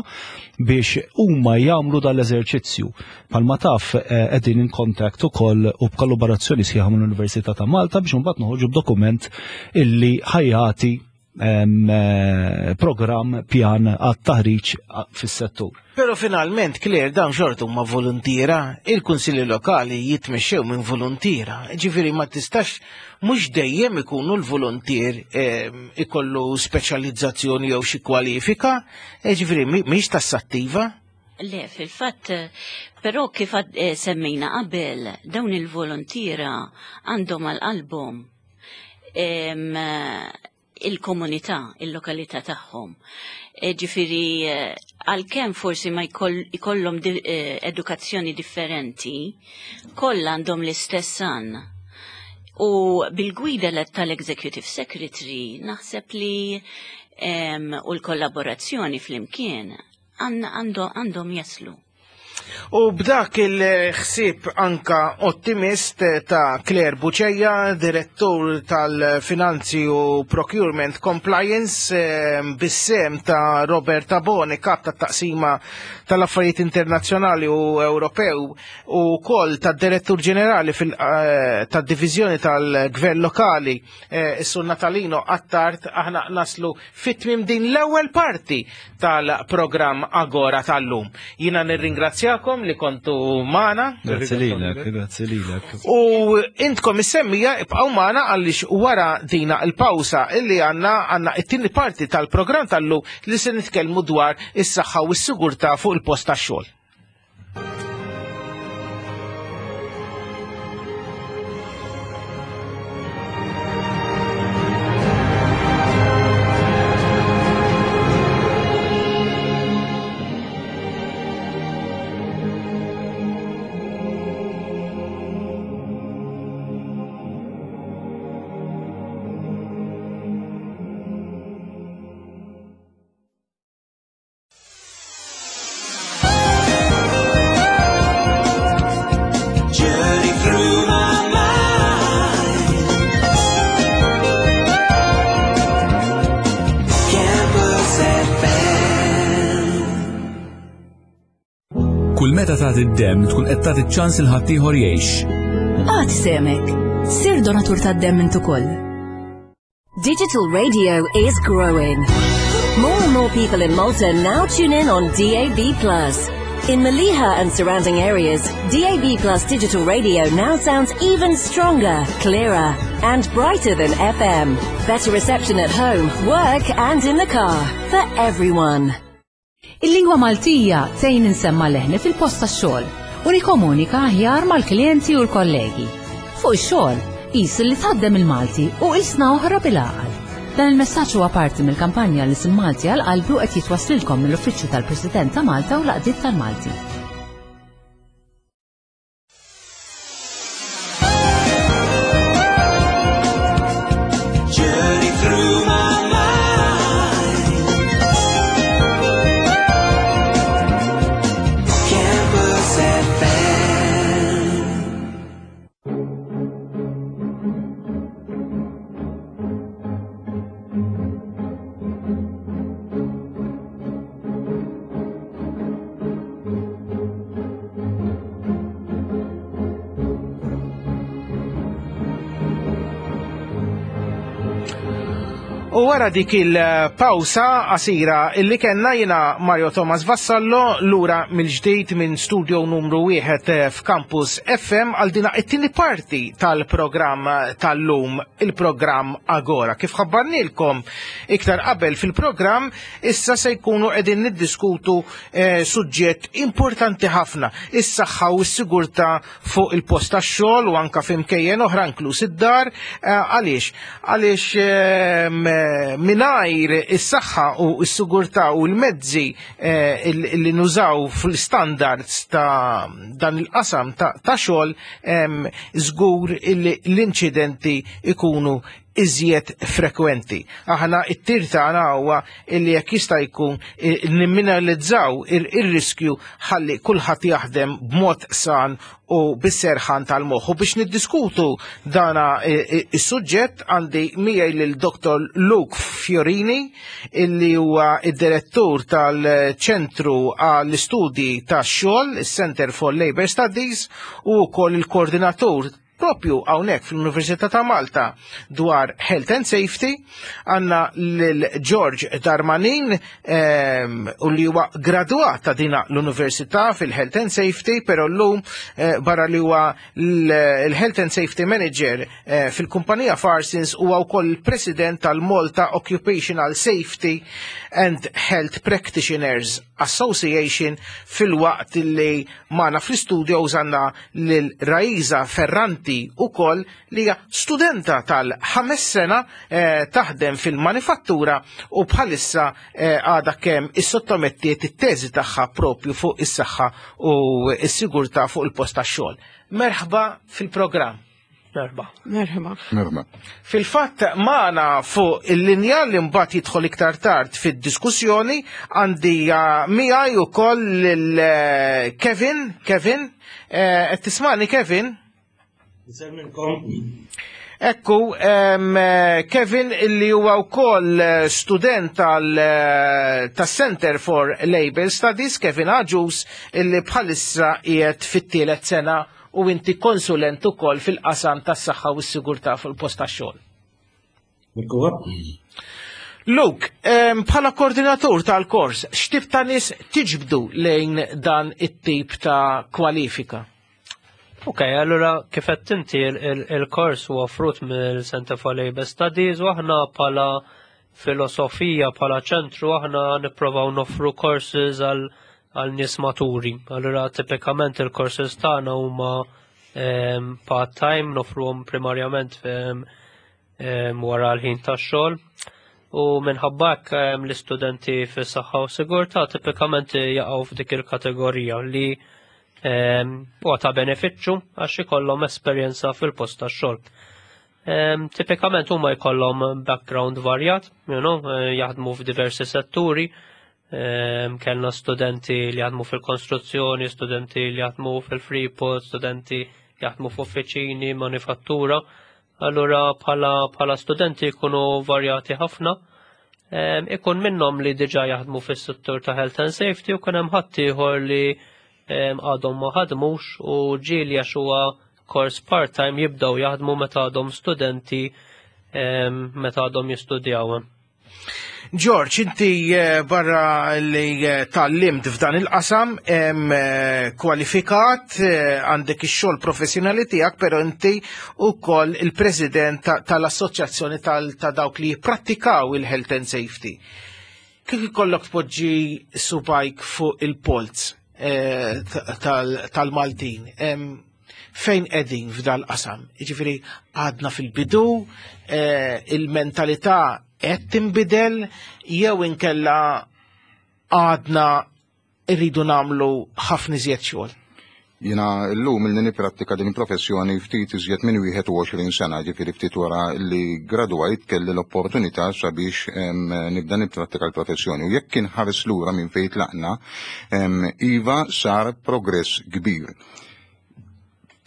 biex huma jagħmlu dal-eżerċizzju. Bħalma taf, eh, qegħdin in contact ukoll u b'kollaborazzjoni sħiħa mill-Università ta' Malta biex imbagħad noħorġu b'dokument illi ħa jagħti programm pjan għat-taħriġ fis-settur. Però finalment, Claire, dawn xorta huma voluntiera, il-kunsilli lokali jitmexxew minn voluntiera. Ġifieri ma tistax mhux dejjem ikunu l-voluntier ikollu speċjalizzazzjoni jew xi kwalifika, ġifieri mhix tassattiva. Le, fil-fatt, però kif semmejna qabel, dawn il-voluntiera għandhom għal qalbhom il-komunità, il-lokalità tagħhom. Ġifieri għalkemm forsi ma jkollhom edukazzjoni differenti, kollha għandhom l-istess għan. U bil-gwida tal-Executive Secretary naħseb li u l-kollaborazzjoni flimkien għandhom jaslu. U b'dak il-ħsieb anka ottimist ta' Claire Buċeja, direttur tal-Finanzi u Procurement Compliance, bis-sem ta' Robert Tabone, kap ta' taqsima tal-Affarijiet Internazzjonali u Ewropew, u kol ta' direttur ġenerali tad-Diviżjoni tal-Gvern Lokali, is-Sur Natalino Attard, aħna naslu fit-tmiem din l-ewwel parti tal-programm Agora tal-lum. Jiena nirringrazzja li kontu magħna. Grazzi lilek, grazzi lilek. U intkom is-semmija ibqgħu magħna għaliex wara dina l-pawsa illi għandna għandna it-tieni parti tal-programm tal-lum li se nitkellmu dwar is-saħħa u s-sigurtà fuq il-post tax-xogħol. Kull meta tagħti d-demm tkun qed tagħti ċans il ħaddieħor jgħix. Għad semek, sir donatur tad-demm int ukoll. Digital radio is growing. More and more people in Malta now tune in on D A B plus. In Maliha and surrounding areas, D A B plus digital radio now sounds even stronger, clearer, and brighter than F M. Better reception at home, work, and in the car for everyone. Il-lingwa Maltija tgħin insemma leħni fil-post tax-xogħol u nikkomunika aħjar mal-klijenti u l-kollegi. Fuq ix-xogħol, qis li tħaddem il-Malti u qisna oħra bil-għaqal. Dan il-messaġġ huwa parti mill-kampanja li L-Isem Malti għal qalbi u qed jitwasslilkom mill-Uffiċċju tal-President ta' Malta u l-Għaqdiet tal-Malti. U wara dik il-pawsa qasira illi kellna jiena Mario Thomas Vassallo lura mill-ġdid minn studio numru wieħed f'Campus F M għal dina it-tieni parti tal-programm tal-lum, il-programm Agora. Kif ħabbarnilkom iktar qabel fil-programm, issa se jkunu qegħdin niddiskutu eh, suġġett importanti ħafna, is-saħħa u s-sigurtà fuq il-post tax-xogħol u anka f'imkejjen oħra inkluż id-dar. Għaliex? Għaliex eh, mingħajr is-saħħa u s-sigurtà u l-mezzi li nużaw fl-standards ta' dan il-qasam ta' xogħol, żgur li l-inċidenti ikunu iżjed frekwenti. Aħna it-tir tagħna huwa illi jekk jista' jkun nimminalizzaw ir-riskju ħalli kulħadd jaħdem b'mod san u bis-serħan tal-moħħ. U biex niddiskutu dana is-suġġett għandi miegħi lil Doktor Luke Fiorini illi huwa id-direttur tal-Ċentru għall-Istudji tax-Xogħol, is-Center for Labor Studies, u wkoll il-koordinatur propju hawnhekk fl-Università ta' Malta dwar Health and Safety. Għandna lil George Darmanin ehm, u li huwa gradwat ta' dina l-Università fil-Health and Safety, però llum eh, barra li huwa l-Health and Safety Manager eh, fil-kumpanija Farsons, huwa wkoll il-President tal-Malta Occupational Safety and Health Practitioners Association, filwaqt li magħna fl-studio għandna lil Raiza Ferranti ukoll, li hija studenta tal-ħames sena, eh, taħdem fil-manifattura u bħalissa eh, għadha kemm issottomettiet it-teżi tagħha propju fuq is-saħħa u s-sigurtà fuq il-post tax-xogħol. Merħba fil-programm. Merħba. Merħba. Merħba. Fil-fatt magħna fuq il-linja, li mbagħad jidħol iktar tard fid-diskussjoni, għandi miegħi ukoll lil eh, Kevin. Kevin, eh, qed tismani, Kevin? Ekku, em, eh, Kevin illi huwa wkoll student tal tas-Center for Labor Studies, Kevin Agius, illi bħalissa qiegħed fit-tielet sena u inti konsulent ukoll fil-qasam tas-saħħa u s-sigurtà fil-post tax-xogħol. Luke, em, bħala koordinatur tal-kors, x'tip ta' nies tiġbdu lejn dan it-tip ta' kwalifika? Ok, allura kif qed inti, il-kors huwa frut mill-Center for Labor Studies u aħna bħala filosofija, bħala ċentru, aħna nipprovaw noffru courses għal għal nies maturi. Allura tipikament il-courses tagħna huma um, part-time, noffruhom primarjament um, um, wara l-ħin tax-xogħol. U minħabba hekk um, l-istudenti fis-saħħa u sigurtà tipikament jaqgħu f'dik il-kategorija li um, huwa ta' benefiċċju għax ikollhom esperjenza fil-post tax-xogħol. Um, tipikament huma jkollhom background varjat, you know, eh, jaħdmu f'diversi setturi. Um, kellna studenti li jaħdmu fil-konstruzzjoni, studenti li jaħdmu fil-Freeport, studenti li jaħdmu f'uffiċini, manifattura. Allura bħala, bħala studenti jkunu varjati ħafna. Um, ikun minnhom li diġà jaħdmu fis-settur ta' health and safety u kien hemm ħaddieħor li um, għadhom ma ħadmux u ġieli, għax huwa kors part-time, jibdew jaħdmu meta għadhom studenti, um, meta għadhom jistudjaw. George, inti eh, barra li eh, tgħallimt f'dan il-qasam, em, eh, kwalifikat, għandek ix-xogħol professjonali tiegħek, però inti ukoll il-president ta- tal-assoċjazzjoni tal- ta' dawk li jipprattikaw il-health and safety. Kif ikollok tpoġġi subgħajk fuq il-polz eh, ta- tal- tal-Maltin? Em, fejn qegħdin f'dal qasam? Jiġifieri għadna fil-bidu, eh, il-mentalità qed tinbidel jew inkella għadna irridu nagħmlu ħafna iżjed xogħol? Jiena llum ilni niprattika din il-professjoni ftit iżjed minn wieħed u għoxrin sena, ġifieri ftit wara li gradwajt kelli l-opportunità sabiex em, nibda nipprattika l-professjoni. U jekk inħares lura minn fejn tlaqna, em, iva, sar progress kbir.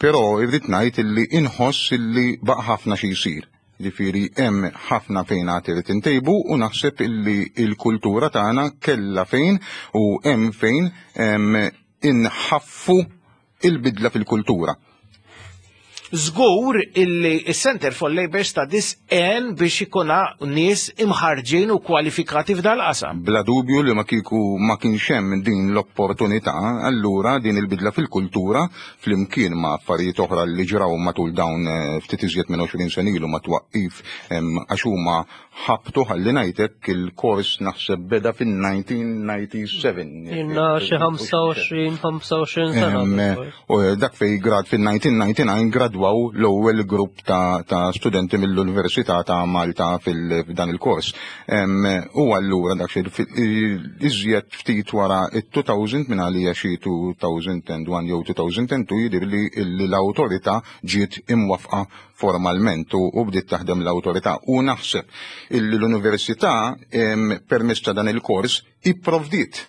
Però irrid ngħid illi inħoss illi baqa' ħafna xi jsir. Ġifieri hemm ħafna fejn għad irid intejbu u naħseb illi il-kultura tagħna kellha fejn u hemm fejn em, inħaffu il-bidla fil-kultura. Żgur illi il-Center for Labor Studies għen biex ikuna nies imħarġin u kwalifikati f'dal-qasam. Bla dubju li ma kieku ma kienx hemm din l-opportunità, allura din il-bidla fil-kultura flimkien ma' affarijiet oħra li ġraw matul dawn eh, ftit iżjed minn għoxrin sena ilu ma' twaqqif, em, għax huma ħabtu, ħalli ngħidlek, il-kors naħseb beda fin-elf disa' mija u disgħa u sebgħin. Ilna xi ħamsa u għoxrin ħamsa u għoxrin sena. Em, u dak fej grad fil-elf disa' mija u disgħa u disgħin gradwaw l-ewwel grupp ta', ta studenti mill-Università ta' Malta fil-dan il-kors. Em, U allura dak xi iżjed ftit wara it-elfejn, minn għalija xi elfejn u wieħed jew elfejn u tnejn, jidir li li l-awtorità ġiet imwafqa formalment u, u bdiet taħdem l-awtorità. U naħseb illi l-università em, permezz ta' dan il-kors ipprovdiet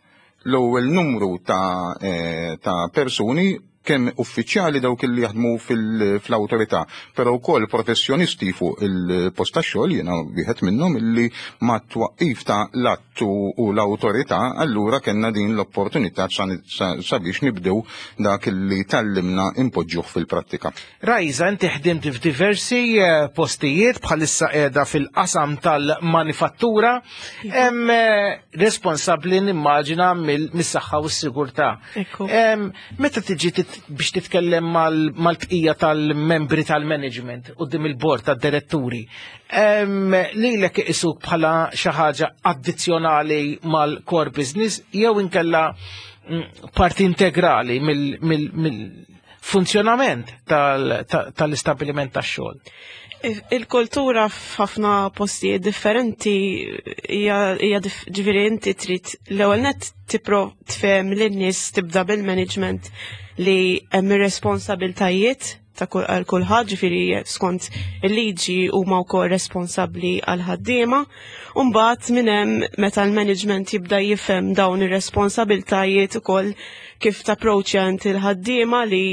l-ewwel numru ta', eh, ta' persuni Kemm uffiċjali, dawk li jaħdmu fl-awtorità, però wkoll professjonisti fuq il-post tax-xogħol, jiena wieħed minnhom, illi ma twaqqif ta' l-att u l-awtorità allura kellna din l-opportunità sabiex nibdew dak li tgħallimna impoġġuh fil-prattika. Rajza, inti ħdimt f'diversi eh, postijiet, bħalissa qiegħda fil-qasam tal-manifattura, hemm eh, responsabbli nimmaġina mis-saħħa u s-sigurtà. Meta tiġi biex titkellem mal-bqija tal-membri tal-management quddiem il-bord tad-diretturi, lilek iqisuk bħala xi ħaġa addizzjonali mal-core business jew inkella mm, parti integrali mill-funzjonament tal-istabbiliment tax-xogħol? Il-kultura f'ħafna postijiet differenti hija, ġifieri, inti trid l-ewwel net tipprova tfehem lin-nies, tibda bil-management, li hemm ir-responsabiltajiet ta' għal kulħadd, ġifieri skont il-liġi huma wkoll responsabbli għal ħaddiema. U mbagħad minn hemm, meta l-management jibda jifhem dawn ir-responsabiltajiet ukoll, kif tapproċċja inti l-ħaddiema, li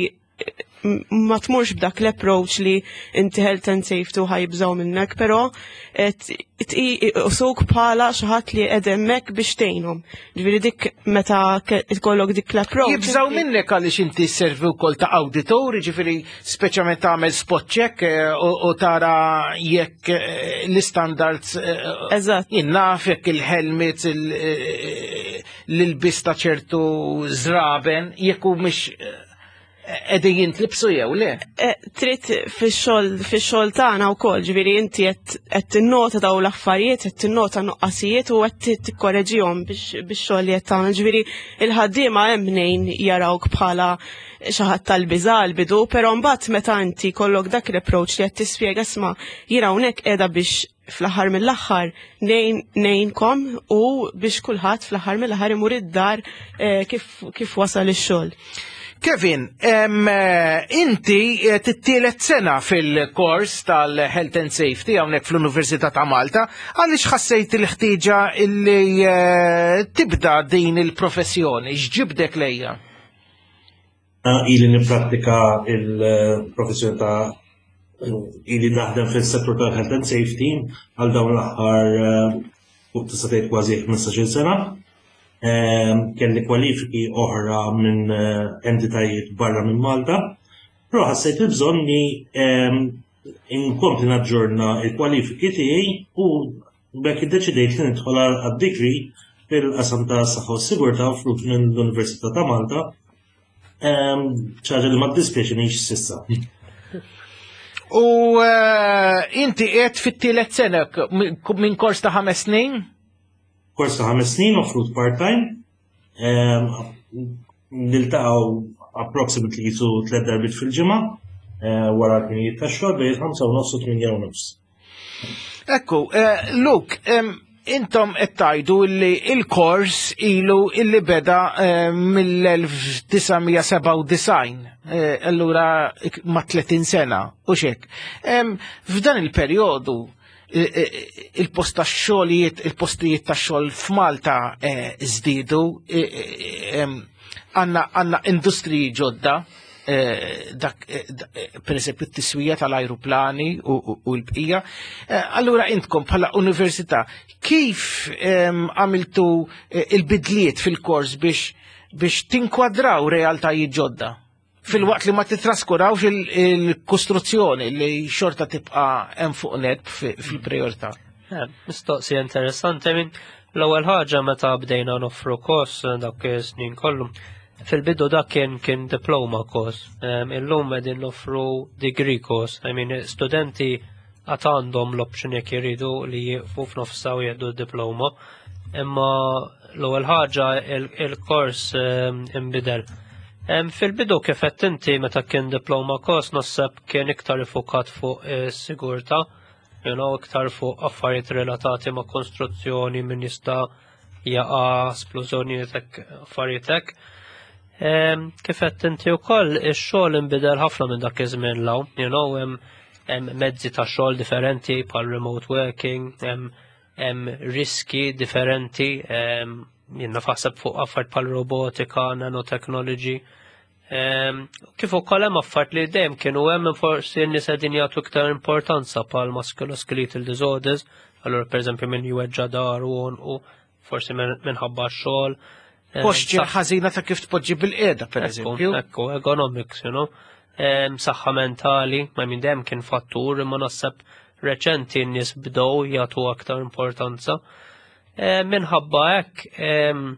ma tmurx b'dak l-approach li inti health and safety u ħa jibżgħu minnek, però iqisuk bħala xi ħadd li qed hemmhekk biex tgħinhom. Ġifieri dik meta ikollok dik l-approach. Jibżgħu minnek għaliex inti servi wkoll ta' auditor, ġifieri speċjalment tagħmel spot check eh, u tara jekk eh, l-standards. Eh, Eżatt. Jien naf jekk il-helmets, l-ilbis ta' ċertu żraben, jekk hu mhix qegħdin jintlibsu jew le. Eh, trid fix-xogħol fix-xogħol tagħna wkoll, ġifieri inti qed tinnota daw l-affarijiet, qed tinnota nuqqasijiet u qed tikkoreġihom biex bix-xogħol li qed tagħmel. Ġifieri il-ħaddiema hemm mnejn jarawk bħala xi ħadd tal-biża' l-bidu, però mbagħad meta inti kollok dak l-approach li qed tispjega, "Isma', jiena hawnhekk qiegħda biex fl-aħħar mill-aħħar ngħinkom u biex kulħadd fl-aħħar mill-aħħar imur id-dar eh, kif kif wasal ix-xogħol." Kevin, em, eh, inti eh, t-tielet sena fil-kors tal-Health and Safety hawnhekk fl-Università ta' Malta, għaliex ħassejt il-ħtieġa illi eh, tibda din il-professjoni, x'ġibdek lejha? Ili niprattika il-professjoni ta' ili naħdem fil-settur tal-health and safety għal dawn l-aħħar fuq tista' tgħid kważi ħmistax-il sena. Ehm, kelli kwalifiki oħra minn eh, entitajiet barra minn Malta, però ħassejt il-bżonn li ehm, inkompli naġġorna il-kwalifiki tiegħi u b'hekk iddeċidejt li nidħol għad-degree fil-qasam ta' saħħa u sigurtà offrut minn l-Università ta' Malta. Ehm, ħaġa li ma ddispjaċinix s'issa. U eh, inti qiegħed fit-tielet sena minn kors ta' ħames snin? Kors ta' ħames snin offrut part-time. Ehm, Niltaqgħu approximately jisu tliet darbiet fil-ġimgħa eh, wara l-ħinijiet tax-xogħol bejn ħamsa u nofs u tmienja u nofs. Ekku, eh, Luke, em, intom qed tgħidu li il-kors ilu illi beda eh, mill-elf disa' mija sebgħa u disgħin, eh, allura ma' tletin sena u xek. Em, F'dan il-perjodu il-post ta' xogħlijiet, il-postijiet ta' xogħol f'Malta eh, żdiedu, eh, eh, em, għandna għandna industriji ġodda, eh, dak eh, da- eh, per eżempju t-tiswija tal-ajruplani u, u, u l-bqija. Eh, Allura intkom bħala università kif em, għamiltu eh, il-bidliet fil-kors biex biex tinkwadraw realtajiet ġodda? Fil-waqt li ma titraskurawx il- il-kostruzzjoni li xorta tibqa' hemm fuq net fi- fil-priorità. Eh, Mistoqsija interessanti. Minn l-ewwel ħaġa, meta bdejna noffru kors eh, dak is-snin kollu. Fil-bidu dak kien kien diploma course. Em, Illum qegħdin noffru degree course. I mean, studenti għad għandhom l-option jekk jiridu li jieqfu f'nofsa u jieħdu diploma. Imma l-ewwel ħaġa il- il-kors em, imbidel. Em, Fil-bidu, kif qed inti, meta kien diploma course, naħseb kien iktar ifukat fuq is-sigurtà, you know, iktar fuq affarijiet relatati ma' konstruzzjoni, min jista' jaqa', splużjonijiet hekk, affarijiet hekk. Em, Kif qed inti wkoll, ix-xogħol inbidel ħafna minn dak iż-żmien 'l hawn, you know, hemm hemm mezzi ta' xogħol differenti bħal remote working, hemm hemm riski differenti, em, jien naħseb fuq affarijiet bħal robotika, nanotechnology. Em, Kif ukoll hemm affarijiet li dejjem kienu hemm forsi n-nies qegħdin jagħtu iktar importanza bħal musculoskeletal disorders, allura pereżempju min jweġġa' dahru u forsi min- minħabba x-xogħol. Em, Posture saħ- ħażina ta' kif tpoġġi bil-qiegħda, per eżempju. Ekku, ergonomics, you know. Em, Saħħa mentali, ma minn dejjem kien fattur, imma naħseb reċenti n-nies bdew jagħtu aktar importanza. Em, Minħabba hekk, em,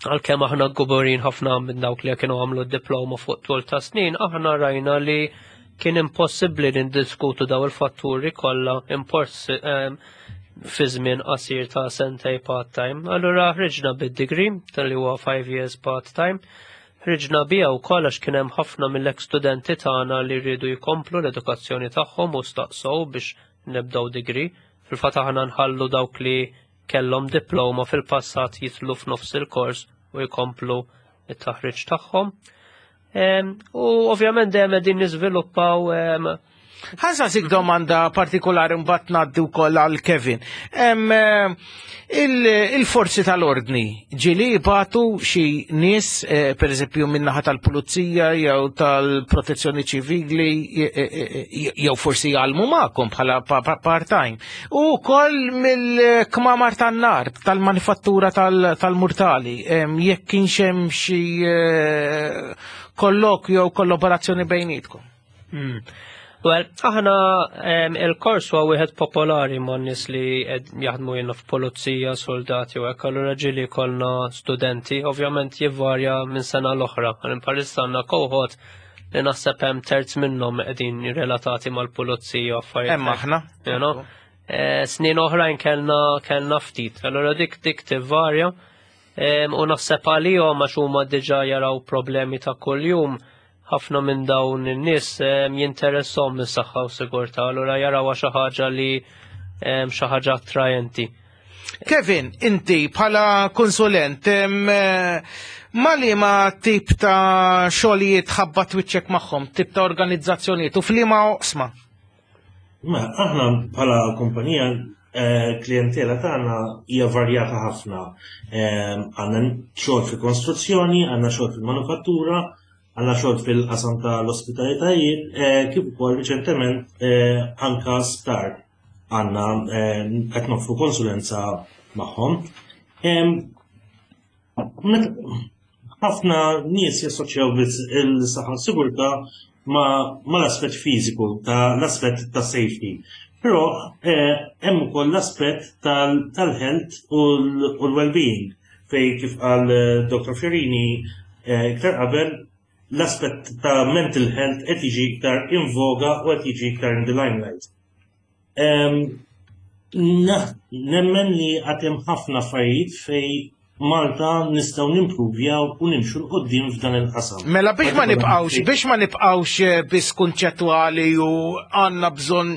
għalkemm aħna kburin ħafna minn dawk li kienu għamlu d-diploma fuq tul ta' snin, aħna rajna li kien impossibbli nindiskutu daw il-fatturi kollha impors em, fi żmien qasir ta' sentej part-time. Allura ħriġna bid-degree tal-li huwa five years part-time. Ħriġna bija wkoll għax kien hemm ħafna mill-ex studenti tagħna li rridu jkomplu l-edukazzjoni tagħhom u staqsow biex nibdew degree. Fil-fatt aħna nħallu dawk li kellhom diploma fil-passat jitlu f'nofs il-kors u jkomplu it-taħriġ tagħhom. Em, U ovvjament dejjem qegħdin niżviluppaw em, Ħa nsaqsik domanda partikolari mbagħad ngħaddi wkoll għal Kevin. Em, eh, il- Il-forzi tal-ordni ġieli jibagħtu xi nies, eh, per eżempju min-naħa tal-pulizija jew tal-protezzjoni ċivili eh, eh, eh, jew forsi jgħallmu magħkom bħala pa- pa- part-time. U wkoll mill-kmamar tan-nar tal-manifattura tal- tal-murtali, em, jekk kienx hemm xi eh, kollokju jew kollaborazzjoni bejnietkom. Mm. Well, aħna em, il-kors huwa wieħed popolari ma' nies li qed jaħdmu jiena f'pulizija, soldati u hekk, allura ġieli kollna studenti, ovvjament jivvarja minn sena l-oħra. Għal bħalissa għandna cohort li naħseb hemm terz minnhom qegħdin relatati mal-pulizija u affarijiet. Hemm hekk, aħna. You know? Eh, Snin oħrajn kellna kellna ftit. Allura dik dik tivvarja. Em, U naħseb għalihom għax huma diġà jaraw problemi ta' kuljum ħafna minn dawn in-nies em, jinteressom mis-saħħa u sigurtà, allura jaraw xi ħaġa li em, xi ħaġa attrajenti. Kevin, inti bħala konsulent, em, eh, ma li ma tip ta' xogħlijiet ħabbat wiċċek magħhom, tip ta' organizzazzjonijiet u f'liema oqsma? Ma aħna bħala kumpanija eh, klientela tagħna hija varjata ħafna. Eh, Għandna xogħol fil-konstruzzjoni, għandna xogħol fil-manufattura, għandna xogħol fil-qasam tal-ospitalitajiet, eh, kif ukoll riċentement eh, anka sptar għandna eh, qed noffru konsulenza magħhom. Em, met- ħafna nies jassoċjaw biss il-saħħa u sigurtà ma, ma l-aspett fiżiku, ta' l-aspett ta' safety. Però eh, hemm ukoll l-aspett tal- tal-health u l- u l-well-being fej kif qal eh, Dr. Fiorini eh, iktar qabel l-aspett ta' mental health qed jiġi iktar in voga u qed jiġi iktar in the limelight. Em, na- Nemmen li għad hemm ħafna affarijiet fej Malta nistgħu nimpruvjaw u nimxu 'l quddiem f'dan il-qasam. Mela biex ma nibqawx, biex ma nibqawx eh, biss kunċettwali u għandna bżonn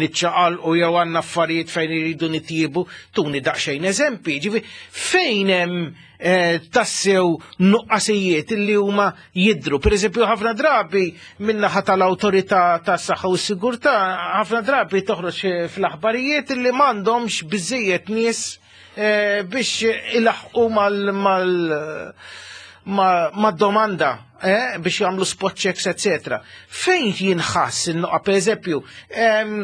niċċaqalqu jew għandna affarijiet fejn iridu nitjiebu, tuni daqsxejn eżempi, ġifi fejn hemm eh, tassew nuqqasijiet illi huma jidru. Per eżempju, ħafna drabi min-naħa tal-awtorità tas-saħħa u s-sigurtà, ħafna drabi toħroġ eh, fl-aħbarijiet illi m'għandhomx biżejjed nies eh, biex ilaħqu mal mal ma, ma domanda eh, biex jagħmlu spot checks, etc. Fejn jinħass in-noqa, per eżempju, em,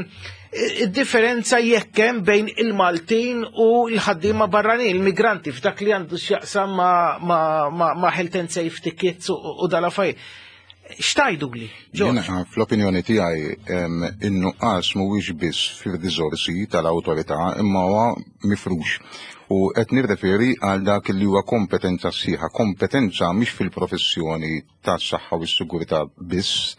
id-differenza jekk hemm bejn il-Maltin u l-ħaddiema barranin, il-migranti, f'dak li għandu x'jaqsam ma, ma, ma, ma health and safety kits u, u dal-affarijiet. X'tgħidu li? Jiena fl-opinjoni tiegħi em, in-nuqqas mhuwiex biss fir-riżorsi tal-awtorità imma huwa mifrux. U qed nirreferi għal dak li huwa kompetenza sħiħa, kompetenza mhix fil-professjoni tas-saħħa u s-sigurtà biss,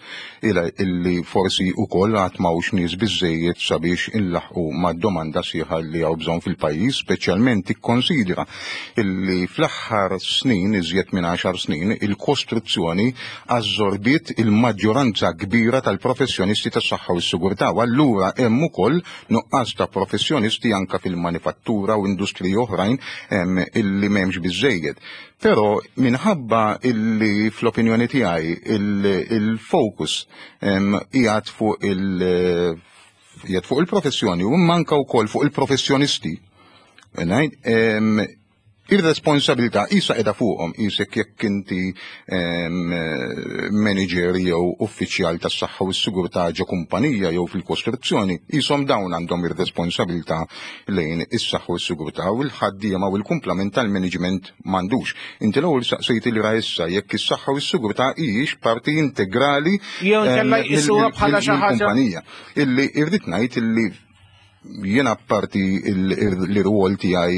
ila illi forsi wkoll għad m'hawnx nies biżejjed sabiex inlaħqu mad-domanda sħiħa li hawn bżonn fil-pajjiż, speċjalment ikkonsidra illi fl-aħħar snin, iżjed minn għaxar snin, il-kostruzzjoni assorbiet il-maġġoranza kbira tal-professjonisti tas-saħħa u s-sigurtà. U allura hemm ukoll nuqqas ta' professjonisti anka fil-manifattura u industriji oħrajn em, illi m'hemmx biżejjed. Però minħabba illi fl-opinjoni tiegħi il-focus em, qiegħed fuq il- qiegħed fuq il-professjoni u manka wkoll fuq il-professjonisti. Ngħid, em, Ir-responsabilità isa qiegħda fuqhom, isek jekk inti manager jew uffiċjal tas-saħħa u s-sigurtà ġo kumpanija jew fil-kostruzzjoni, ishom dawn għandhom ir-responsabilità lejn is-saħħa u s-sigurtà u l-ħaddiema u l-kumplament tal-management m'għandux. Inti l-ewwel saqsejt li issa jekk is-saħħa u s-sigurtà hijiex parti integrali jew inkella jqisuha bħala xi ħaġa kumpanija. Illi irrid ngħid illi jiena parti l-rwol tiegħi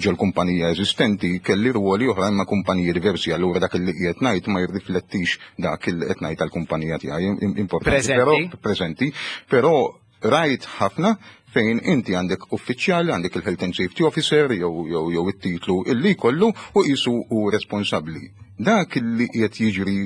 ġol kumpanija eżistenti, kelli rwoli oħra ma' kumpaniji diversi, allura dak li qiegħed ngħid ma jirriflettix dak li qed ngħid tal-kumpanija tiegħi importanti. Però preżenti, però rajt ħafna fejn inti għandek uffiċjali, għandek il-Health and Safety Officer jew jew jew it-titlu illi jkollu u qisu u responsabbli. Dak illi qiegħed jiġri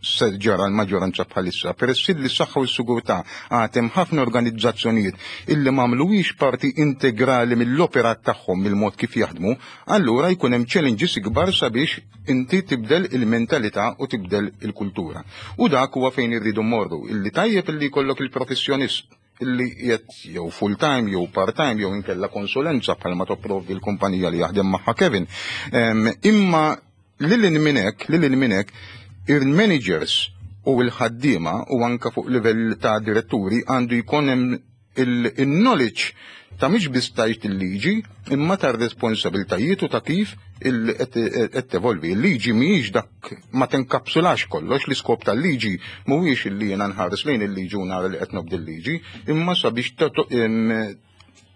se ġara l-maġġoranza bħalissa, peress li s-saħħa u s-sigurtà għatem ħafna organizzazzjonijiet illi m'għamluwix parti integrali mill-operat tagħhom, mill-mod kif jaħdmu, allura jkun hemm challenges ikbar sabiex inti tibdel il-mentalità u tibdel il-kultura. U dak huwa fejn irridu mmorru, illi tajjeb illi jkollok il-professjonist illi qiegħed jew full time jew part time jew inkella konsulenza bħalma topprovdi l-kumpanija li jaħdem magħha Kevin. Imma lil minnek, lil minnek il-managers u l-ħaddiema u anka fuq livell ta' diretturi għandu jkun hemm il-knowledge ta' mhix biss tajt il-liġi imma ta' responsabiltajiet u ta' kif qed tevolvi. Il-liġi mhijiex dak, ma tenkapsulax kollox. L-iskop tal-liġi mhuwiex illi jiena nħares lejn il-liġi u nara li qed nobdi l-liġi, imma sabiex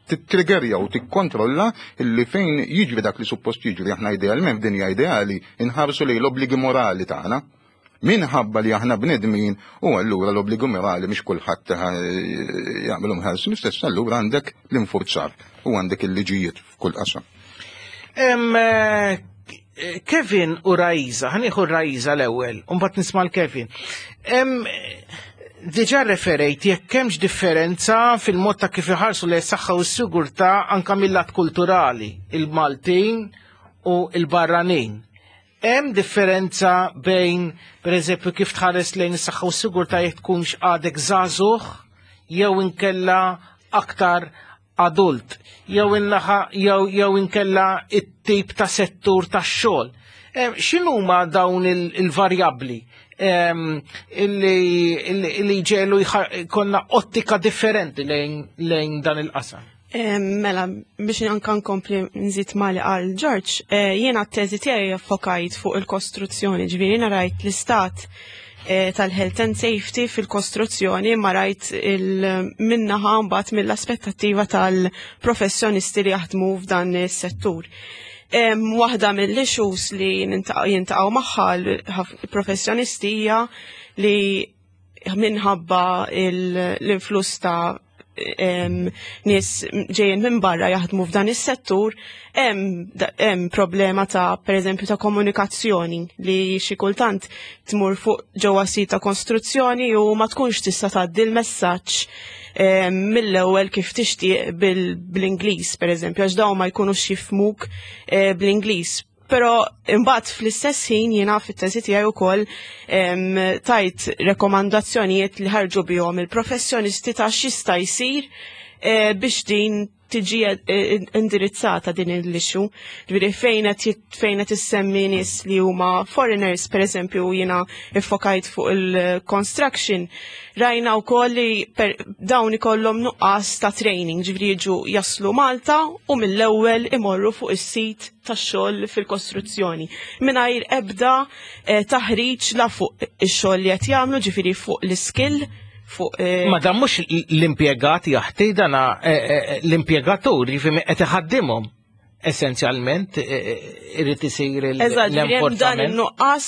tittriggerja u tikkontrolla illi fejn jiġri dak li suppost jiġri. Aħna idealment, f'dinja ideali, inħarsu lejn l-obbligi morali tagħna. Minħabba li aħna bnedmin u allura l-obbligu morali mhix kulħadd jagħmilhom ħarsin l-istess, allura għandek l-infurzar u għandek il-liġijiet f'kull qasam. Kevin u Raiza, ħa nieħu Raiza l-ewwel, u mbagħad nisma' l-Kevin. Diġà referejt jekk hemmx differenza fil-mod ta' kif iħarsu li s-saħħa u s-sigurtà anka mill-lat kulturali, il-Maltin u il-barranin. Hemm differenza bejn, pereżempju, kif tħares lejn is-saħħa u s-sigurtà jekk tkunx għadek żagħżugħ jew inkella aktar adult, jew innaħa jew jew inkella it-tip ta' settur tax-xogħol? X'inhuma dawn il-varjabbli illi ġelu konna ottika differenti lejn dan il-qasam? Mela, biex anka nkompli nżid ma li qal George, jiena t-teżi tiegħi fokajt fuq il-kostruzzjoni, ġifieri jiena rajt l-istat tal-health and safety fil-kostruzzjoni, ma rajt il-minnaħa mbagħad mill-aspettattiva tal-professjonisti li jaħdmu f'dan is-settur. Waħda mill-issues li jintaqgħu magħha l-professjonisti hija li minħabba l-influss ta' nies ġejjin minn barra jaħdmu f'dan is-settur, hemm problema ta' pereżempju ta' komunikazzjoni, li xi kultant tmur fuq ġewwa sit ta' kostruzzjoni u ma tkunx tista' tgħaddi l-messaġġ mill-ewwel kif tixtieq bl-Ingliż pereżempju, għax dawn ma jkunux jifhmuk bl-Ingliż. Però imbagħad fl-istess ħin jiena fit-teżi tiegħi wkoll tajt rekomandazzjonijiet li ħarġu bihom il-professjonisti ta' x'jista' jsir biex din tiġi indirizzata din l-issue. Ġifieri fejn qed fejn qed issemmi nies li huma foreigners, pereżempju jiena iffokajt fuq il-construction, rajna wkoll li dawn ikollhom nuqqas ta' training, ġifieri jiġu jaslu Malta u mill-ewwel imorru fuq is-sit tax-xogħol fil-kostruzzjoni mingħajr ebda taħriġ la fuq ix-xogħol li qed jagħmlu, ġifieri fuq l-iskill fuq. Ma dan mhux l-impjegat jaħti, dana l-impjegatur jiġifieri qed iħaddimhom essenzjalment irid isir l-enforzament. Dan in-nuqqas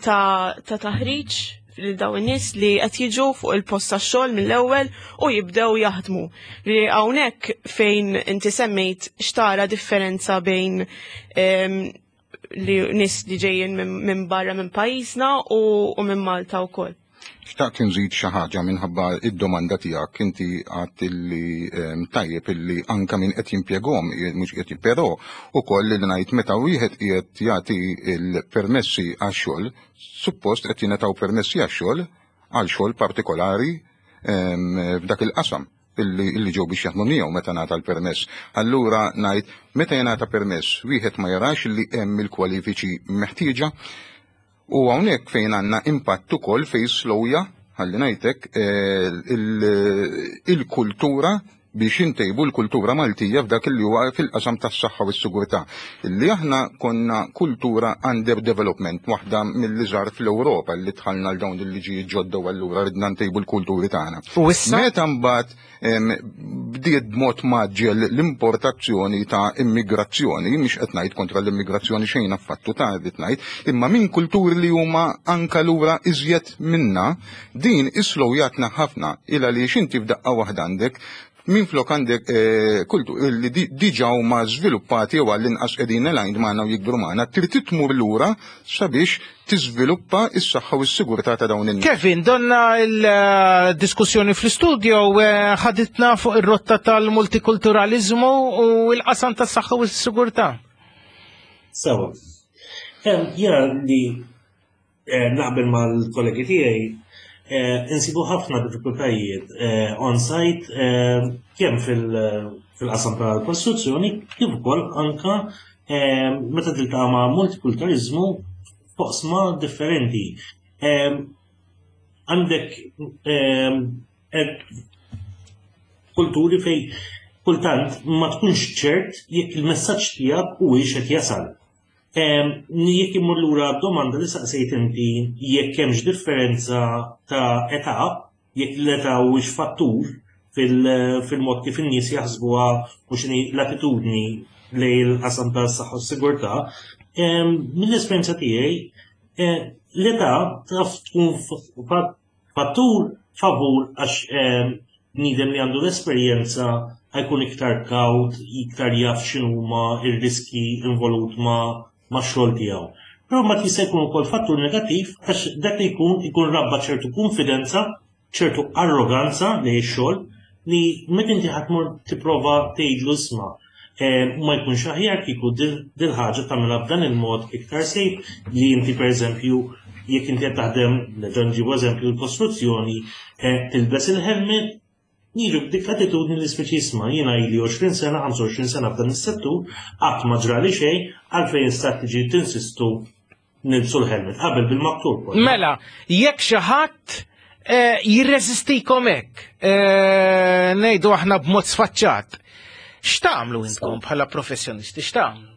ta' taħriġ lil dawn in-nies li qed jiġu fuq il-post tax-xogħol mill-ewwel u jibdew jaħdmu. Li hawnhekk fejn inti semmejt xtara differenza bejn li nies li ġejjin minn barra minn pajjiżna u minn Malta wkoll. Xtaqt nżid xi ħaġa minħabba id-domanda tiegħek. Inti għadt illi tajjeb illi anka min qed jimpjegahom mhux qed, però ukoll li ngħid meta wieħed qiegħed jagħti l-permessi għax-xogħol, suppost qed jingħataw permessi għax-xogħol għal xogħol partikolari f'dak il-qasam. illi, illi ġew biex jaħdmu miegħu meta ngħata l-permess. Allura ngħid, meta jingħata permess, wieħed ma jarax li hemm il-kwalifiċi meħtieġa? U hawnhekk fejn għandna impatt ukoll fejn slowja, ħalli ngħidlek, eh, il-kultura biex intejbu l-kultura Maltija f'dak li huwa fil-qasam tas-saħħa u s-sigurtà. Illi aħna konna kultura under development, waħda mill-iżgħar fl-Ewropa li dħalna l dawn il-liġijiet ġodda, u allura ridna ntejbu l-kulturi tagħna. U issa? Meta mbagħad bdiet b'mod mgħaġġel l-importazzjoni ta' immigrazzjoni, mhix qed ngħid kontra l-immigrazzjoni, xejn affattu ta' qed ngħid, imma minn kulturi li huma anka lura iżjed minna, din islowjatna ħafna, illa li xinti f'daqqa waħda għandek min flok għandek eh, kultu li diġa huma żviluppati jew għall-inqas qegħdin aligned magħna u jikbru magħna, trid tmur lura sabiex tiżviluppa s-saħħa u s-sigurtà ta' dawn in Kevin, donna il-diskussjoni fl-studio eh, ħaditna fuq ir-rotta tal-multikulturalizmu u l-qasam tas-saħħa u s-sigurtà. Sewa. Jiena li eh, naqbel mal-kollegi tiegħi, Eh, insibu ħafna diffikultajiet eh, on-site, eh, kemm fil-qasam tal-kostruzzjoni kif ukoll anka meta tiltaqa' ma' multikulturalizmu f'oqsma differenti. Għandek kulturi fej kultant ma tkunx ċert jekk il-messaġġ tiegħek huwiex qed jasal. Jekk immur lura domanda li saqsejt inti, jekk hemmx differenza ta' età, jekk l-età huwiex fattur fil-mod kif in-nies jaħsbuha u x'inhi l-attitudni lejn il-qasam tas-saħħa u s-sigurtà, mill-esperjenza tiegħi eh, l-età taf tkun fattur favur, għax bniedem li għandu l-esperjenza ħa jkun iktar kawt, iktar jaf x'inhuma ir-riski involut ma' max-xogħol tiegħu. Però ma jista' jkun ukoll fattur negattiv, għax dak li jkun ikun rabba ċertu konfidenza, ċertu arroganza li x-xogħol, li meta inti ħa tmur tipprova tgħidlu, "Isma', eh, ma jkunx aħjar kieku dil-ħaġa tagħmilha b'dan il-mod iktar safe li inti, pereżempju, jekk inti qed taħdem, nerġa' nġibu eżempju l-kostruzzjoni, eh, tilbes il-helmet?" Jiġu b'dik l-attitudni li speċi, "Isma', jiena ili għoxrin sena, ħamsa u għoxrin sena f'dan is-settur, qatt ma ġrali xejn, għalfejn sta tiġi tinsistu nilbsu l-helmet?" Qabel bil-maktub. Mela, jekk xi ħadd eh, jirreżistikom hekk, eh, ngħidu aħna b'mod sfaċċat, x'tagħmlu intkom bħala professjonisti, x'tagħmlu?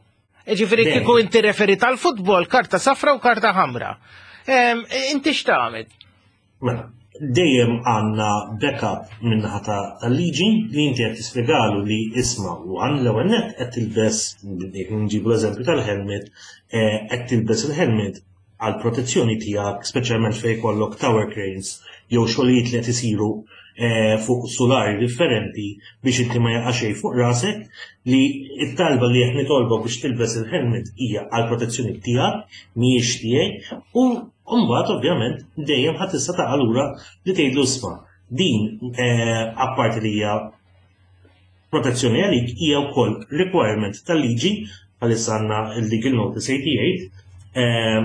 Ġifieri kieku inti referi tal-futbol, karta safra u karta ħamra. Inti x'tagħmel? Mela, dejjem għandna backup min-naħa tal-liġi li inti qed tispjegalu li, isma', u għan l-ewwel net qed tilbes, jekk nġibu l-eżempju tal-helmet, eh, qed tilbes il-helmet għal protezzjoni tiegħek, speċjalment fejn jkollok tower cranes jew xogħlijiet li qed isiru eh, fuq sulari differenti biex inti ma jaqa' xejn fuq rasek, li it-talba li qed nitolbok biex tilbes il-helmet hija għal protezzjoni tiegħek, mhijiex tiegħi. U mbagħad ovvjament dejjem ħadd tista' taqa' lura li tgħidlu, "Isma', din eh, apparti li hija protezzjoni għalik, hija wkoll requirement tal-liġi." Bħalissa għandna il-Legal Notice tmienja u tmenin eh,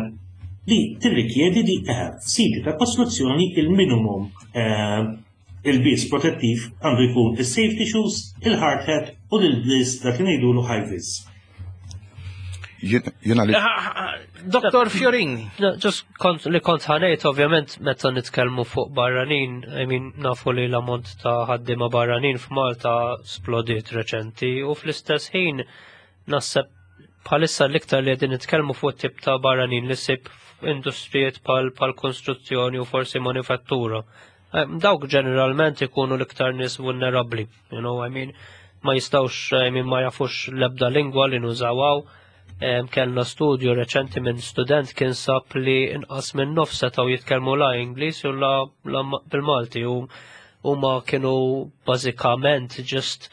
li tirrikjedi li eh, f'siti ta' kostruzzjoni il-minimum ilbies protettiv għandu jkun il-safety shoes, il-hard hat u l-ilbies dak li ngħidulu high vis. Jena li. Doktor Fiorini. Just kont li kont ħa ngħid, ovvjament, meta nitkellmu fuq barranin, I mean, nafu li l-ammont ta' ħaddiema barranin f'Malta splodiet reċenti u fl-istess ħin naħseb bħalissa l-iktar li qegħdin nitkellmu fuq tip ta' barranin li ssib f'industrijiet pal pal kostruzzjoni u forsi manifattura. Eh, Dawk ġeneralment ikunu l-iktar nies vulnerabbli, you know, I mean, ma jistawx, I mean, ma jafux l-ebda lingwa li nużawaw. Em, Kellna studju reċenti minn student kien sab li inqas minn nofs setgħu jitkellmu la Ingliż u la, la bil-Malti u huma kienu bażikament just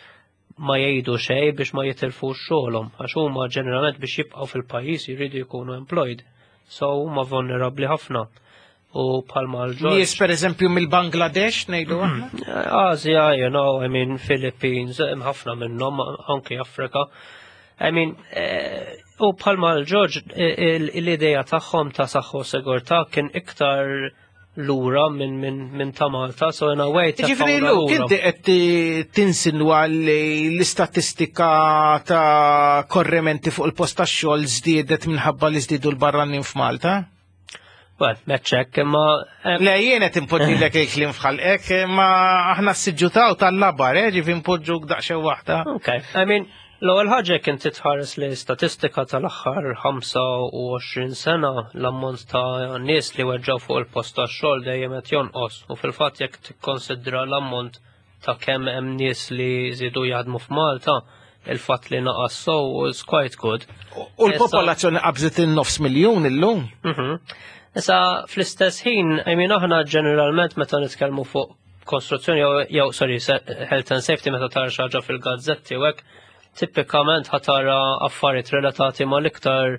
ma jgħidu xejn biex ma jitilfux xogħolhom, għax huma ġeneralment biex jibqgħu fil-pajjiż jridu jkunu employed. So huma vulnerabbli ħafna. U bħalma l-George. Nies per eżempju mill-Bangladesh, ngħidu aħna. Asia, you know, I mean, Philippines, hemm ħafna minnhom, anki Afrika. I mean, eh, u bħalma l-George, l-ideja tagħhom ta' saħħu sigurtà kien iktar lura minn min, min ta' Malta, so in a way Ġifieri Luke, inti qed tinsinwa li l-istatistika ta' korrimenti fuq il-post tax-xogħol żdiedet minħabba li żdiedu l-barranin f'Malta? Well, meċċek, imma. Le, jien qed impoġġilek il-kliem f'ħalqek, ma aħna s-siġġu tal-labar, eh, ġifieri npoġġuk daqsxejn waħda. Ok, I mean, l-ewwel ħaġa kien titħares li statistika tal-aħħar ħamsa u għoxrin sena, l-ammont ta' nies li weġġaw fuq il-post tax-xogħol dejjem qed jonqos, u fil-fatt jekk tikkonsidra l-ammont ta' kemm hemm nies li żiedu jaħdmu f'Malta, il-fatt li naqas so is quite good. U l-popolazzjoni qabżet in-nofs miljun illum. Mhm. Issa fl-istess ħin, I mean, aħna ġeneralment meta nitkellmu fuq kostruzzjoni jew jew sorry, health and safety, meta tara xi ħaġa fil-gazzetti u hekk, tipikament ħa tara affarijiet relatati mal-iktar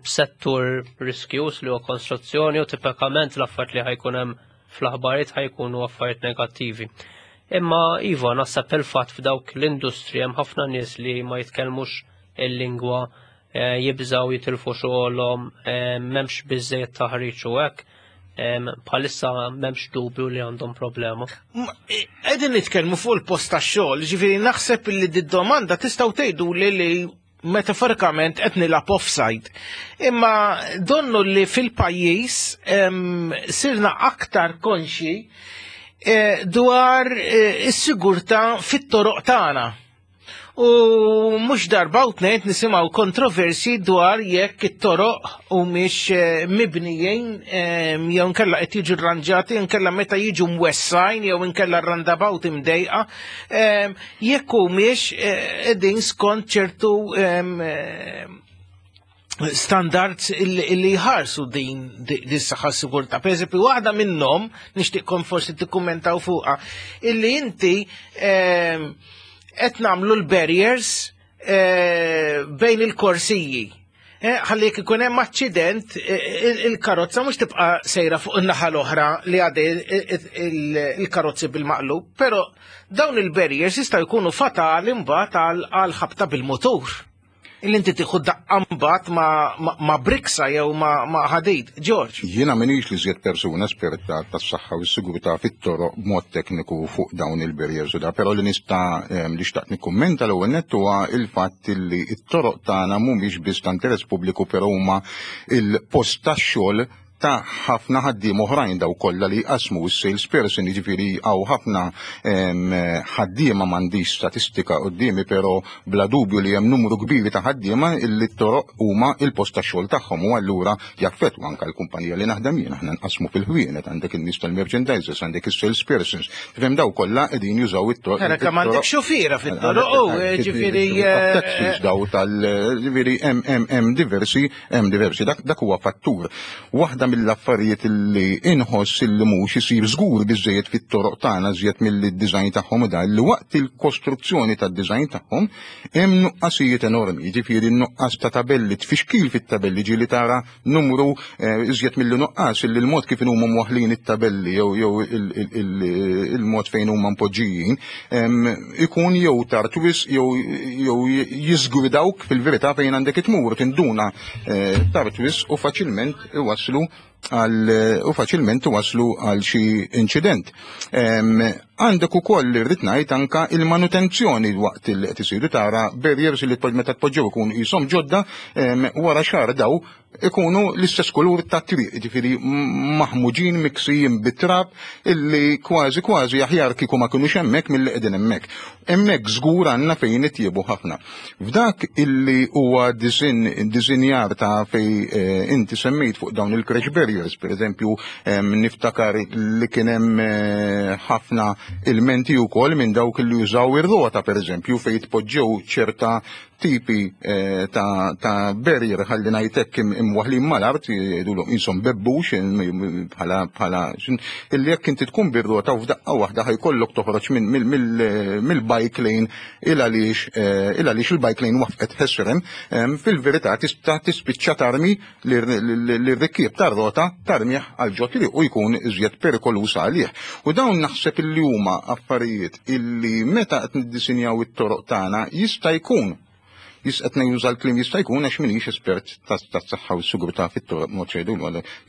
settur riskjus li huwa konstruzzjoni, u tipikament l-affarijiet li ħa jkun hemm fl-aħbarijiet ħa jkunu affarijiet negattivi. Imma iva, naħseb il-fatt f'dawk l-industri hemm ħafna nies li ma jitkellmux il-lingwa, eh, jibżaw jitilfu xogħolhom, eh, m'hemmx biżejjed taħriġ u hekk. Bħalissa m'hemmx dubju li għandhom problema. Qegħdin nitkellmu fuq il-post tax-xogħol, ġifieri naħseb li d-domanda tistgħu tgħidu li li metaforikament qed nilgħab offside. Imma donnu li fil-pajjiż sirna aktar konxi eh, dwar eh, is-sigurtà fit-toroq tagħna. U mhux darba u tnejn nisimgħu kontroversi dwar jekk it-toroq u mhix eh, mibnijin jew nkella qed jiġu rranġati, nkella meta jiġu mwessajn jew nkella roundabout imdejqa, jekk humiex qegħdin skont ċertu standards illi jħarsu din dis-saħħa sigurtà. Per eżempju, waħda minnhom nixtieqkom forsi tikkummentaw fuqha, illi inti qed nagħmlu l-barriers eh, bejn il-korsiji. Eh, ħalli jekk ikun hemm aċċident, eh, il-karozza mhux tibqa' sejra fuq in-naħa l-oħra li għadej il-karozzi bil-maqlub, però dawn il-barriers jistgħu jkunu fatali mbagħad għal ħabta bil-motur. Illi inti tieħu daqqa mbagħad ma, ma briksa jew ma, ma ħadid. George. Jiena m'iniex l-iżjed persuna esperta tas-saħħa u s-sigurtà fit-toroq b'mod tekniku fuq dawn il-barriers u da, però li nista' li xtaqt nikkummenta l-ewwel nett huwa il-fatt li t-toroq tagħna mhumiex biss ta' interess pubbliku, però huma il-post tax-xogħol ta' ħafna ħaddiem oħrajn, daw kollha li jqasmu, s-salesperson, jiġifieri hawn ħafna ħaddiema. M'għandix statistika quddiemi, però bla dubju li hemm numru kbir ta' ħaddiema illi t-toroq huma il-post tax-xogħol tagħhom u allura jaffettwa anke l-kumpanija li naħdem jien. Aħna nqasmu fil-ħwienet, għandek in-nies tal-merchandisers, għandek is-salespersons. Tifhem, daw kollha qegħdin jużaw it-toroq. Era kemm għandek xufiera fit-toroq, u ġifieri taxis daw tal ġifieri hemm hemm diversi hemm diversi dak dak huwa fattur. Waħda mill-affarijiet li inħoss illi mhux isir żgur biżejjed fit-toroq tagħna, żjed mill-design tagħhom u da li waqt il-kostruzzjoni tad-design tagħhom hemm nuqqasijiet enormi, jiġifieri nuqqas ta' tabelli, tfixkil fit-tabelli, ġieli tara numru eh, iżjed milli nuqqas illi l-mod kif huma mwaħlin it-tabelli jew jew il-mod fejn huma mpoġġijin ikun jew tard wisq jew jew jiżgwidawk fil-verità fejn għandek itmur, tinduna eh, tard wisq u faċilment iwaslu għal u faċilment waslu għal xi inċident. Għandek ukoll li rrid ngħid anka il-manutenzjoni waqt li qed isiru, tara barriers li meta tpoġġew ikunu qishom ġodda, wara xahar daw ikunu l-istess kulur ta' triq, ġifieri maħmuġin, miksijin bit-trab, illi kważi kważi aħjar kieku ma kinux hemmhekk milli qegħdin hemmhekk. Hemmhekk żgur għandna fejn nitjiebu ħafna. F'dak illi huwa disinjar ta' fej eh, inti semmejt fuq dawn il-crash barriers, per eżempju, niftakar li kien hemm eh, ħafna ilmenti wkoll minn dawk li jużaw ir-rota, per eżempju, fejn tpoġġew ċerta tipi eh, ta', ta barrier, ħalli ngħidlek, imwaħlin mal-art, jgħidulhom qishom bebbux bħala bħala illi jekk inti tkun bir-rota u f'daqqa waħda ħa jkollok toħroġ mill-bike lane il għaliex eh, il għaliex il-bike lane waqfet ħesrem, fil-verità tista' tispiċċa tarmi l-rikkieb tar-rota, tarmih għal ġo triq u jkun iżjed perikoluż għalih. U dawn naħseb illi huma affarijiet illi meta qed niddisinjaw it-toroq tagħna jista' jkun Qed nuża l-kliem "jista' jkun" għax m'iniex espert tas-saħħa u s-sigurtà fit-toroq mod xejdu,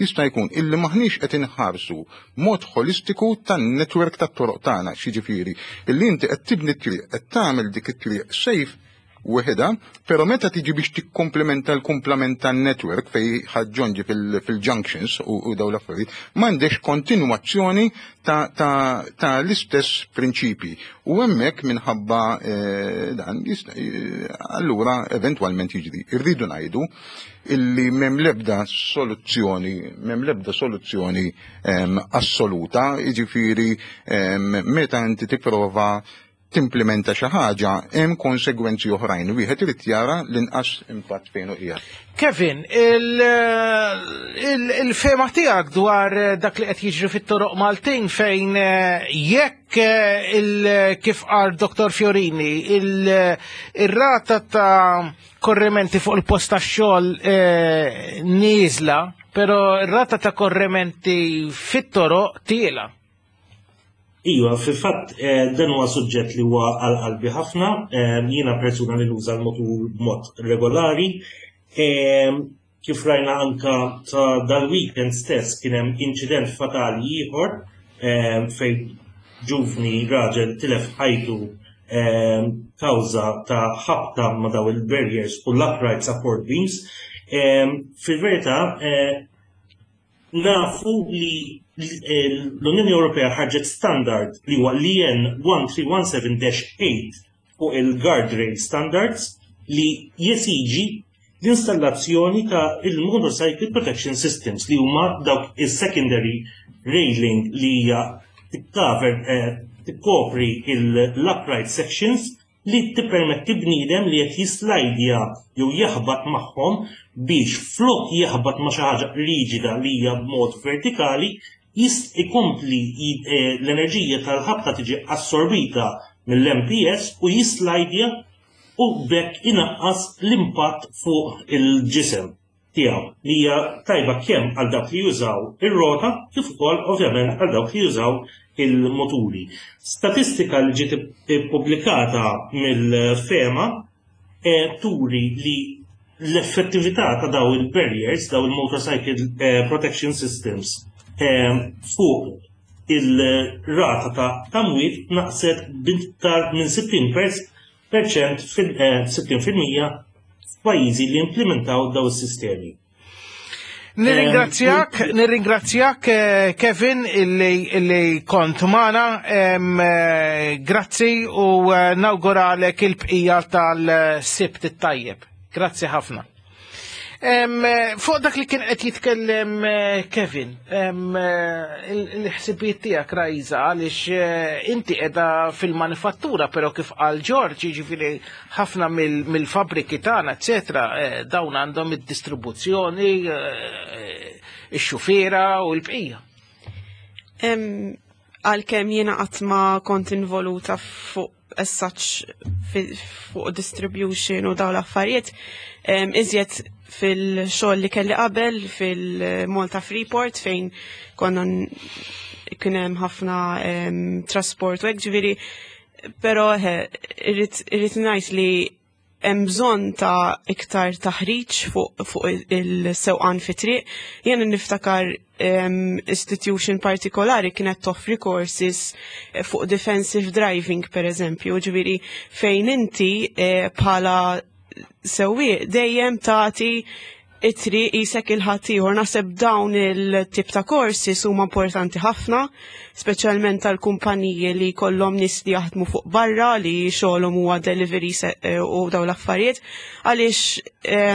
jista' jkun illi maħniex qed inħarsu mod holistiku tan-network tat-toroq tagħna, xiġifieri illi inti qed tibni triq, qed tagħmel dik it-triq safe weħeda, pero meta tiġi biex tikkomplementa l-kumplament tan-network fej ħaġġonġi fil-junctions u, u daw l-affarijiet, m'għandekx kontinwazzjoni ta', ta, ta l-istess prinċipi. U hemmhekk minħabba eh, dan eh, allura eventwalment jiġri. Irridu ngħidu illi m'hemm lebda soluzzjoni, m'hemm lebda soluzzjoni em, assoluta, jiġifieri em, meta inti tipprova timplementa xi ħaġa, hemm konsegwenzi oħrajn. Wieħed irid jara l-inqas impatt fejn hu qiegħed. Kevin, il-fehma tiegħek dwar dak li qed jiġri fit-toroq Maltin fejn eh, jekk eh, il- kif qal Dottor Fiorini, il-rata ta' korrimenti fuq il-post tax-xogħol eh, nieżla, però ir-rata ta' korrimenti fit-toroq tiela. Iva, fil-fatt eh, dan huwa suġġett li huwa għal qalbi ħafna, eh, jiena persuna li nuża l-motur b'mod regolari. Eh, Kif rajna anka ta' dal-weekend stess, kien hemm inċident fatali ieħor fejn ġuvni raġel tilef ħajtu kawża ta' ħabta ma' daw il-barriers u l-upright support beams. Fil-verità, nafu li l-Unjoni Ewropea ħarġet standard li huwa l-E N elf tliet mija u sittax dash tmienja fuq il-guardrail standards li jesiġi l-installazzjoni ta' il-Motorcycle Protection Systems, li huma dawk il-secondary railing li hija tikkaver eh, tikkopri l-upright sections, li tippermetti bniedem li qed jislajdja jew jaħbat magħhom biex flok jaħbat ma' xi ħaġa riġida li hija b'mod vertikali, jist ikompli eh, l-enerġija tal-ħabta tiġi assorbita mill-M P S u jislajdja u b'hekk inaqqas l-impatt fuq il-ġisem tiegħu, li hija tajba kemm għal dawk li jużaw ir-rota kif ukoll ovvjament għal dawk li jużaw il-moturi. Statistika li ġiet ippubblikata mill-FEMA eh, turi li l-effettività ta' daw il-barriers, daw il-motorcycle eh, protection systems, eh, fuq il-rata ta' tamwit naqset b'iktar minn sittin percent fil-sittin fil-mija f'pajjiżi li implementaw daw is-sistemi. Nirringrazzjak, nirringrazzjak eh, Kevin illi, illi kont magħna, eh, grazzi u eh, nawguralek il-bqija tal-Sibt it-tajjeb. Grazzi ħafna. Fuq dak li kien qed jitkellem Kevin, il-ħsibijiet tiegħek, Rajza, għaliex inti qiegħda fil-manifattura, però kif qal George, jiġifieri ħafna mill-fabriki tagħna, eċetera, dawn għandhom id-distribuzzjoni, ix-xufiera u l-bqija. Għalkemm jiena qatt ma kont involuta fuq as such fuq distribution u dawn l-affarijiet, iżjed fil-xogħol li kelli qabel fil-Malta Freeport fejn konna kien hemm ħafna trasport u hekk, ġifieri, però irrid ngħid li hemm bżonn ta' iktar taħriġ fuq fu il-sewqan fi triq. Jien niftakar um, institution partikolari kienet toffri courses eh, fuq defensive driving, per eżempju, ġifieri fejn inti eh, bħala sewwieq dejjem tagħti it-triq qisek lil ħaddieħor. Naħseb dawn il-tip ta' courses huma importanti ħafna, speċjalment tal-kumpaniji li kollhom nies li jaħdmu fuq barra, li xogħolhom huwa delivery eh, u dawn l-affarijiet, għaliex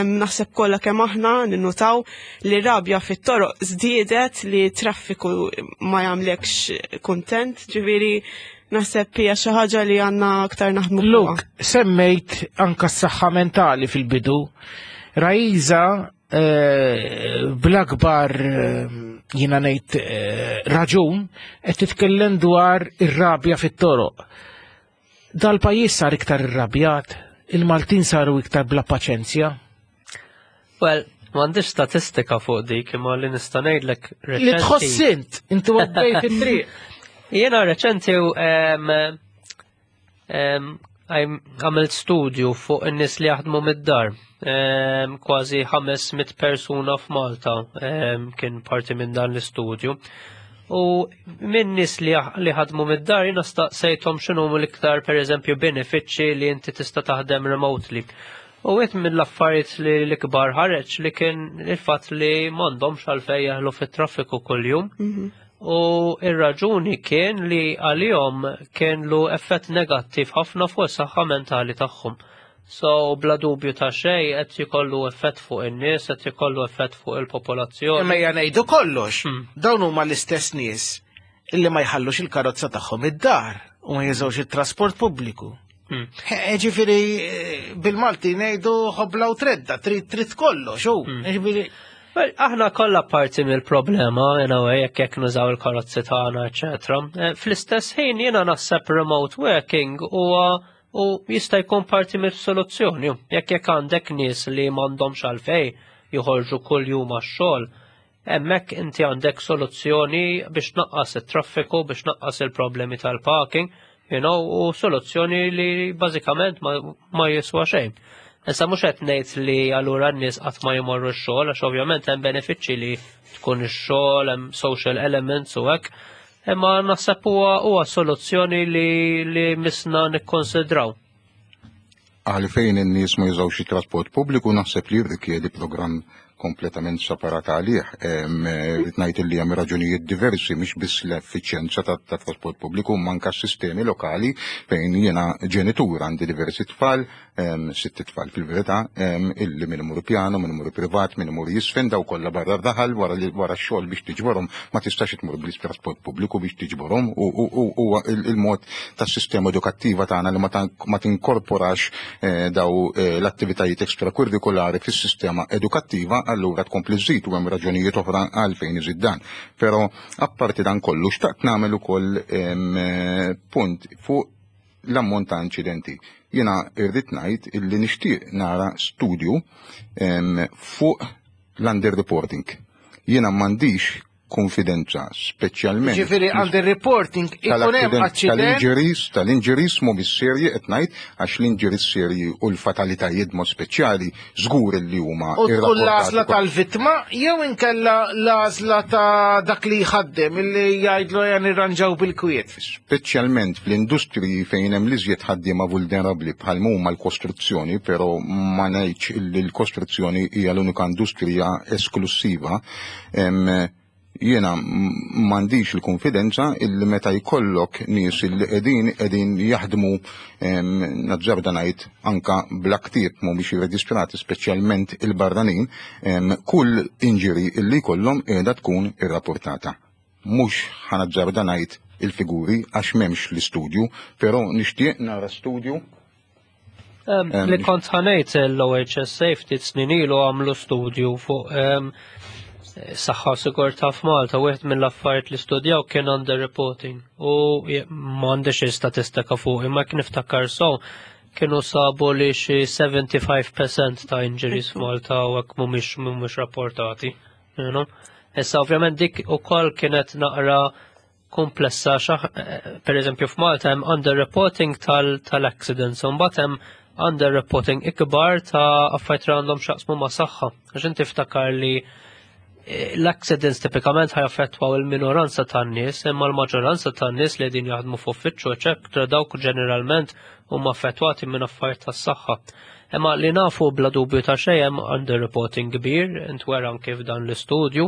naħseb kollha kemm aħna ninnutaw li rabja fit-toroq żdiedet, li traffiku ma jagħmlekx kuntent, ġifieri naħseb hija xi ħaġa li għandna aktar naħdmu. Luke, semmejt anka s-saħħa mentali fil-bidu. Rajza, eh, bl-akbar eh, jiena ngħid eh, raġun qed titkellem dwar ir-rabja fit-toroq. Dal-pajjiż sar iktar irrabjat, il-Maltin saru iktar bla paċenzja. Well, m'għandix statistika fuq dik, imma li nista' ngħidlek Li tħoss int, inti għaddej fit-triq. Jiena reċenti em, em, Għamilt studju fuq in-nies li jaħdmu mid-dar. Kważi ħames mitt persuna f'Malta kien parti minn dan l-istudju. U minn nies li ħadmu mid-dar jiena staqsejthom x'inhuma l-iktar, pereżempju, benefiċċji li inti tista' taħdem remotely. U wieħed mill-affarijiet li l-ikbar ħareġ li kien il-fatt li m'għandhomx għalfejn jaħlu fit-traffiku kuljum. Mhm. U ir-raġuni kien li għalihom kien lu effett negattiv ħafna fuq is-saħħa mentali tagħhom. So bla dubju ta' xejn qed jkollu effett fuq in-nies, qed jkollu effett fuq il-popolazzjoni. Imma ejja ngħidu kollox, hmm. dawn huma l-istess nies illi ma jħallux il-karozza tagħhom id-dar u ma jużawx it-trasport pubbliku. Hmm. Ġifieri bil-Malti ngħidu ħobla u tredda, trid trid kollox, u hmm. ġifieri Aħna kollha parti mill-problema, in a way, jekk jekk nużaw il-karozzi tagħna, eċetera. Eh, fl-istess ħin jiena naħseb remote working huwa u jista' jkun parti mill-soluzzjoni. Jekk jekk għandek nies li m'għandhomx għalfejn joħorġu kuljum għax-xogħol, hemmhekk inti għandek soluzzjoni biex naqqas it-traffiku, biex naqqas il-problemi tal-parking, you know, u soluzzjoni li bażikament ma, ma jiswa xejn. Issa mhux qed ngħid li allura n-nies qatt ma jmorru x-xogħol, għax ovvjament hemm benefiċċji li tkun ix-xogħol, hemm social elements u hekk, imma naħseb huwa huwa soluzzjoni li li misna nikkonsidraw. Għalfejn in-nies ma jużawx it-trasport pubbliku naħseb li jirrikjedi programm kompletament separat għalih. Rrid ngħid li hemm raġunijiet diversi, mhix biss l-effiċjenza tat-trasport pubbliku, manka sistemi lokali fejn jiena ġenitur, għandi diversi tfal, sitt tfal fil-verità, illi min imur piano, min imur privat, min imur jisfen, daw kollha barra r-raħal wara x-xogħol biex tiġborhom ma tistax tmur bl-trasport pubbliku biex tiġborhom, u huwa il-mod tas-sistema edukattiva tagħna li ma tinkorporax daw l-attivitajiet ekstrakurrikulari fis-sistema edukattiva, allura tkompli żżid, u hemm raġunijiet oħra għalfejn iżid dan. Però apparti dan kollu xtaqt nagħmel ukoll punt fuq l-ammont ta' inċidenti. Jiena irrid ngħid illi nixtieq nara studju fuq l-underreporting. Jiena m'għandix konfidenza, speċjalment. Ġifieri underreporting ikun hemm aċċident. Tal-injuries, tal-injuries mhumiex serji qed ngħid, għax l-injuries serji u l-fatalitajiet mod speċjali żgur li huma. U tkun l-għażla tal-vittma jew inkella l-għażla ta' dak li jħaddem illi jgħidlu ejja nirranġaw bil-kwiet. Speċjalment fl-industriji fejn hemm l-iżjed ħaddiema vulnerabbli bħal huma l-kostruzzjoni, però ma ngħidx li l-kostruzzjoni hija l-unika industrija esklusiva. Jiena m'għandix il-konfidenza illi meta jkollok nies illi qegħdin qegħdin jaħdmu, nazzarda ngħid anka bla ktieb, mhumiex irreġistrati, speċjalment il-barranin, kull injury illi jkollhom qiegħda tkun irrapportata. Mhux ħanazzarda ngħid il-figuri għax m'hemmx l-istudju, però nixtieq nara studju. Li kont ħanejt l-O H S Safety snin ilu għamlu studju fuq saħħa u sigurtà f'Malta, wieħed mill-affarijiet li studjaw kien underreporting u m'għandix statistika fuq, imma kien niftakar so kienu sabu li xi sebgħa u sebgħin fil-mija ta' injuries f'Malta u hekk mhumiex mhumiex rapportati. You know? Issa ovvjament dik ukoll kienet naqra komplessa xaħ, per eżempju, f'Malta hemm underreporting tal-accidents, u mbagħad hemm underreporting ikbar ta' affarijiet li għandhom x'jaqsmu ma' saħħa. Għax inti ftakar li l-accidents tipikament ħajaffettwaw il-minoranza tan-nies, imma l-maġġoranza tan-nies li qegħdin jaħdmu f'uffiċċju, eċetera, dawk ġeneralment huma affettwati minn affarijiet tas-saħħa. Imma li nafu bla dubju ta' xejn hemm underreporting kbir, intwera anke f'dan l-istudju.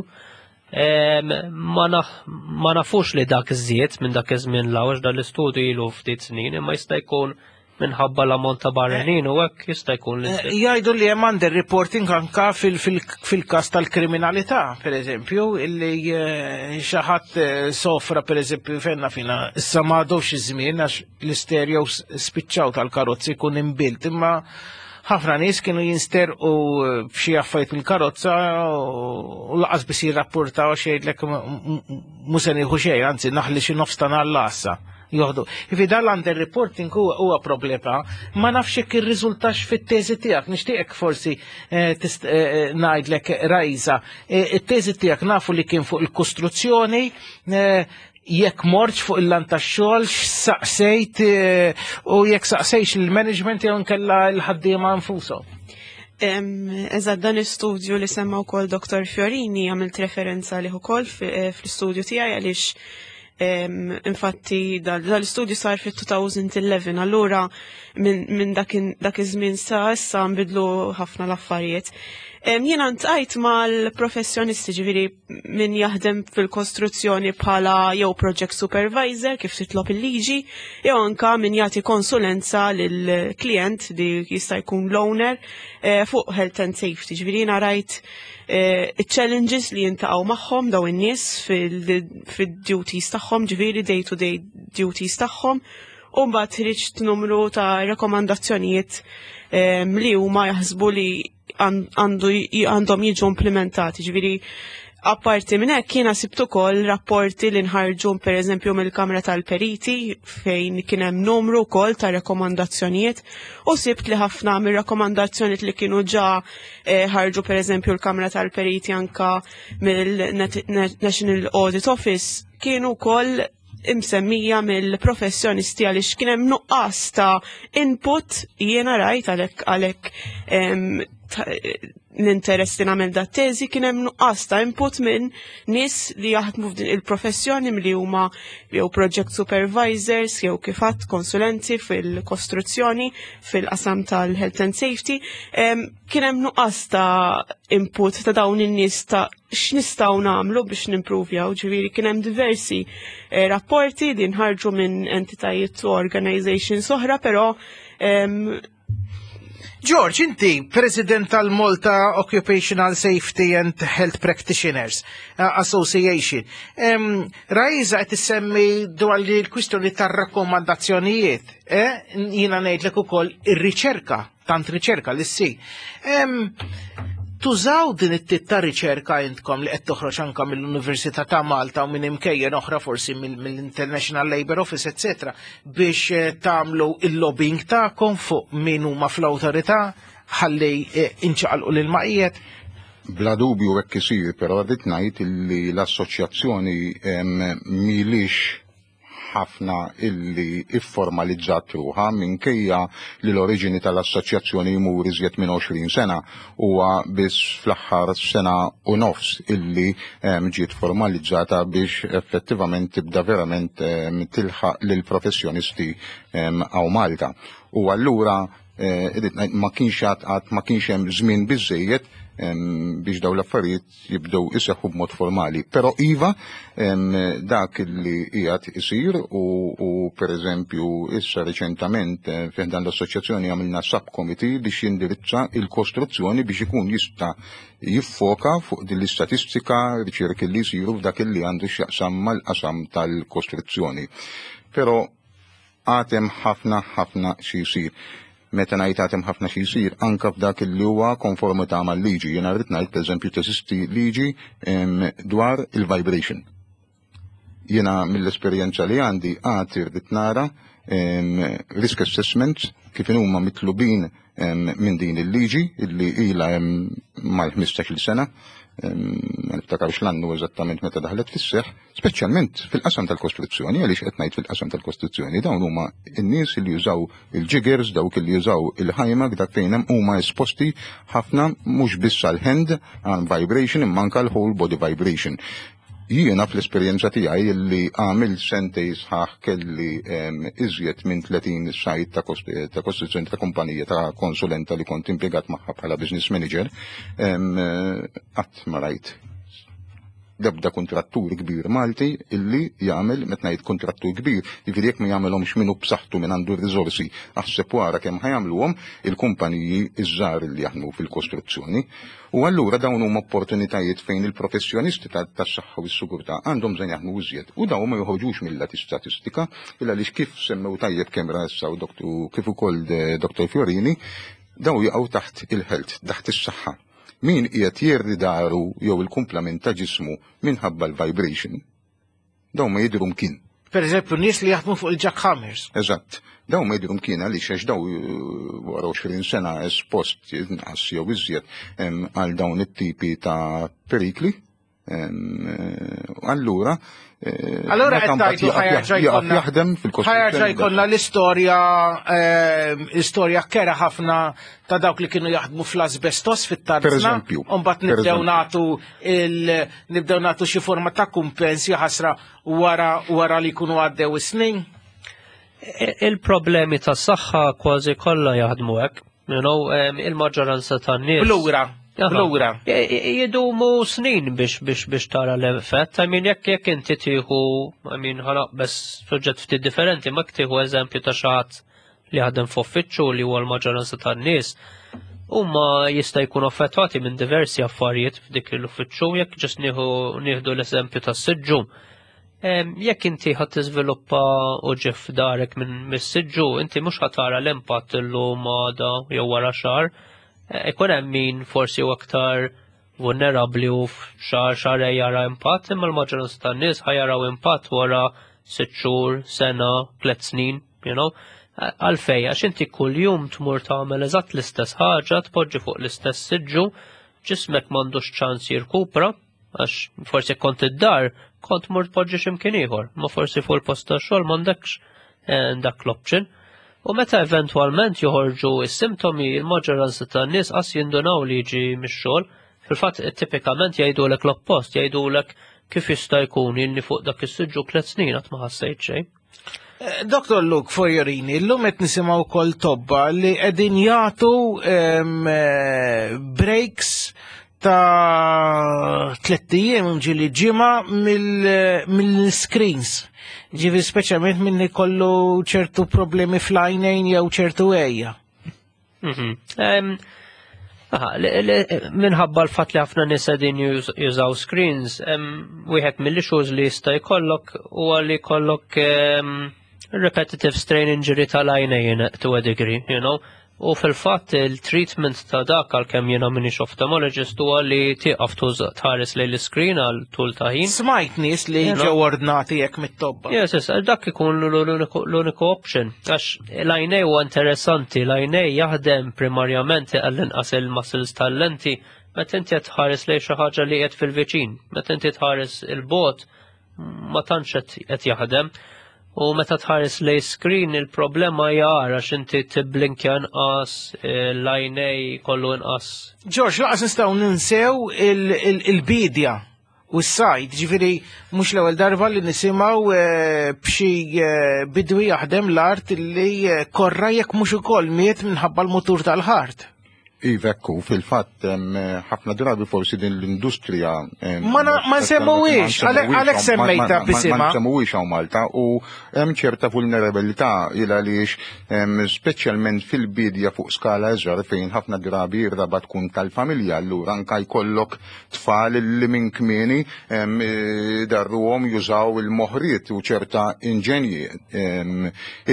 Ma nafux li dak iżjed minn dak iż-żmien l dan l-istudju ilu ftit snin, imma jista' jkun minħabba l-ammont ta' barranin u hekk jista' jkun li. Eh, jgħidu li hemm underreporting anka fil-każ tal-kriminalità, per eżempju, illi eh, xi ħadd eh, sofra, per eżempju, fenna fina, issa ma għadux iż-żmien għax l-istereo spiċċaw tal-karozzi jkun imbilt, imma ħafna nies kienu jinsterqu b'xi affarijiet mill-karozza u lanqas biss jirrapportaw, għax jgħidlek mhux se nieħu xejn, anzi naħli xi nofs ta' l-għassa joħdu. Ifi dal-underreporting huwa problema, ma nafx jekk irriżultax fit-teżi tiegħek, nixtieqek forsi eh, eh, eh, ngħidlek, Rajza, it-teżi tiegħek nafu li kien fuq il-kostruzzjoni, Jekk mortx fuq il-lant tax-xogħol, x'saqsejt eh, u jekk saqsejx il-management jew nkella l-ħaddiema nfushom. Eżatt, dan l-istudju li semma wkoll Doktor Fiorini għamilt referenza li ukoll eh, fl-istudju tiegħi, għaliex infatti dal-istudju sar fit-elfejn u ħdax, allura minn dak iż-żmien sa issa nbidlu ħafna l-affarijiet. Jiena ltqajt mal-professjonisti, ġifieri min jaħdem fil-kostruzzjoni bħala jew project supervisor kif titlob il-liġi, jew anka min jagħti konsulenza lill-klient li jista' jkun l-owner eh, fuq health and safety. Ġifieri jiena rajt eh, challenges li jiltaqgħu magħhom daw in-nies fil-duties tagħhom, ġifieri day to day duties tagħhom, u mbagħad ħriġt numru ta' rekomandazzjonijiet eh, li huma jaħsbu li għandhom jiġu implementati. Ġifieri, apparti minn hekk, jiena sibt ukoll rapporti li nħarġu, pereżempju, mill-Kamra tal-Periti, fejn kien hemm numru wkoll ta' rekomandazzjonijiet, u sibt li ħafna mir-rakkomandazzjonijiet li kienu ġa eh, ħarġu, pereżempju, l-Kamra tal-Periti, anka mill-National Audit Office, kienu wkoll imsemmija mill-professjonisti, għaliex kien hemm nuqqas ta' input. Jiena rajt, għalhekk għalhekk l-interess li nagħmel dat teżi, kien hemm nuqqas ta' input minn nies li jaħdmu f'din il-professjoni, li huma jew project supervisors jew kif għedt konsulenti fil-kostruzzjoni fil-qasam tal-health and safety. Kien hemm nuqqas ta' input ta' dawn in-nies ta' x'nistgħu nagħmlu biex nimprovjaw. Ġifieri kien hemm diversi eh, rapporti li nħarġu minn entitajiet u organizations oħra, però George, inti President tal-Malta Occupational Safety and Health Practitioners uh, Association. Um, Rajza qed issemmi dwar li l-kwistjoni tar-rakkomandazzjonijiet, eh? Jiena ngħidlek ukoll ir-riċerka, tant riċerka li ssir. Um, tużaw din it-tip ta' riċerka intkom li qed toħroġ anka mill-Università ta' Malta u minn imkejjen oħra, forsi mill-International Labour Office, etc., biex eh, tagħmlu il-lobbying tagħkom fuq min huma fl-awtorità ħalli eh, inċaqalqu lil maqijet? Bla dubju hekk isir, però rrid ngħid li l-assoċjazzjoni m'ilhiex ħafna illi ifformalizzat ruħha, minkejja li l-oriġini tal-assoċjazzjoni jmur iżjed minn għoxrin sena, huwa biss fl-aħħar sena u nofs illi ġiet formalizzata biex effettivament tibda verament tilħaq lil professjonisti hawn Malta. U allura eh, ma kienx għad ma kienx hemm żmien biżejjed biex daw l-affarijiet jibdew iseħħu b'mod formali. Però iva, dak li qiegħed isir u, u per eżempju issa reċentament eh, fejn dan l-assoċjazzjoni għamilna subcommittee biex jindirizza il-kostruzzjoni, biex ikun jista' jiffoka fuq din l-istatistika, riċerki li jsiru f'dak li għandu x'jaqsam mal-qasam tal-kostruzzjoni. Però għad hemm ħafna ħafna xi jsir. Meta ngħid għad hemm ħafna xi jsir, anka f'dak li huwa konformità mal-liġi. Jiena rrid ngħid, pereżempju, teżisti liġi dwar il-vibration. Jiena mill-esperjenza li għandi għad irrid nara risk assessments kif huma mitlubin minn din il-liġi illi ilha mal-ħmistax-il sena, ma niftakarx l-annu eżattament meta daħlet fis-seħ, speċjalment fil-qasam tal-kostruzzjoni. Għaliex qed ngħid fil-qasam tal-kostruzzjoni? Dawn huma n-nies li jużaw il-jiggers, dawk li jużaw il-HIMAG, dak fejn hemm huma esposti ħafna, mhux biss għal hand arm vibration imma anke l-whole body vibration. Jiena fl-esperjenza tiegħi li għamil sentej sħaħ kelli iżjed minn tletin site ta' kostruzzjoni ta' kumpanija ta' konsulenta li kont impjegat magħha bħala business manager, qatt ma rajt l-ebda kontrattur kbir Malti illi jagħmel. Meta ngħid kontrattur kbir, jiġifieri jekk ma jagħmelhomx minnu b'saħħtu, minn għandu r-riżorsi, aħseb wara kemm ħa jagħmluhom il-kumpaniji iż-żgħar li jaħdmu fil-kostruzzjoni. U allura dawn huma opportunitajiet fejn il-professjonisti tas-saħħa u s-sigurtà għandhom bżonn jaħdmu iżjed. U dawn ma joħorġux mill-lat statistika, illa għaliex kif semmew tajjeb kemm Rajsa u kif ukoll Doktor Fiorini, dawn jaqgħu taħt il-health, taħt is-saħħa. Min qiegħed jerri dahru jew il-kumplament ta' ġismu minħabba l-vibration, dawn ma jidhru mkien. Per eżempju, nies li jaħdmu fuq il-jackhammers. Eżatt. Dawn ma jidhru mkien għaliex għax daw eh, wara għoxrin sena espost inqas jew iżjed għal dawn it-tipi ta' perikli, Allura, Allora qed tgħidu ħa jerġa' jaħdem fil-Kostituzzjoni. Ħa jerġa' jkollna l-istorja l-istorja kerha ħafna ta' dawk li kienu jaħdmu fl-asbestos fit-tarzna. Per eżempju. U mbagħad nibdew nagħtu nibdew nagħtu xi forma ta' kumpens ħasra wara wara li jkunu għaddew is-snin. Il-problemi tas-saħħa kważi kollha jaħdmu hekk. You know, il-maġġoranza tan-nies. Blura. Blura. Jidumu snin biex biex biex tara l-effett. I mean, jekk jekk inti tieħu, I mean, ħa naqbeż suġġett ftit differenti, ma tieħu eżempju ta' xi ħadd li jaħdem f'uffiċċju li huwa l-maġġoranza tan-nies, huma jista' jkunu affettwati minn diversi affarijiet f'dik l-uffiċċju, jekk ġust nieħdu l-eżempju tas-siġġu. Jekk inti ħadd tiżviluppa uġigħ f'darek minn mis-siġġu, inti mhux ħa tara l-impatt illum għada jew wara xahar. Ikun hemm min forsi u aktar vulnerabbli u f'xahar xahar jara impatt, imma l-maġġoranza tan-nies ħa jaraw impatt wara sitt xhur, sena, tliet snin, you know. Għalfej, għax inti kuljum tmur tagħmel eżatt l-istess ħaġa, tpoġġi fuq l-istess siġġu, ġismek m'għandux ċans jirkupra, għax forsi kont id-dar, kont mur tpoġġi x'imkien ieħor, ma forsi fuq il-post tax-xogħol m'għandekx dak l-option. U meta eventwalment joħorġu is-simptomi, il-maġġoranza tan-nies qas jindunaw li jiġi mix-xogħol. Fil-fatt tipikament jgħidulek l-oppost, jgħidulek kif jista' jkun ilni fuq dak is-siġġu tliet snin qatt ma ħassejt xejn. Doktor Luke Fojorini, illum qed nisimgħu wkoll tobba li qegħdin jagħtu breaks ta' tlett ijiem ġieli ġimgħa mill-screens. Ġifieri speċjalment minn ikollu ċertu problemi fl-għajnejn jew ċertu għejja. Mhm. Minħabba l-fatt li ħafna nies qegħdin jużaw screens, wieħed mill-issues li jista' jkollok huwa li jkollok repetitive strain injury tal-għajnejn to a degree, you know. U fil-fatt il-treatment ta' dak, għalkemm jiena m'iniex ophthalmologist, huwa li tieqaf tħares lejn l-screen għal tul ta' ħin. Smajt nies li ġew ordnati hekk mit-tobba. Yes, yes, dak ikun l-uniku option. Għax l-għajnej huwa interessanti, l-għajnej jaħdem primarjament għall-inqas il-muscles tal-lenti meta inti qed tħares lejn xi ħaġa li qed fil-viċin, meta inti tħares il-bogħod ma tantx qed jaħdem. U meta tħares lej screen il-problema jara għax inti tiblinkja inqas, l-għajnej kollu inqas. George, lanqas nistgħu ninsew il-bidja u s-sajd, ġifieri mhux l-ewwel darba li nisimgħu eh, b'xi eh, bidwi jaħdem l-art li eh, korra jekk mhux ukoll miet minħabba l-mutur tal-ħart. Iva, ekku, fil-fatt ħafna drabi forsi din l-industrija Ma ma nsemmuwiex, għalhekk semmejta b'isimha. Ma nsemmuwiex hawn Malta u hemm ċerta vulnerabilità il għaliex speċjalment fil-bidja fuq skala iżgħar fejn ħafna drabi r-raba tkun tal-familja, allura anka jkollok tfal li minn kmieni darruhom jużaw il-moħriet u ċerta inġenji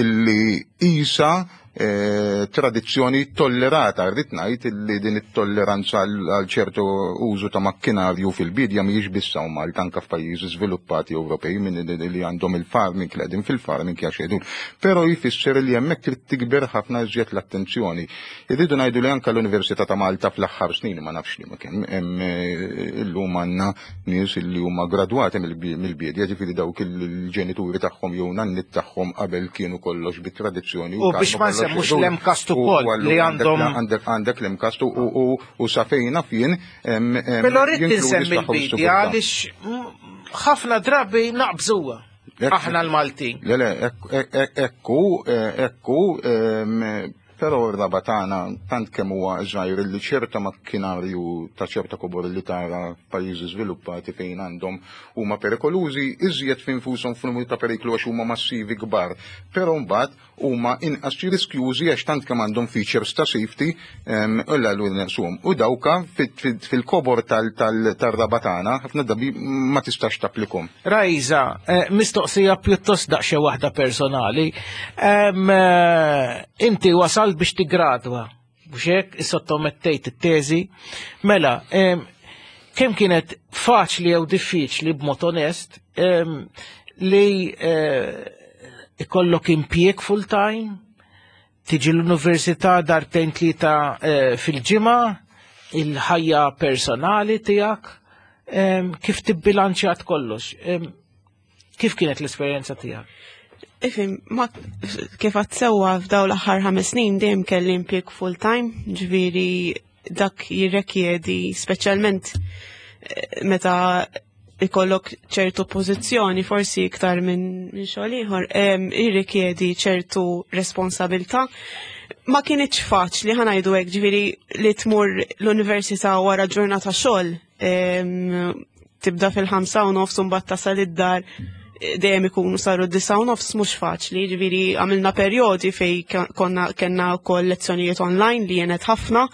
illi isa eh, tradizzjoni tollerata. Rrid ngħid li din it-tolleranza għal ċertu użu ta' makkinarju fil-bidja mhijiex biss hawn Malta, anke f'pajjiżi żviluppati Ewropej minn li għandhom il-farming, li qegħdin fil-farming jaxedu. Però jfisser li hemmhekk trid tikber ħafna iżjed l-attenzjoni. Irridu ngħidu li anke l-Università ta' Malta fl-aħħar snin, ma nafx li ma kemm, hemm eh, illum għandna nies li huma gradwati mill-bidja, ġifieri dawk il-ġenituri tagħhom jew nannit tagħhom qabel kienu kollox bit-tradizzjoni. U biex ma nsemmux l-MCAST ukoll li għandhom. Għandek għandek l-MCAST u sa fejna fien. Però rrid insemmi l-bidja għaliex ħafna drabi naqbżuha. Aħna l-Maltin. Le, le, ekku, ekku, però r-raba tagħna tant kemm huwa żgħir li ċerta makkinarju ta' ċerta kobor li tara f'pajjiżi żviluppati fejn għandhom huma perikolużi, iżjed finfushom f'numru ta' periklu għax huma massivi kbar. Però mbagħad huma inqas riskjużi għax tant kemm għandhom features ta' safety u l naqsuhom. U dawka fil-kobor tal-raba tagħna ħafna drabi ma tistax tapplikhom. Rajza, eh, mistoqsija pjuttost daqsxejn waħda personali. Eh, inti wasal biex tigradwa, biex hekk issottomettejt it-teżi. Mela, kemm kienet faċli jew diffiċli b'mod onest li eh, ikollok impjieg full-time, tiġi l-università darbtejn tlieta eh, fil-ġimgħa, il-ħajja personali tiegħek, Kif tibbilanċjat kollox? Kif kienet l-esperjenza tiegħek? Ifhem, ma kif għedt sewwa, f'daw l-aħħar ħames snin dejjem kelli impjieg full time, ġifieri dak jirrekjedi, speċjalment eh, meta ikollok ċertu pożizzjoni, forsi iktar minn min xogħol ieħor, jirrikjedi ċertu responsabilità. Ma kienitx faċli, ħa ngħidu hekk, ġifieri li tmur l-università wara ġurnata xogħol, tibda fil-ħamsa u nofs u mbagħad tasal id-dar dejjem ikunu saru disgħa u nofs, mhux faċli, ġifieri għamilna perjodi fej konna kellna wkoll lezzjonijiet online li għenet ħafna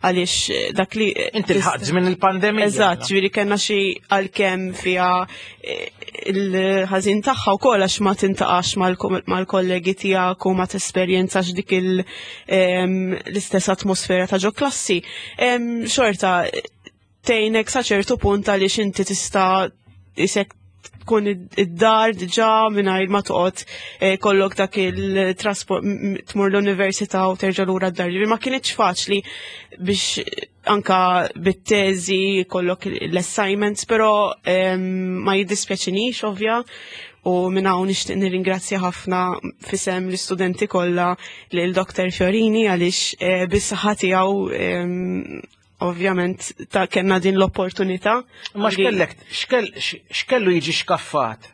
għaliex dak li Inti lħaqt żmien il-pandemija. Eżatt, ġifieri kellna xi, għalkemm fiha eh, il-ħażin tagħha wkoll għax ma tiltaqax mal-kollegi tiegħek u ma tesperjenzax dik l-istess atmosfera ta' ġo klassi. Xorta tgħinek sa ċertu punt għaliex inti tista' isek tkun id-dar diġà mingħajr ma toqgħod eh, kollok dak il-trasport tmur l-università u terġa' lura d-dar. Ma kienitx faċli biex anka bit-teżi kollok l-assignments, però ma jiddispjaċinix, ovvja, u minn hawn nixtieq nirringrazzja ħafna f'isem l-istudenti kollha lil Doktor Fiorini għaliex eh, bis-saħħa tiegħu ovvjament ta' kellna din l-opportunità. Ma x'kellek, x'kellu jiġi xkaffat?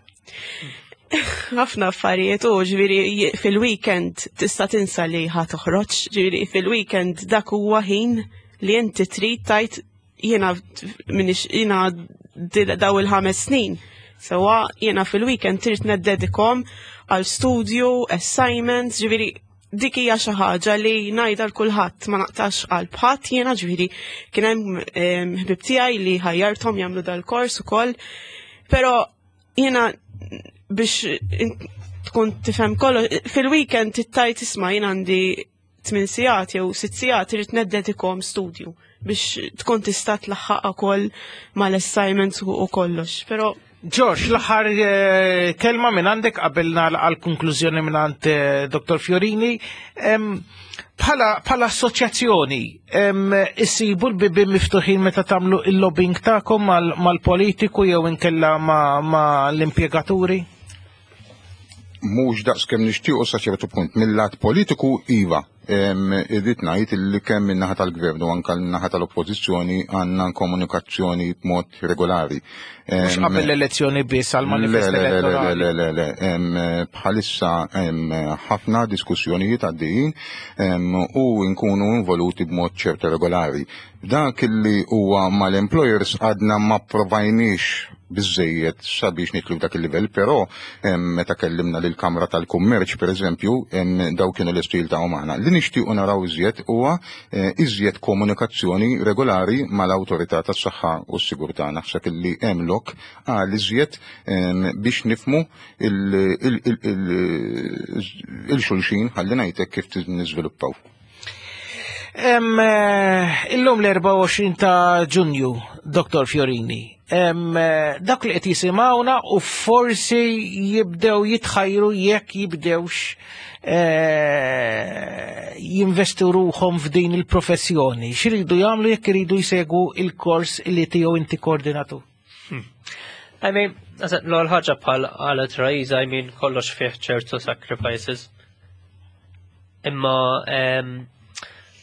Ħafna affarijiet u ġifieri fil-weekend tista' tinsa li ħa toħroġ, ġifieri fil-weekend dak huwa ħin li inti trid tgħid jiena minix jiena daw il-ħames snin. Sewwa, jiena fil-weekend trid niddedikahom għal studju, assignments, ġifieri dik hija xi ħaġa li ngħidha l kulħadd, ma naqtax qalb ħadd jiena, ġifieri kien hemm ħbib tiegħi li ħajjarthom jagħmlu dal-kors ukoll. Però jiena biex tkun tifhem kollox, fil-weekend tgħid, "Isma', jien għandi tmien sigħat jew sitt sigħat, irid niddedikahom studju," biex tkun tista' tlaħħaq ukoll mal-assignments u kollox. Però George, l-aħħar eh, kelma minn għandek qabel għal konklużjoni minn għand eh, Doktor Fiorini. Bħala assoċjazzjoni, issibu l-bibien miftuħin meta tagħmlu il-lobbying tagħkom mal-politiku jew inkella ma' l-impjegaturi? Mhux daqs kemm nixtiequ sa ċertu punt. Mill-lat politiku iva. Irrid ngħid li kemm min-naħa tal-gvern u anke n-naħa tal-oppożizzjoni għandna komunikazzjoni b'mod regolari. Mhux qabel l-elezzjoni biss għal manifest elettorali. Le, le, le, bħalissa hemm ħafna diskussjonijiet għaddejjin u nkunu involuti b'mod ċertu regolari. Dak li huwa mal-employers għadna ma provajniex biżejjed sabiex nidħlu dak il-livell, però meta kellimna lil Kamra tal-Kummerċ, per eżempju, daw kienu l-istil ta' magħna. Li nixtiequ naraw iżjed huwa eh, iżjed komunikazzjoni regolari mal-Awtorità tas-Saħħa u s-Sigurtà. Naħseb illi hemm lok għal iżjed biex nifhmu lil xulxin, ħalli ngħidlek kif niżviluppaw. Eh, illum l-erbgħa u għoxrin ta' Ġunju, Doktor Fiorini. Eh, dak li qed jisimgħuna u forsi jibdew jitħajru jekk jibdewx eh, jinvestu ruħhom f'din il-professjoni. X'iridu jagħmlu jekk iridu jsegwu il-kors li tiegħu inti koordinatur? Hmm. I mean, l-ewwel ħaġa, bħal qalet Raiza, I mean, kollox fih ċertu sacrifices. Imma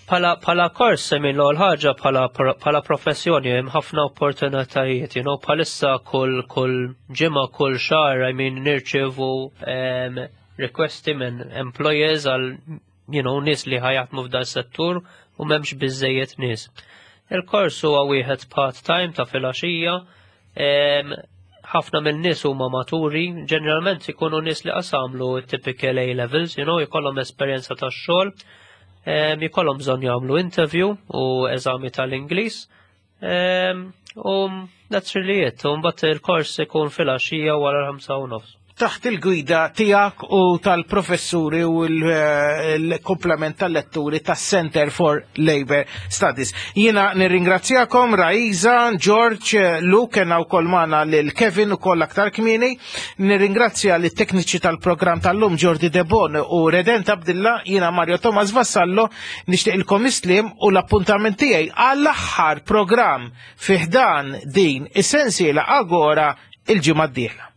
Pala, pala kors, I mean, l ħaġa pala, pala professjoni, hemm ħafna opportunitajiet, you know, bħalissa kull kull ġimgħa, kull xahar, I mean, nirċevu um, requesti minn employers għal, you know, nies li ħa jaħdmu f'dal settur u m'hemmx biżejjed nies. Il-kors huwa wieħed part-time ta' filgħaxija, ħafna minn nies huma maturi, ġeneralment ikunu nies li qas għamlu typical A levels, you know, jkollhom esperjenza tax-xogħol, jkollhom bżonn jagħmlu interview u eżami tal-Ingliż. U that's really it. U mbagħad il-kors ikun filgħaxija wara l-ħamsa u nofs. taħt il-gwida tiegħek u tal-professuri u l-komplement tal-letturi tas-Center for Labor Studies. Jiena nirringrazzjakom Raiza, George, Luke, kena wkoll magħna lil Kevin ukoll aktar kmieni. Nirringrazzja lit-tekniċi tal-programm tal-lum Jordi Debon u Redent Abdilla, jiena Mario Thomas Vassallo, nixtieqilkom is-sliem u l-appuntament tiegħi għall-aħħar programm fi ħdan din is-sensiela Agora il-ġimgħa d-dieħla.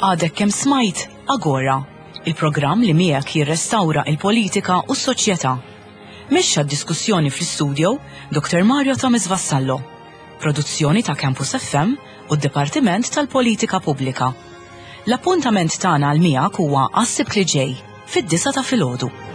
Għadek kemm smajt Agora, il-programm li miegħek jirrestawra il-politika u s-soċjetà. Mexxa d-diskussjoni fl-istudio Dr. Mario Thomas Vassallo. Produzzjoni ta' Campus FM u d-Dipartiment tal-Politika Pubblika. L-appuntament tagħna għal miegħek huwa għas-Sibt li ġej fid-disgħa ta' filgħodu.